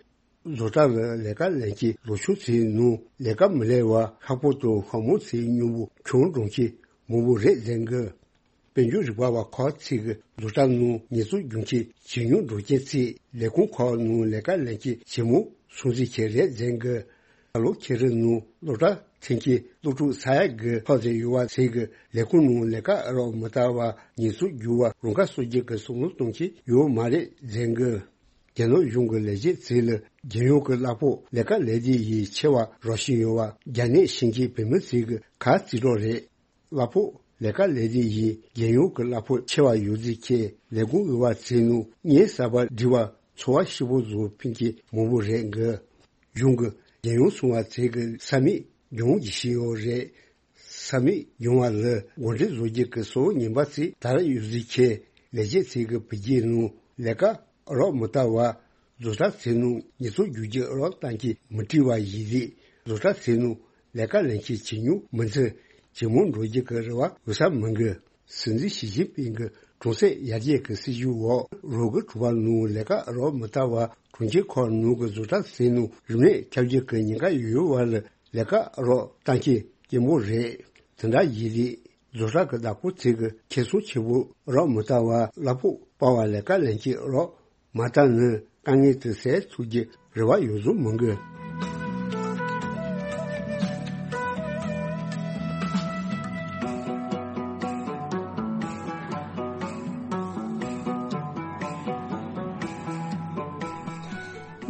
བཟོ་གྲྭ་ལ་ལས་ཀ་ལེན་མཁན་ལོ་ཆུང་ཚོའི་ནང་ལས་ཀ་མི་ལས་པ་ཤ་པོ་དང་ཤ་མོ་ཚོའི་སྨྱུ་གུ་ཁྱོན་འགྲོ་མཁན་མང་པོ་རེད་ཟེར་གི། དཔལ་འབྱོར་རིག་པ་བ་ཁག་ཅིག་གིས་བཟོ་གྲྭ་ནང་ཉེས་གསོག་རྒྱུ་མཁན་ཇེ་ཉུང་འགྲོ་རྐྱེན་གྱིས་ལས་ཁུངས་ཁག་ནང་ལས་ཀ་ལེན་མཁན་ཇེ་མང་སོང་ཟིག་ཁྱེད་རེད་ཟེར་གི། ད་ལོ་ཁེ་རི་ནང་སློབ་གྲྭ་ཐོན་མཁན་སློབ་ཕྲུག་ས་ཡ་དགུ་ལྷག་ཙམ་ཡོད་པ་ཟེར་གི། ལས་ཁུངས་ནང་ལས་ཀ་རག་མི་ལྟ་བ་ཉེས་གསོག་རྒྱུ་བ་རང་ཁ་གསོ་རྒྱུ་གི་བསམ་བློ་གཏོང་མཁན་ཡོད་མ་རེད་ཟེར་གི། རྒྱ་ནག་གཞུང་གི་ལས་བྱེད་ཚོས་ལ་རྒྱལ་ཡོངས་ཀྱི་གླ་ཕོགས་ལས་ཀ་ལས་དུས་ཡིས་ཆེ་བ་རག་བཞིན་ཡོད་པ་རྒྱ་ནད་ཤེས་མཁན་བུད་མེད་ཚོས་གི་ཁ་རྩིས་རོགས་རེད། གླ་ཕོགས་ལས་ཀ་ལས་དུས་ཡིས་རྒྱལ་ཡོངས་ཀྱི་གླ་ཕོགས་ཆེ་བ་ཡོད་ཚུལ་ཁྱེད་ལས་ཁུངས་དབུལ་བ་ཚོའི་ནང་གཉེན་གསར་པ་སྒྲིག་པ་འཚོ་བ་ཞིབ་པོ་བཟོ་ཕན་གྱི་མང་པོ་རེད་གི། གཞུང་གི་རྒྱལ་ཡོངས་སྲུང་བ་ཚོས་གི་ས་མིག་སྦྱོང་གི་ཤི་ཡོད་རེད། ས་མིག་སྦྱོང་བ་ལ་འགོ་ཁྲིད་བཟོ་རྒྱུ་གི་སོ་ཉན་པ་ཚོས་དར་ཡོད་ཚུལ་ཁྱེད་ལས་བྱེད་ཚོས་གི་བུ་རྒྱུད་ནང་ལས་ཀ་རག་མི་ལྟ་བ། བཟོ་གྲྭ་ཚོའི་ནང་ཉེས་གསོག་རྒྱུ་རྒྱུ་རག་གཏང་གི་མི་བྲིས་པ་ཡིན་དུས་བཟོ་གྲྭ་ཚོའི་ནང་ལས་ཀ་ལེན་མཁན་ཇེ་ཉུང་མི་འཛིན་ཇེ་མང་འགྲོ་རྒྱུ་གི་རེ་བ་འོས་ས་མི་འགི། སྲིད་འཛིན་ཞི་ཅིན་ཕིང་གི་གྲོང་གསེབ་ཡར་རྒྱས་ཀྱི་སྲིད་ཇུས་འོག་རོགས་ཀྱི་གྲོང་པ་ནང་ལས་ཀ་རག་མི་ལྟ་བ་གྲོང་ཁྱེར་ཁག་ནང་གི་བཟོ་གྲྭ་ཚོའི་ནང་རིམས་ནད་ཁྱབ་རྒྱུ་གི་ཉེན་ཁ་ཡོད་པ་ལ་ལས་ཀ་རག་གཏང་མཁན་སྐྱེན་པོ་རེད། དེ་འདྲ་ཡིན་དུས་བཟོ་གྲྭ་གི་བདག་པོ་ཚོས་གི་ཁེ་བཟང་ཆེ་པོ་རག་མི་ལྟ་བ་གླ་ཕོགས་སྤར་བ་ལས་ཀ་ལེན་མཁན་རག་མ་ལྟ་ནི་དཀའ་ངལ་དེ་སེལ་ཐུབ་རྒྱུ་རེ་བ་ཡོད་བཟོ་མི་འགི།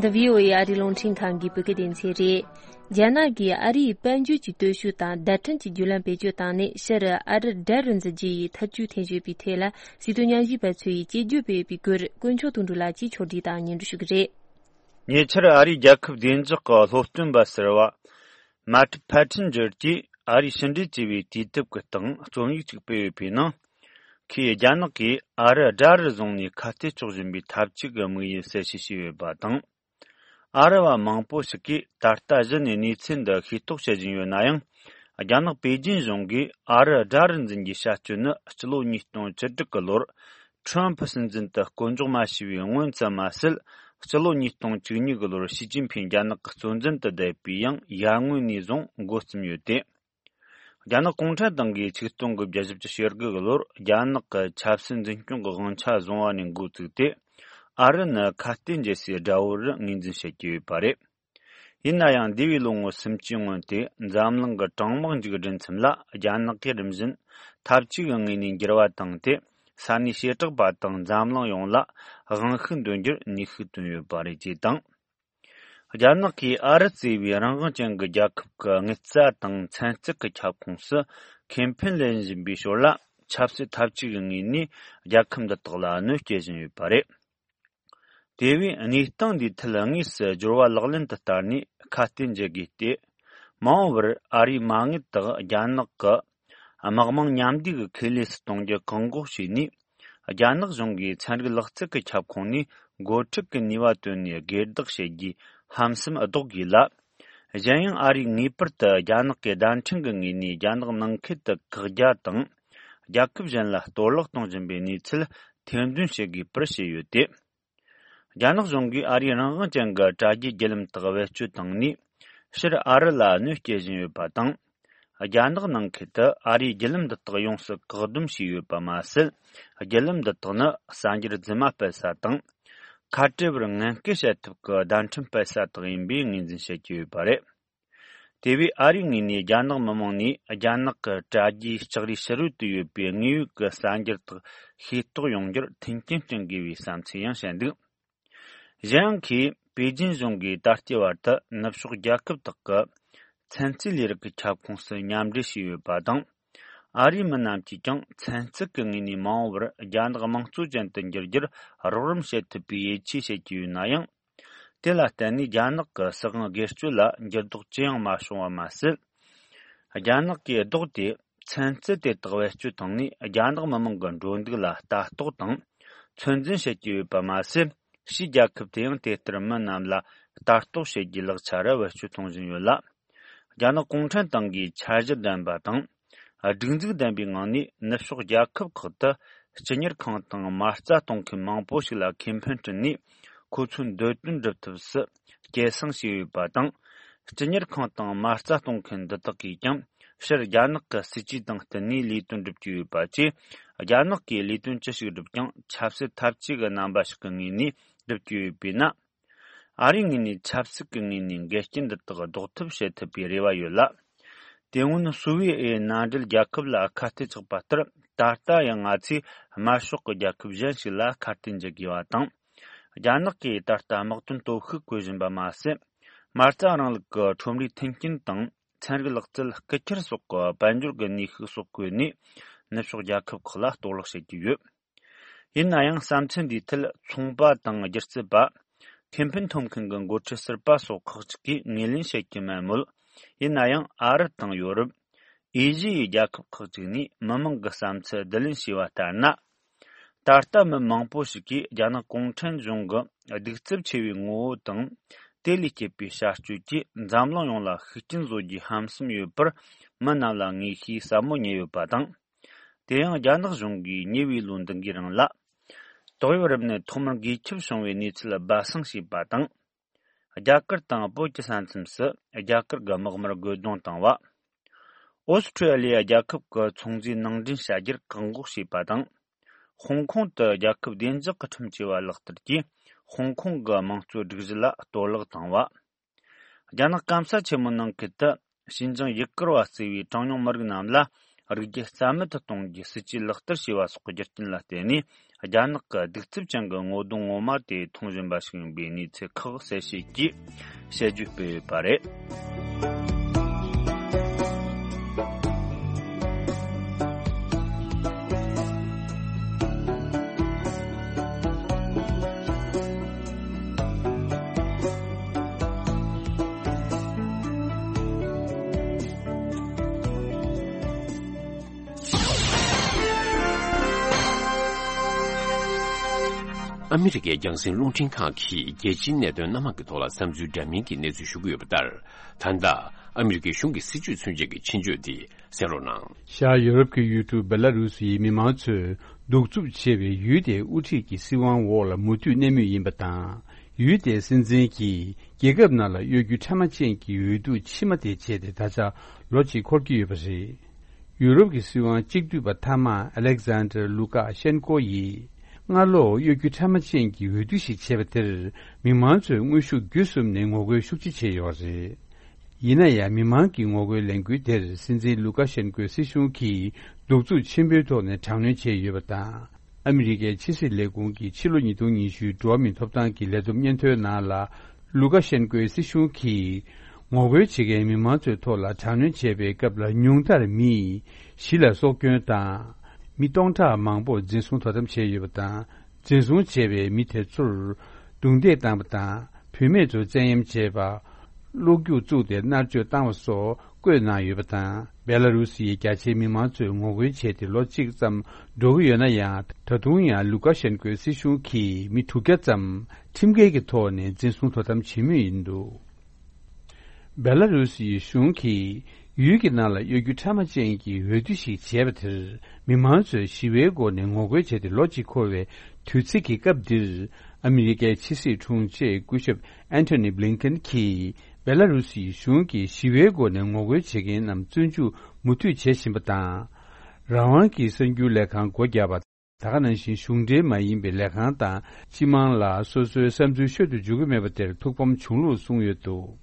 འདི་བྷི་ཨོ་ཨེ་ཨ་རིའི་རླུང་འཕྲིན་ཁང་གི་བོད་སྐད་སྡེ་ཚན་རེད། རྒྱ་ནག་གིས་ཨ་རིའི་དཔལ་འབྱོར་གྱི་སྟོབས་ཤུགས་དང་བརྡ་འཕྲིན་གྱི་བརྒྱུད་ལམ་བེད་སྤྱོད་བཏང་ནས་ཕྱིར་ཨ་རི་དགྲ་རུ་འཛིན་རྒྱུ་ཡི་ཐབས་ཇུས་འཐེན་བཞིན་པའི་ཐད་ལ། སྲིད་དོན་ཉམས་ཞིབ་པ་ཚོས་དཔྱད་བརྗོད་སྤེལ་བའི་སྐོར་དཀོན་མཆོག་དོན་གྲུབ་ལགས་ཀྱིས་ཕྱོགས་སྒྲིག་དང་སྙན་སྒྲོན་ཞུ་གི་རེད། ཉེ་ཆར་ཨ་རིའི་རྒྱལ་ཁབ་བདེ་འཇགས་ཀྱི་སློབ་སྟོན་པ་ཟུར་པ་མ་ཏི་ཕ་ཁྲིན་ཇར་གྱིས་ཨ་རིས་ཕྱི་འབྲེལ་བྱས་པའི་དུས་དེབ་ཀྱི་སྟེང་རྩོམ་ཡིག་ཅིག་སྤེལ་ཡོད་པའི་ནང་། ཁོས་རྒྱ་ནག་གིས་ཨ་རི་དགྲ་རུ་བཟུང་ནས་ཁ་གཏད་གཅོག་བཞིན་པའི་འཐབ་ཇུས་ཀྱི་དམིགས་ཡུལ་གསལ་བཤད་བྱས་ཡོད་པ་དང་། ཨ་རི་བ་མང་པོ་ཞིག་གིས་ད་ལྟ་གཞི་ནས་གནས་ཚུལ་འདི་ཤེས་རྟོགས་བྱེད་བཞིན་ཡོད་ན་ཡང་། རྒྱ་ནག་པེ་ཅིན་གཞུང་གིས་ཨ་རི་དགྲ་རུ་འཛིན་རྒྱུའི་བྱ་སྤྱོད་ནི་སྤྱི་ལོ་ཉིས་སྟོང་བཅུ་དྲུག་གི་ལོར་ཁྲོམ་ཕུ་སྲིད་འཛིན་དུ་བསྐོ་འཇོག་མ་བྱས་པའི་སྔོན་ཙམ་མ་ཟད། སྤྱི་ལོ་ཉིས་སྟོང་བཅུ་གཉིས་གི་ལོར་ཞི་ཅིན་ཕིང་རྒྱ་ནག་གི་གཙོ་འཛིན་དུ་བསྡད་པའི་ཡང་ཡར་སྔོན་ནས་བཟུང་འགོ་རྩོམ་ཡོད་དེ། རྒྱ་ནག་གུང་ཁྲན་ཏང་གིས་ཆིག་སྟོང་དགུ་བརྒྱ་བཞི་བཅུ་ཞེ་དགུ་གི་ལོར་རྒྱ་ནག་གི་ཆབ་སྲིད་འཛིན་སྐྱོང་གི་དབང་ཆ་བཟུང་བ་ནས་འགོ་བཙུགས་ཏེ། ཨ་རི་ནི་ཁ་གཏད་འཇལ་སའི་དགྲ་བོ་རུ་ངོས་འཛིན་བྱེད་ཀྱི་ཡོད་པ་རེད། ཡིན་ན་ཡང་འདས་པའི་ལོ་ངོ་སུམ་ཅུའི་སྔོན་དེ་འཛམ་གླིང་གི་གྲང་དམག་མཇུག་སྒྲིལ་མཚམས་ལ་རྒྱ་ནག་གིས་རིམ་བཞིན་འཐབ་ཇུས་ཀྱི་ངོས་ནས་འགྱུར་བ་བཏང་སྟེ། ས་གནས་བྱེ་བྲག་པ་དང་འཛམ་གླིང་ཡོངས་ལ་དབང་ཤུགས་འདོན་རྒྱུར་ནུས་ཤུགས་བཏོན་ཡོད་པ་རེད་ཅེས་དང་། རྒྱ་ནག་གིས་ཨ་རི་གཙོས་པའི་རང་དབང་ཅན་གྱི་རྒྱལ་ཁབ་ཀྱི་དངུལ་རྩ་དང་ཚན་རྩལ་གྱི་ཁྱབ་ཁོངས་སུ་ཁེ་ཕན་ལེན་བཞིན་པའི་ཞོར་ལ། ཆབ་སྲིད་འཐབ་ཇུས་ཀྱི་ངོས་ནས་རྒྱལ་ཁབ་འདི་དག་ལ་གནོད་སྐྱེལ་བཞིན་ཡོད་པ་རེད། དེ་བས་གནས་སྟངས་འདིའི་ཐད་དངོས་སུ་སྦྱོར་བ་ལག་ལེན་དུ་བསྟར་ནས་ཁ་གཏད་འཇལ་དགོས་ཏེ། མ་འོངས་པར་ཨ་རིས་མ་དངུལ་དག་རྒྱ་ནག་གི་དམག་དམངས་མཉམ་འདུས་ཀྱི་ཁེ་ལས་སུ་གཏོང་རྒྱུ་བཀག་འགོག་བྱས་ནས། རྒྱ་ནག་གཞུང་གིས་ཚན་རིག་ལག་རྩལ་གྱི་ཁྱབ་ཁོངས་ནས་འགོ་ཁྲིད་ཀྱི་ནུས་པ་བཏོན་ནས་སྒེར་བདག་བྱེད་རྒྱུའི་ཧམ་སེམས་ལྡོག་དགོས་ལ། གཞན་ཡང་ཨ་རིས་ངེས་པར་དུ་རྒྱ་ནག་གི་བརྡ་འཕྲིན་གྱི་ངོས་ནས་རྒྱ་ནག་ནང་ཁུལ་དུ་བཀག་རྒྱ་དང་། རྒྱལ་ཁབ་གཞན་ལ་གཏོར་བརླག་གཏོང་བཞིན་པའི་གནས་ཚུལ་ཐེར་འདོན་བྱེད་དགོས་པར་བཤད་ཡོད་དེ། རྒྱ་ནག་གཞུང་གིས་ཨ་རིའི་རང་དབང་ཅན་གྱི་དྲ་རྒྱའི་བརྒྱུད་ལམ་དག་བེད་སྤྱོད་བཏང་ནས། ཕྱིར་ཨ་རི་ལ་གནོད་སྐྱེལ་བཞིན་ཡོད་པ་དང་། རྒྱ་ནག་ནང་ཁུལ་དུ་ཨ་རིའི་བརྒྱུད་ལམ་འདི་དག་ཡོངས་སུ་བཀག་སྡོམ་བྱས་ཡོད་པ་མ་ཟད། བརྒྱུད་ལམ་འདི་དག་ནི་གསར་འགྱུར་རྫུན་མ་སྤེལ་ས་དང་། ཁ་བྲལ་བར་ངན་སྐུལ་བྱེད་ཐབས་ཀྱི་བརྡ་འཕྲིན་སྤེལ་ས་དག་ཡིན་པའི་ངོས་འཛིན་བྱེད་ཀྱི་ཡོད་པ་རེད། དེ་བས་ཨ་རིའི་ངོས་ནས་རྒྱ་ནག་མི་དམངས་ནས་རྒྱ་ནག་གི་དྲ་རྒྱའི་ལྕགས་རིའི་ཕྱི་རོལ་དུ་ཡོད་པའི་དངོས་ཡོད་ཀྱི་གསར་འགྱུར་དག་ཤེས་རྟོགས་ཡོང་རྒྱུར་མཐུན་རྐྱེན་བསྐྲུན་དགོས་པའི་བསམ་ཚུལ་ཡང་བཤད་འདུག་གཞན་ཡང་། ཁོས་པེ་ཅིན་གཞུང་གིས་ད་ལྟའི་བར་དུ་ནུབ་ཕྱོགས་རྒྱལ་ཁབ་དག་གི་ཚན་རྩལ་ལས་རིགས་ཀྱི་ཁྱབ་ཁོངས་སུ་མཉམ་འབྲེལ་བྱས་ཡོད་པ་དང་། ཨ་རིའི་མི་རྣམས་ཀྱིས་ཀྱང་ཚན་རྩལ་གྱི་ངོས་ནས་མ་འོངས་པར་རྒྱ་ནག་དམངས་གཙོ་ཅན་དུ་འགྱུར་རྒྱུར་རོགས་རམ་བྱེད་ཐུབ་པའི་ཡིད་ཆེས་བྱེད་ཀྱི་ཡོད་ན་ཡང་། དེ་ལ་བརྟེན་ནས་རྒྱ་ནག་གི་སྲིད་དབང་སྒེར་གཅོད་ལ་འགྱུར་ལྡོག་ཅི་ཡང་མ་བྱུང་བ་མ་ཟད། རྒྱ་ནག་གིས་ལྡོག་སྟེ་ཚན་རྩལ་དེ་དག་བེད་སྤྱོད་བཏང་ནས་རྒྱ་ནག་མི་དམངས་ཀྱི་འགྲོ་འདུག་ལ་ལྟ་རྟོག་དང་ཚོད་འཛིན་བྱེད་ཀྱི་ཡོད་པ་མ་ཟད། ཕྱིའི་རྒྱལ་ཁབ་དེ་ཡང་དེ་ལྟར་མི་རྣམས་ལ་ལྟ་རྟོག་བྱེད་རྒྱུའི་ལག་ཆ་རུ་བེད་སྤྱོད་གཏོང་བཞིན་ཡོད་ལ། རྒྱ་ནག་གུང་ཁྲན་ཏང་གིས་འཆར་གཞི་ལྡན་པ་དང་། སྒྲིག་འཛུགས་ལྡན་པའི་ངང་ནས་ནུབ་ཕྱོགས་རྒྱལ་ཁབ་ཁག་ཏུ་སྤྱི་གཉེར་ཁང་དང་མ་རྩ་གཏོང་མཁན་མང་པོ་ཞིག་ལ་ཁེ་ཕན་བསྐྲུན་ནས་ཁོ་ཚོའི་འདོད་དོན་སྒྲུབ་ཐབས་སུ་སྐྱེད་སྲིང་བྱས་ཡོད་པ་དང་། སྤྱི་གཉེར་ཁང་དང་མ་རྩ་གཏོང་མཁན་འདི་དག་གིས་ཀྱང་ཕྱིར་རྒྱ་ནག་གི་སྲིད་ཇུས་དང་བསྟུན་ནས་ལས་དོན་སྒྲུབ་ཀྱི་ཡོད་པ་བཅས། རྒྱ་ནག་གིས་ལས་དོན་ཅི་ཞིག་བསྒྲུབས་ཀྱང་ཆབ་སྲིད་འཐབ་ཇུས་ཀྱི་རྣམ་པ་ཞིག་གི་ངོས་ནས་སྒྲུབ་ཀྱི་ཡོད་པས་ན། ཨ་རིའི་ངོས་ནས་ཆབ་སྲིད་ཀྱི་ངོས་ནས་འགལ་རྐྱེན་འདི་དག་ཟློག་ཐབས་བྱེད་ཐུབ་པའི་རེ་བ་ཡོད་ལ། དེ་སྔོན་སུའུ་ཝེ་ཨེ་མནའ་འབྲེལ་རྒྱལ་ཁབ་ལ་ཁ་གཏད་བཅག་པ་ལྟར། ད་ལྟ་ཡང་ང་ཚོས་དམར་ཤོག་གི་རྒྱལ་ཁབ་གཞན་ཞིག་ལ་ཁ་གཏད་འཇལ་དགོས་པ་དང་། རྒྱ་ནག་གིས་ད་ལྟ་དམག་དོན་སྟོབས་ཤུགས་བཀོལ་བཞིན་པ་མ་ཟད། མ་རྩ་རིང་ལུགས་ཀྱི་ཁྲོམ་རའི་མཐུན་རྐྱེན་དང་། ཚན་རིག་ལག་རྩལ་སྐུལ་འཁྱེར་སོགས་ཀྱི་དཔལ་འབྱོར་གྱི་ནུས་ཤུགས་སོགས་བཀོལ་ནས། ནུབ་ཕྱོགས་རྒྱལ་ཁབ་ཁག་ལ་གཏོར་བརླག་བྱེད་ཀྱི་ཡོད། ཡིན་ན་ཡང་བསམ་ཚུལ་འདིའི་ཐད་ཚོང་པ་དང་སྒྱུ་རྩལ་པ། ཁེ་ཕན་ཐོབ་མཁན་གྱི་འགོ་ཁྲིད་ཟུར་པ་སོགས་ཁག་ཅིག་གིས་ངོས་ལེན་བྱེད་ཀྱི་མེད་མོད། ཡིན་ན་ཡང་ཨ་རི་དང་ཡོ་རོབ། ཨེ་ཤི་ཡའི་རྒྱལ་ཁབ་ཁག་ཅིག་ནས་མི་མང་གི་བསམ་ཚུལ་བསྡུ་ལེན་བྱས་པ་ལྟར་ན། ད་ལྟ་མི་མང་པོ་ཞིག་གིས་རྒྱ་ནག་གུང་ཁྲན་གཞུང་གི་གདུག་རྩུབ་ཆེ་བའི་ངོ་བོ་དང་། དེ་ལས་སྐྱེས་པའི་བྱ་སྤྱོད་ཀྱིས་འཛམ་གླིང་ཡོངས་ལ་ཤུགས་རྐྱེན་བཟོ་རྒྱུའི་ཧམ་སེམས་ཡོད་པར་མི་རྣམས་ལ་ངེས་ཤེས་ཟབ་མོ་རྙེད་ཡོད་པ་དང་། དེ་ཡང་རྒྱ་ནག་གཞུང་གིས་ཉེ་བའི་ལོ་འདི་འགའི་རིང་ལ། ཏོག་དབྱིབས་རིམས་ནད་ཐོག་མར་འགོས་ཁྱབ་བྱུང་བའི་གནས་ཚུལ་སྦ་གསང་བྱས་པ་དང་། རྒྱ་གར་དང་བོད་ཀྱི་ས་མཚམས་སུ་རྒྱ་གར་གྱི་དམག་མིར་རྒོལ་རྡུང་བཏང་བ། ཨོ་སི་ཁྲུ་ལི་ཡ་རྒྱལ་ཁབ་ཀྱི་ཚོང་རྫས་ནང་འདྲེན་བྱ་རྒྱུར་བཀག་འགོག་བྱས་པ་དང་། ཧོང་ཀོང་དུ་རྒྱལ་ཁབ་བདེ་འཇགས་ཀྱི་ཁྲིམས་བཅས་པ་ལག་བསྟར་གྱིས་ཧོང་ཀོང་གི་དམངས་གཙོའི་སྒྲིག་གཞི་ལ་གཏོར་བརླག་བཏང་བ། རྒྱ་ནག་སྐམ་ས་ཆེན་མོའི་ནང་ཁུལ་དུ་ཞིན་ཅང་ཡུ་གུར་བ་གཙོས་པའི་གྲངས་ཉུང་མི་རིགས་རྣམས་ལ་རིག་རྒྱུ་རྩ་མེད་དུ་གཏོང་རྒྱུའི་སྲིད་ཇུས་ལག་བསྟར་བྱས་པ་སོགས་ཀྱི་རྒྱུ་རྐྱེན་ལ་བརྟེན་ནས། རྒྱ་ནག་གི་གདུག་རྩུབ་ཅན་གྱི་ངོ་གདོང་ངོ་མ་དེ་མཐོང་བཞིན་པ་ཞིག་ཡིན་པའི་གནས་ཚུལ་ཁག་གསལ་བཤད་ཀྱིས་དཔྱད་བརྗོད་སྤེལ་ཡོད་པ་རེད། ཨ་མི་རི་ཀའི་རྒྱང་སྲིང་རླུང་འཕྲིན་ཁང་གིས་རྒྱལ་སྤྱིའི་གནད་དོན་སྣ་མང་གི་ཐོག་ལ་བསམ་ཚུལ་འདྲ་མིན་གྱི་གནས་ཚུལ་ཞུ་གི་ཡོད་པ་ལྟར། ད་ལྟ་ཨ་མི་རི་ཀའི་གཞུང་གི་སྲིད་ཇུས་མཚོན་བྱེད་ཀྱི་ཕྱིན་བཅོས་འདི་གསན་རོགས་གནང་། ཤར་ཡོ་རོབ་ཀྱི་ཡུལ་གྲུ་སྦེ་ལ་རུ་སིའི་མི་མང་ཚོས་གདུག་རྩུབ་ཆེ་བའི་ཡུལ་དེའི་དབུ་ཁྲིད་ཀྱི་སྲིད་དབང་འོག་ལ་མུ་མཐུད་གནས་མུས་ཡིན་པ་དང་། ཡུལ་དེའི་སྲིད་འཛིན་གྱིས་རྒྱལ་ཁབ་ནང་ལ་གཡོ་སྒྱུ་ཕྲ་མ་ཅན་གྱི་འོས་བསྡུ་ཕྱི་མ་དེ་བྱས་ཏེ་ད་ཆ་ལོ་གཅིག་འཁོར་གྱི་ཡོད་པ་རེད། ཡུ་རོབ་ཀྱི་སྲིད་དབང་གཅིག་སྡུད་པ་མཐའ་དམག་ཨ་ལེག་ཛན་ཌར་ལུ་ཀ་ཤན་ཀོ་ཡིས་སྔ་ལོ་གཡོ་སྒྱུ་ཕྲ་མ་ཅན་གྱི་འོས་བསྡུ་ཞིག་བྱས་པ་དེར་མི་མང་ཚོས་དངོས་ཤུགས་བརྒྱུད་གསུམ་ནས་ངོ་རྒོལ་ཤུགས་ཆེ་བྱས་ཡོད་པ་རེད། ཡིན་ན་ཡང་མི་མང་གི་ངོ་རྒོལ་ལས་འགུལ་དེར་སྲིད་འཛིན་ལུ་ཀ་ཤན་ཀོའི་སྲིད་གཞུང་གིས་གདུག་རྩུབ་ཆེན་པོའི་ཐོག་ནས་དྲག་གནོན་བྱས་ཡོད་པ་དང་། ཨ་མི་རི་ཀའི་ཕྱི་སྲིད་ལས་ཁུངས་ཀྱིས་ཕྱི་ལོ་ཉིས་སྟོང་ཉི་ཤུའི་འགྲོ་བ་མིའི་ཐོབ་ཐང་གི་ལས་བསྡོམས་སྙན་ཐོའི་ནང་ལ། ལུ་ཀ་ཤན་ཀོའི་སྲིད་གཞུང་གིས་ངོ་རྒོལ་བྱེད་མཁན་མི་མང་ཚོའི་ཐོག་ལ་དྲག་གནོན་བྱས་པའི་སྐབས་ལ་ཉུང་མཐར་མི་བཞི་ལ་སྲོག་སྐྱོན་དང་། མི་སྟོང་ཕྲག་མང་པོར་འཛིན་བཟུང་དོ་དམ་བྱས་ཡོད་པ་དང་། འཛིན་བཟུང་བྱས་པའི་མི་དེ་ཚོར་རྡུང་རྡེག་བཏང་བ་དང་། བུད་མེད་ཚོར་བཙན་གཡེམ་བྱས་པ། གློག་རྒྱུག་བཙུགས་ཏེ་མནར་གཅོད་བཏང་བ་སོགས་བཀོད་གནང་ཡོད་པ་དང་། སྦེ་ལ་རུ་སིའི་རྒྱ་ཆེའི་མི་མང་ཚོས་ངོ་རྒོལ་བྱས་ཏེ་ལོ་གཅིག་ཙམ་འགྲོ་གི་ཡོད་ན་ཡང་། ད་དུང་ཡང་ལུ་ཀ་ཤན་ཀོའི་སྲིད་གཞུང་གིས་མི་དྲུག་བརྒྱ་ཙམ་ཁྲིམས་འགལ་གྱི་ཐོག་ནས་འཛིན་བཟུང་དོ་དམ་བྱེད་མུས་ཡིན་འདུག་སྦེ་ལ་རུ་སིའི་གཞུང་གིས་ ཡུལ་གྱི་ནང་ལ་གཡོ་སྒྱུ་ཕྲ་མ་ཅན་གྱི་འོས་བསྡུ་ཞིག་བྱས་པ་དེར། མི་མང་ཚོས་ཞི་བའི་སྒོ་ནས་ངོ་རྒོལ་བྱས་ཏེ་ལོ་གཅིག་འཁོར་བའི་དུས་ཚིགས་ཀྱི་སྐབས་འདིར། ཨ་མི་རི་ཀའི་ཕྱི་སྲིད་དྲུང་ཆེ་སྐུ་ཞབས་ཨན་ཐོ་ནི་བྷི་ལིན་ཀེན་གྱིས། བེ་ལ་རུ་སིའི་གཞུང་གིས་ཞི་བའི་སྒོ་ནས་ངོ་རྒོལ་བྱེད་མཁན་རྣམས་བཙོན་འཇུག་མུ་མཐུད་བྱེད་བཞིན་པ་དང་། རང་དབང་གི་གསར་འགྱུར་ལས་ཁང་སྒོ་བརྒྱབ་པ། ད་ག་ནང་བཞིན་གཞུང་འབྲེལ་མ་ཡིན་པའི་ལས་ཁང་དང་སྤྱི་དམངས་ལ་སོ་སོའི་བསམ་ཚུལ་ཤོད་དུ་འཇུག་གི་མེད་པ་དེར་ཐུགས་ཕམ་བྱུང་ལུགས་གསུངས་ཡོད་འདུག་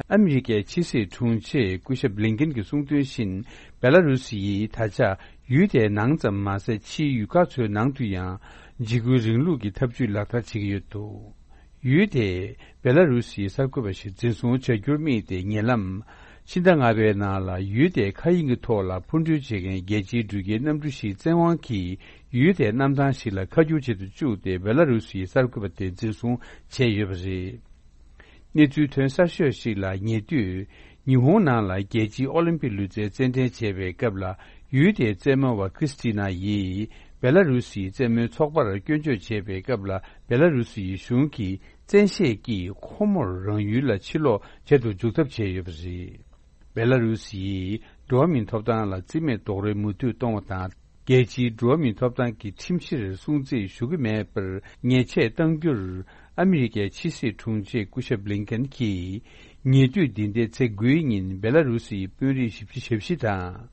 ཨ་མི་རི་ཀའི་ཕྱི་སྲིད་དྲུང་ཆེ་སྐུ་ཞབས་བྷི་ལིན་ཀེན་གྱིས་གསུངས་དོན་བཞིན། བེ་ལ་རུ་སི་ཡིས་ད་ཆ་ཡུལ་དེའི་ནང་ཙམ་མ་ཟད། ཕྱིའི་ཡུལ་ཁག་ཚོའི་ནང་དུ་ཡང་འཇིགས་སྐུལ་རིང་ལུགས་ཀྱི་ཐབས་ཇུས་ལག་བསྟར་བྱེད་ཀྱི་ཡོད་འདུག་ཡུལ་དེས་བེ་ལ་རུ་སིའི་གསར་འགོད་པ་ཞིག་འཛིན་བཟུང་བྱ་རྒྱུར་དམིགས་ཏེ། ཉེ་ལམ་ཕྱི་ཟླ་ལྔ་པའི་ནང་ལ་ཡུལ་དེའི་མཁའ་དབྱིངས་ཀྱི་ཐོག་ལ་འཕུར་འགྲུལ་བྱེད་མཁན་རྒྱལ་སྤྱིའི་འགྲུལ་སྐྱེལ་གནམ་གྲུ་ཞིག་བཙན་དབང་གིས་ཡུལ་དེའི་གནམ་ཐང་ཞིག་ལ་ཁ་སྒྱུར་བྱེད་དུ་བཅུག་སྟེ། བེ་ལ་རུ་སིའི་གསར་འགོད་པ་དེ་འཛིན་བཟུང་བྱས་ཡོད་པ་རེད། གནས་ཚུལ་ཐོན་གསར་ཤོས་ཤིག་ལ་ཉེ་དུས། ཉི་ཧོང་ནང་ལ་རྒྱལ་སྤྱིའི་ཨོ་ལིམ་པིག་ལུས་རྩལ་རྩེད་འགྲན་བྱེད་པའི་སྐབས་ལ། ཡུལ་དེའི་རྩེད་མོ་བ་ཁྲིས་ཏི་ན་ཡིས་བེ་ལ་རུ་སིའི་རྩེད་མོའི་ཚོགས་པར་སྐྱོན་བརྗོད་བྱས་པའི་སྐབས་ལ། བེ་ལ་རུ་སིའི་གཞུང་གིས་བཙན་ཤེད་ཀྱིས་ཁོ་མོར་རང་ཡུལ་ལ་ཕྱིར་ལོག་བྱེད་དུ་འཇུག་ཐབས་བྱས་ཡོད་པ་རེད། བེ་ལ་རུ་སི་ཡིས་འགྲོ་བ་མིའི་ཐོབ་ཐང་ལ་རྩིས་མེད་རྡོག་རོལ་མུ་མཐུད་གཏོང་བ་དང་། རྒྱལ་སྤྱིའི་འགྲོ་བ་མིའི་ཐོབ་ཐང་གི་ཁྲིམས་གཞིར་སྲུང་བརྩི་ཞུ་གི་མེད་པར་ཉེས་ཆད་གཏང་རྒྱུར། ཨ་མི་རི་ཀའི་ཕྱི་སྲིད་དྲུང་ཆེ་སྐུ་ཞབས་བྷི་ལིན་ཀེན་གྱིས། ཉེ་དུས་འདི་ཟླའི་ཚེས་དགུའི་ཉིན་བེ་ལ་རུ་སིའི་དཔོན་རིགས་བཞི་བཅུ་ཞེ་བཞི་དང་།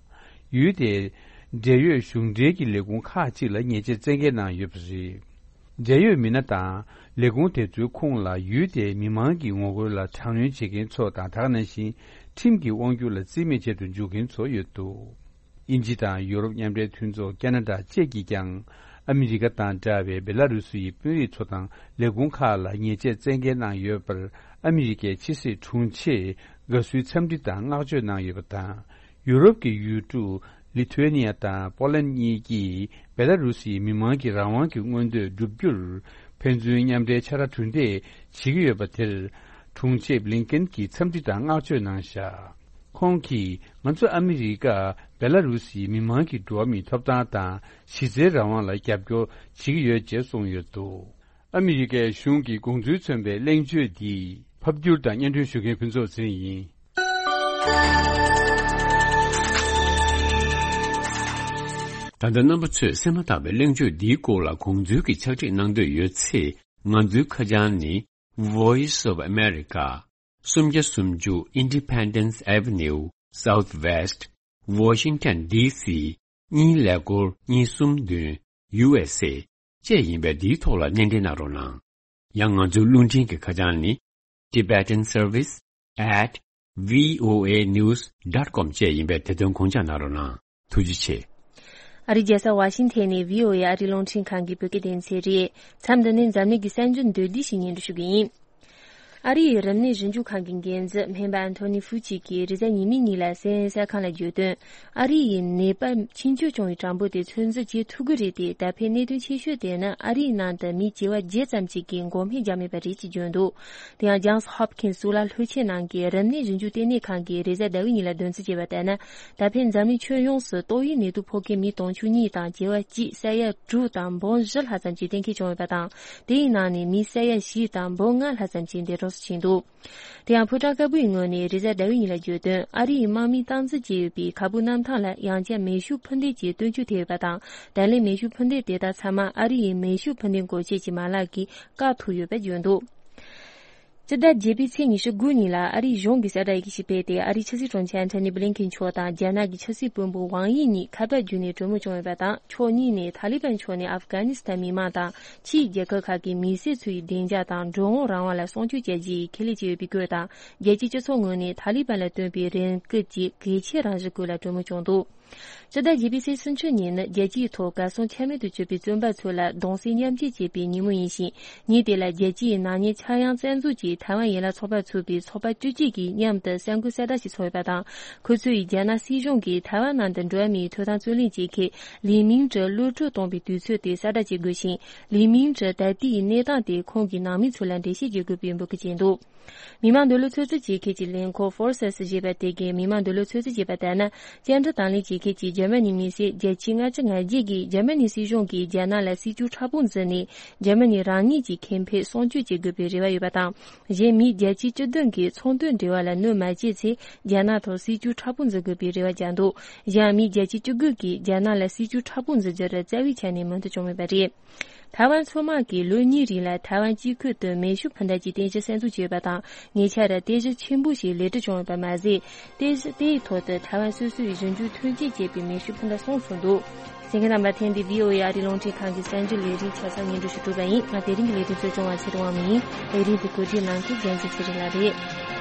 ཡུལ་དེའི་འབྲེལ་ཡོད་གཞུང་འབྲེལ་གྱི་ལས་ཁུངས་ཁག་ཅིག་ལ་ཉེས་ཆད་བཙན་འགེལ་གནང་ཡོད་པ་རེད། འབྲེལ་ཡོད་མི་སྣ་དང་ལས་ཁུངས་དེ་ཚོའི་ཁོངས་ལ་ཡུལ་དེའི་མི་མང་གི་ངོ་རྒོལ་ལ་དྲག་གནོན་བྱེད་མཁན་ཚོ་དང་། ད་ག་ནང་བཞིན་ཁྲིམས་ཀྱི་དབང་སྒྱུར་ལ་རྩིས་མེད་བྱེད་དུ་འཇུག་མཁན་ཚོ་ཡོད་འདུག་དབྱིན་ཇི་དང་ཡུ་རོབ་མཉམ་འབྲེལ་མཐུན་ཚོགས། ཁ་ན་ཌ་བཅས་ཀྱིས་ཀྱང་ཨ་མི་རི་ཀ་དང་འདྲ་བའི་བེ་ལ་རུ་སི་ཡི་དཔོན་རིགས་ཚོ་དང་ལས་ཁུངས་ཁག་ལ་ཉེས་ཆད་བཙན་འགེལ་གནང་ཡོད་པར། ཨ་མི་རི་ཀའི་ཕྱི་སྲིད་དྲུང་ཆེས་དགའ་བསུའི་འཚམས་འདྲི་དང་བསྔགས་བརྗོད་གནང་ཡོད་པ་དང་། ཡུ་རོབ་ཀྱི་ཡུལ་གྲུ་ལི་ཐུ་ཝེ་ནི་ཡ་དང་པོ་ལན་གཉིས་ཀྱིས་བེ་ལ་རུ་སིའི་མི་མང་གི་རང་དབང་གི་མངོན་འདོད་བསྒྲུབ་རྒྱུར་ཕན་ཚུན་མཉམ་འབྲེལ་ཕྱག་ར་གྲུ་འདེགས་བྱེད་ཀྱི་ཡོད་པ་དེར། དྲུང་ཆེ་བྷི་ལིན་ཀེན་གྱིས་འཚམས་འདྲི་དང་བསྔགས་བརྗོད་གནང་བཞག་ཁོང་གིས། ང་ཚོ་ཨ་མི་རི་ཀ་བེ་ལ་རུ་སིའི་མི་མང་གི་འགྲོ་བ་མིའི་ཐོབ་ཐང་དང་གཞི་རྩའི་རང་དབང་ལ་རྒྱབ་སྐྱོར་བྱེད་ཀྱི་ཡོད་ཅེས་གསུངས་ཡོད་འདུག་ཨ་མི་རི་ཀའི་གཞུང་གི་དགོངས་ཚུལ་མཚོན་པའི་གླེང་བརྗོད་འདི་ཕབ་བསྒྱུར་དང་སྙན་སྒྲོན་ཞུ་མཁན་ཕུན་ཚོགས་ཚེ་རིང་ཡིན། ད་ལྟ་རྣམ་པ་ཚོས་གསན་མ་ཐག་པའི་གླེང་བརྗོད་འདིའི་སྐོར་ལ་དགོངས་ཚུལ་གྱི་ཕྱག་བྲིས་གནང་འདོད་ཡོད་ཚེ། ང་ཚོའི་ཁ་བྱང་ནི། Voice of America, སུམ་བརྒྱ་སུམ་ཅུ་Independence Avenue, Southwest, Washington D C གཉིས་ཀླད་ཀོར་གཉིས་གསུམ་བདུན། U S A བཅས་ཡིན་པས། འདིའི་ཐོག་ལ་སྣེ་འདྲེན་གནང་རོགས་གནང་། ཡང་ང་ཚོའི་རླུང་འཕྲིན་གྱི་ཁ་བྱང་ནི། Tibetan Service at V O A news dot com བཅས་ཡིན་པས། དེ་དོན་དགོངས་འཇགས་གནང་རོགས་གནང་། ཐུགས་རྗེ་ཆེ། ཨ་རིའི་རྒྱལ་ས་ཝ་ཤིང་ཐན་ནས་V O A ཨ་རིའི་རླུང་འཕྲིན་ཁང་གི་བོད་སྐད་སྡེ་ཚན་རེད། མཚམས་འདི་ནས་འཛམ་གླིང་གི་གསར་འགྱུར་མདོར་བསྡུས་ཤིག་སྙན་སྒྲོན་ཞུ་གི་ཡིན། ཨ་རི་ཡི་རིམས་ནད་ཞིབ་འཇུག་ཁང་གི་འགན་འཛིན་སྨན་པ་ཨན་ཐོ་ནི་ཧྥུ་ཅིག་གིས་རེས་གཟའ་ཉི་མའི་ཉིན་ལ་སི་ཨེན་ཨེན་གསར་ཁང་ལ་བརྗོད་དོན། ཨ་རི་ཡི་ནད་པ་ཕྱིན་ཆད་བྱུང་བའི་གྲངས་འབོར་དེ་ཚོད་འཛིན་བྱེད་ཐུབ་ཀྱི་རེད་དེ། ད་ཕན་གནད་དོན་ཆེ་ཤོས་དེ་ནི་ཨ་རིའི་ནང་དུ་མི་བྱེ་བ་བརྒྱད་ཙམ་ཞིག་གིས་འགོག་སྨན་བརྒྱབ་མེད་པ་རེད་ཅེས་བརྗོད་འདུག་དེ་ཡང་ཇོན་སི་ཧོབ་ཁིན་སི་གཙུག་ལག་ལྷོ་ཆེན་ནང་གི་རིམས་ནད་ཞིབ་འཇུག་ལྟེ་གནས་ཁང་གིས་རེས་གཟའ་ཟླ་བའི་ཉིན་ལ་འདོན་ཚུལ་བྱས་པ་ལྟར་ན། ད་ཕན་འཛམ་གླིང་ཁྱོན་ཡོངས་སུ་ཏོག་དབྱིབས་ནད་དུག་ཕོག་མཁན་མི་དུང་ཕྱུར་གཉིས་དང་བྱེ་བ་གཅིག་ས་ཡ་དྲུག་དང་འབུམ་བཞི་ལྷག་ཙམ་གྱིས་གཏན་འཁེལ་བྱུང་ཡོད་པ་དང་། དེའི་ནང་ནས་མི་ས་ཡ་བཞི་དང་འབུམ་ལྔ་ལྷག་ཙམ་གྱིས་འདས་གྲོངས་སུ་ཕྱིན་འདུག་དེ་ཡང་ཕོ་བྲང་དཀར་པོའི་ངོས་ནས་རེས་གཟའ་ཟླ་བའི་ཉིན་ལ་བརྗོད་དོན། ཨ་རི་ཡི་དམག་མིས་སྟངས་འཛིན་བྱས་ཡོད་པའི་ཁ་སྦུག་གནམ་ཐང་ལ་ཡང་བསྐྱར་མེ་ཤུགས་འཕུར་མདེལ་གྱི་སྟོན་ཆོག་ཐེབས་ཡོད་པ་དང་། ད་ལན་མེ་ཤུགས་འཕུར་མདེལ་དེ་དག་ཚང་མ་ཨ་རི་ཡི་མེ་ཤུགས་འཕུར་མདེལ་འགོག་ཆེད་ཀྱི་མ་ལག་གིས་བཀག་ཐུབ་ཡོད་པ་བརྗོད་འདུག་སྤྱི་ཟླ་བརྒྱད་པའི་ཚེས་ཉི་ཤུ་དགུ་ཉིན་ལ་ཨ་རིའི་གཞུང་གིས་གསལ་བསྒྲགས་ཡི་གེ་ཞིག་སྤེལ་ཏེ། ཨ་རིའི་ཕྱི་སྲིད་དྲུང་ཆེ་ཨན་ཐོ་ནི་བྷི་ལིན་ཁིན་མཆོག་དང་རྒྱ་ནག་གི་ཕྱི་སྲིད་བློན་པོ་ཝང་དབྱི་གཉིས་ཁ་པར་བརྒྱུད་ནས་གྲོས་མོལ་བྱུང་ཡོད་པ་དང་། ཕྱོགས་གཉིས་ནས་ཐ་ལི་བན་ཕྱོགས་ནས་ཨབ་གྷ་ནི་སི་ཐན་མི་མང་དང་ཕྱིའི་རྒྱལ་ཁབ་ཁག་གི་མི་སེར་ཚོའི་བདེ་འཇགས་དང་འགྲོ་འོང་རང་དབང་ལ་སྲུང་སྐྱོབ་བྱ་རྒྱུའི་ཁས་ལེན་བྱས་ཡོད་པའི་སྐོར་དང་། རྒྱལ་སྤྱིའི་སྤྱི་ཚོགས་ངོས་ནས་ཐ་ལི་བན་ལ་བཏོན་པའི་རང་འགུལ་གྱི་གལ་ཆེའི་རང་བཞིན་སྐོར་ལ་གྲོས་མོལ་བྱུང་འདུག་སྤྱི་ཟླ་བརྒྱད་པའི་ཚེས་སུམ་ཅུ་ཉིན་ནི་རྒྱལ་སྤྱིའི་ཐོག་གར་སོང་ཆ་མེད་དུ་གྱུར་པའི་བཙོན་པ་ཚོ་ལ་གདུང་སེམས་མཉམ་སྐྱེད་བྱེད་པའི་ཉིན་མོ་ཡིན་ཞིང་། ཉིན་དེ་ལ་རྒྱལ་སྤྱིའི་ནག་ཉེས་འཆར་ཡང་རྩ་འཛུགས་ཀྱི་ཐའེ་ཝན་ཡན་ལག་ཚོགས་པ་ཚུད་པའི་ཚོགས་པ་བཅུ་གཅིག་གིས་མཉམ་དུ་གསར་འགོད་གསལ་བསྒྲགས་ཤིག་ཚོགས་ཡོད་པ་དང་། ཁོ་ཚོས་རྒྱ་ནག་སྲིད་གཞུང་གིས་ཐའེ་ཝན་ནང་དུ་འགྲོ་བ་མིའི་ཐོབ་ཐང་རྩོད་ལེན་བྱེད་མཁན་ལི་མིང་ཀྲི་གློད་གྲོལ་གཏོང་བའི་དུས་ཚོད་དེ་གསལ་བསྒྲགས་བྱེད་དགོས་ཤིང་། ལི་མིང་ཀྲི་ད་ལྟའི་གནས་སྟངས་དེ་ཁོང་གི་ནང་མི་ཚོ་ལ་འགྲེལ་བཤད་བྱེད་དགོས་པའི་འབོད་སྐུལ་བྱས་འདུག་མི་དམངས་འདོད་བློ་ཚོད་འཛིན་བྱེད་མཁན་གྱི་ལས་ཁུངས་ཧྥོར་སེས་ཞེས་པ་དེ་གིས་མི་དམངས་འདོད་བློ་ཚོད་འཛིན་བྱས་པ་ལྟར་ན། བཅར་འདྲི་དང་ལེན་བྱེད་ ཁུལ་གྱི་འཇར་མ་ནི་མི་སེར་བརྒྱད་ཅུ་ལྔ་བཅུ་ང་བརྒྱད་ཀྱིས་འཇར་མ་ནི་སྲིད་གཞུང་གིས་རྒྱ་ནག་ལ་སྲིད་ཇུས་མཁྲེགས་པོ་འཛིན་ནས། འཇར་མ་ནི་རང་ཉིད་ཀྱི་ཁེ་ཕན་སྲུང་སྐྱོབ་བྱེད་དགོས་པའི་རེ་བ་ཡོད་པ་དང་། གཞན་མི་བརྒྱད་ཅུ་གྱ་བདུན་གྱིས་ཚོང་དོན་འབྲེལ་བ་ལ་གནོད་མ་བྱས་ཚེ། རྒྱ་ནག་ཐོག་སྲིད་ཇུས་མཁྲེགས་པོ་འཛིན་དགོས་པའི་རེ་བ་བཅངས་འདུག། གཞན་མི་བརྒྱད་ཅུ་གྱ་དགུ་གིས་རྒྱ་ནག་ལ་སྲིད་ཇུས་མཁྲེགས་པོ་འཛིན་རྒྱུར་རྩ་བའི་ཆ་ནས་མོས་མཐུན་བྱུང་མེད་པ་རེད། ཐའེ་ཝན་མཚོ་དམག་གིས་ལོ་གཉིས་རིང་ལ་ཐའེ་ཝན་དཀྱིལ་ཁུལ་དུ་མེ་ཤུགས་འཕུར་མདའ་གྱི་རྟེན་གཞི་གསར་འཛུགས་བྱས་ཡོད་པ་དང་། ཉེ་ཆར་རྟེན་གཞི་ཆེན་པོ་ཞིག་ལེགས་གྲུབ་བྱུང་ཡོད་པ་མ་ཟད། རྟེན་གཞི་དེའི་ཐོག་ཏུ་ཐའེ་ཝན་སོ་སོའི་གཞུང་འཛུགས་ཐོན་སྐྱེད་བྱས་པའི་མེ་ཤུགས་འཕུར་མདའ་གསུམ་ཚུད་འདུག། གསན་མཁན་རྣམ་པ། ཐེངས་འདིའི་བྷི་ཨོ་ཨེ་ཨ་རིའི་རླུང་འཕྲིན་ཁང་གི་གསར་འགྱུར་ལས་རིམ་ཆ་ཚང་སྙན་སྒྲོན་ཞུ་གྲུབ་པ་ཡིན། ང་དེ་རིང་གི་ལས་རིམ་གཙོ་སྐྱོང་བ་ཚེ་རིང་དབང་མོ་ཡིན། ལས་རིམ་དེ་གོ་སྒྲིག་གནང་མཁན་རྒྱལ་མཚན་ཚེ་རིང་ལགས་རེད།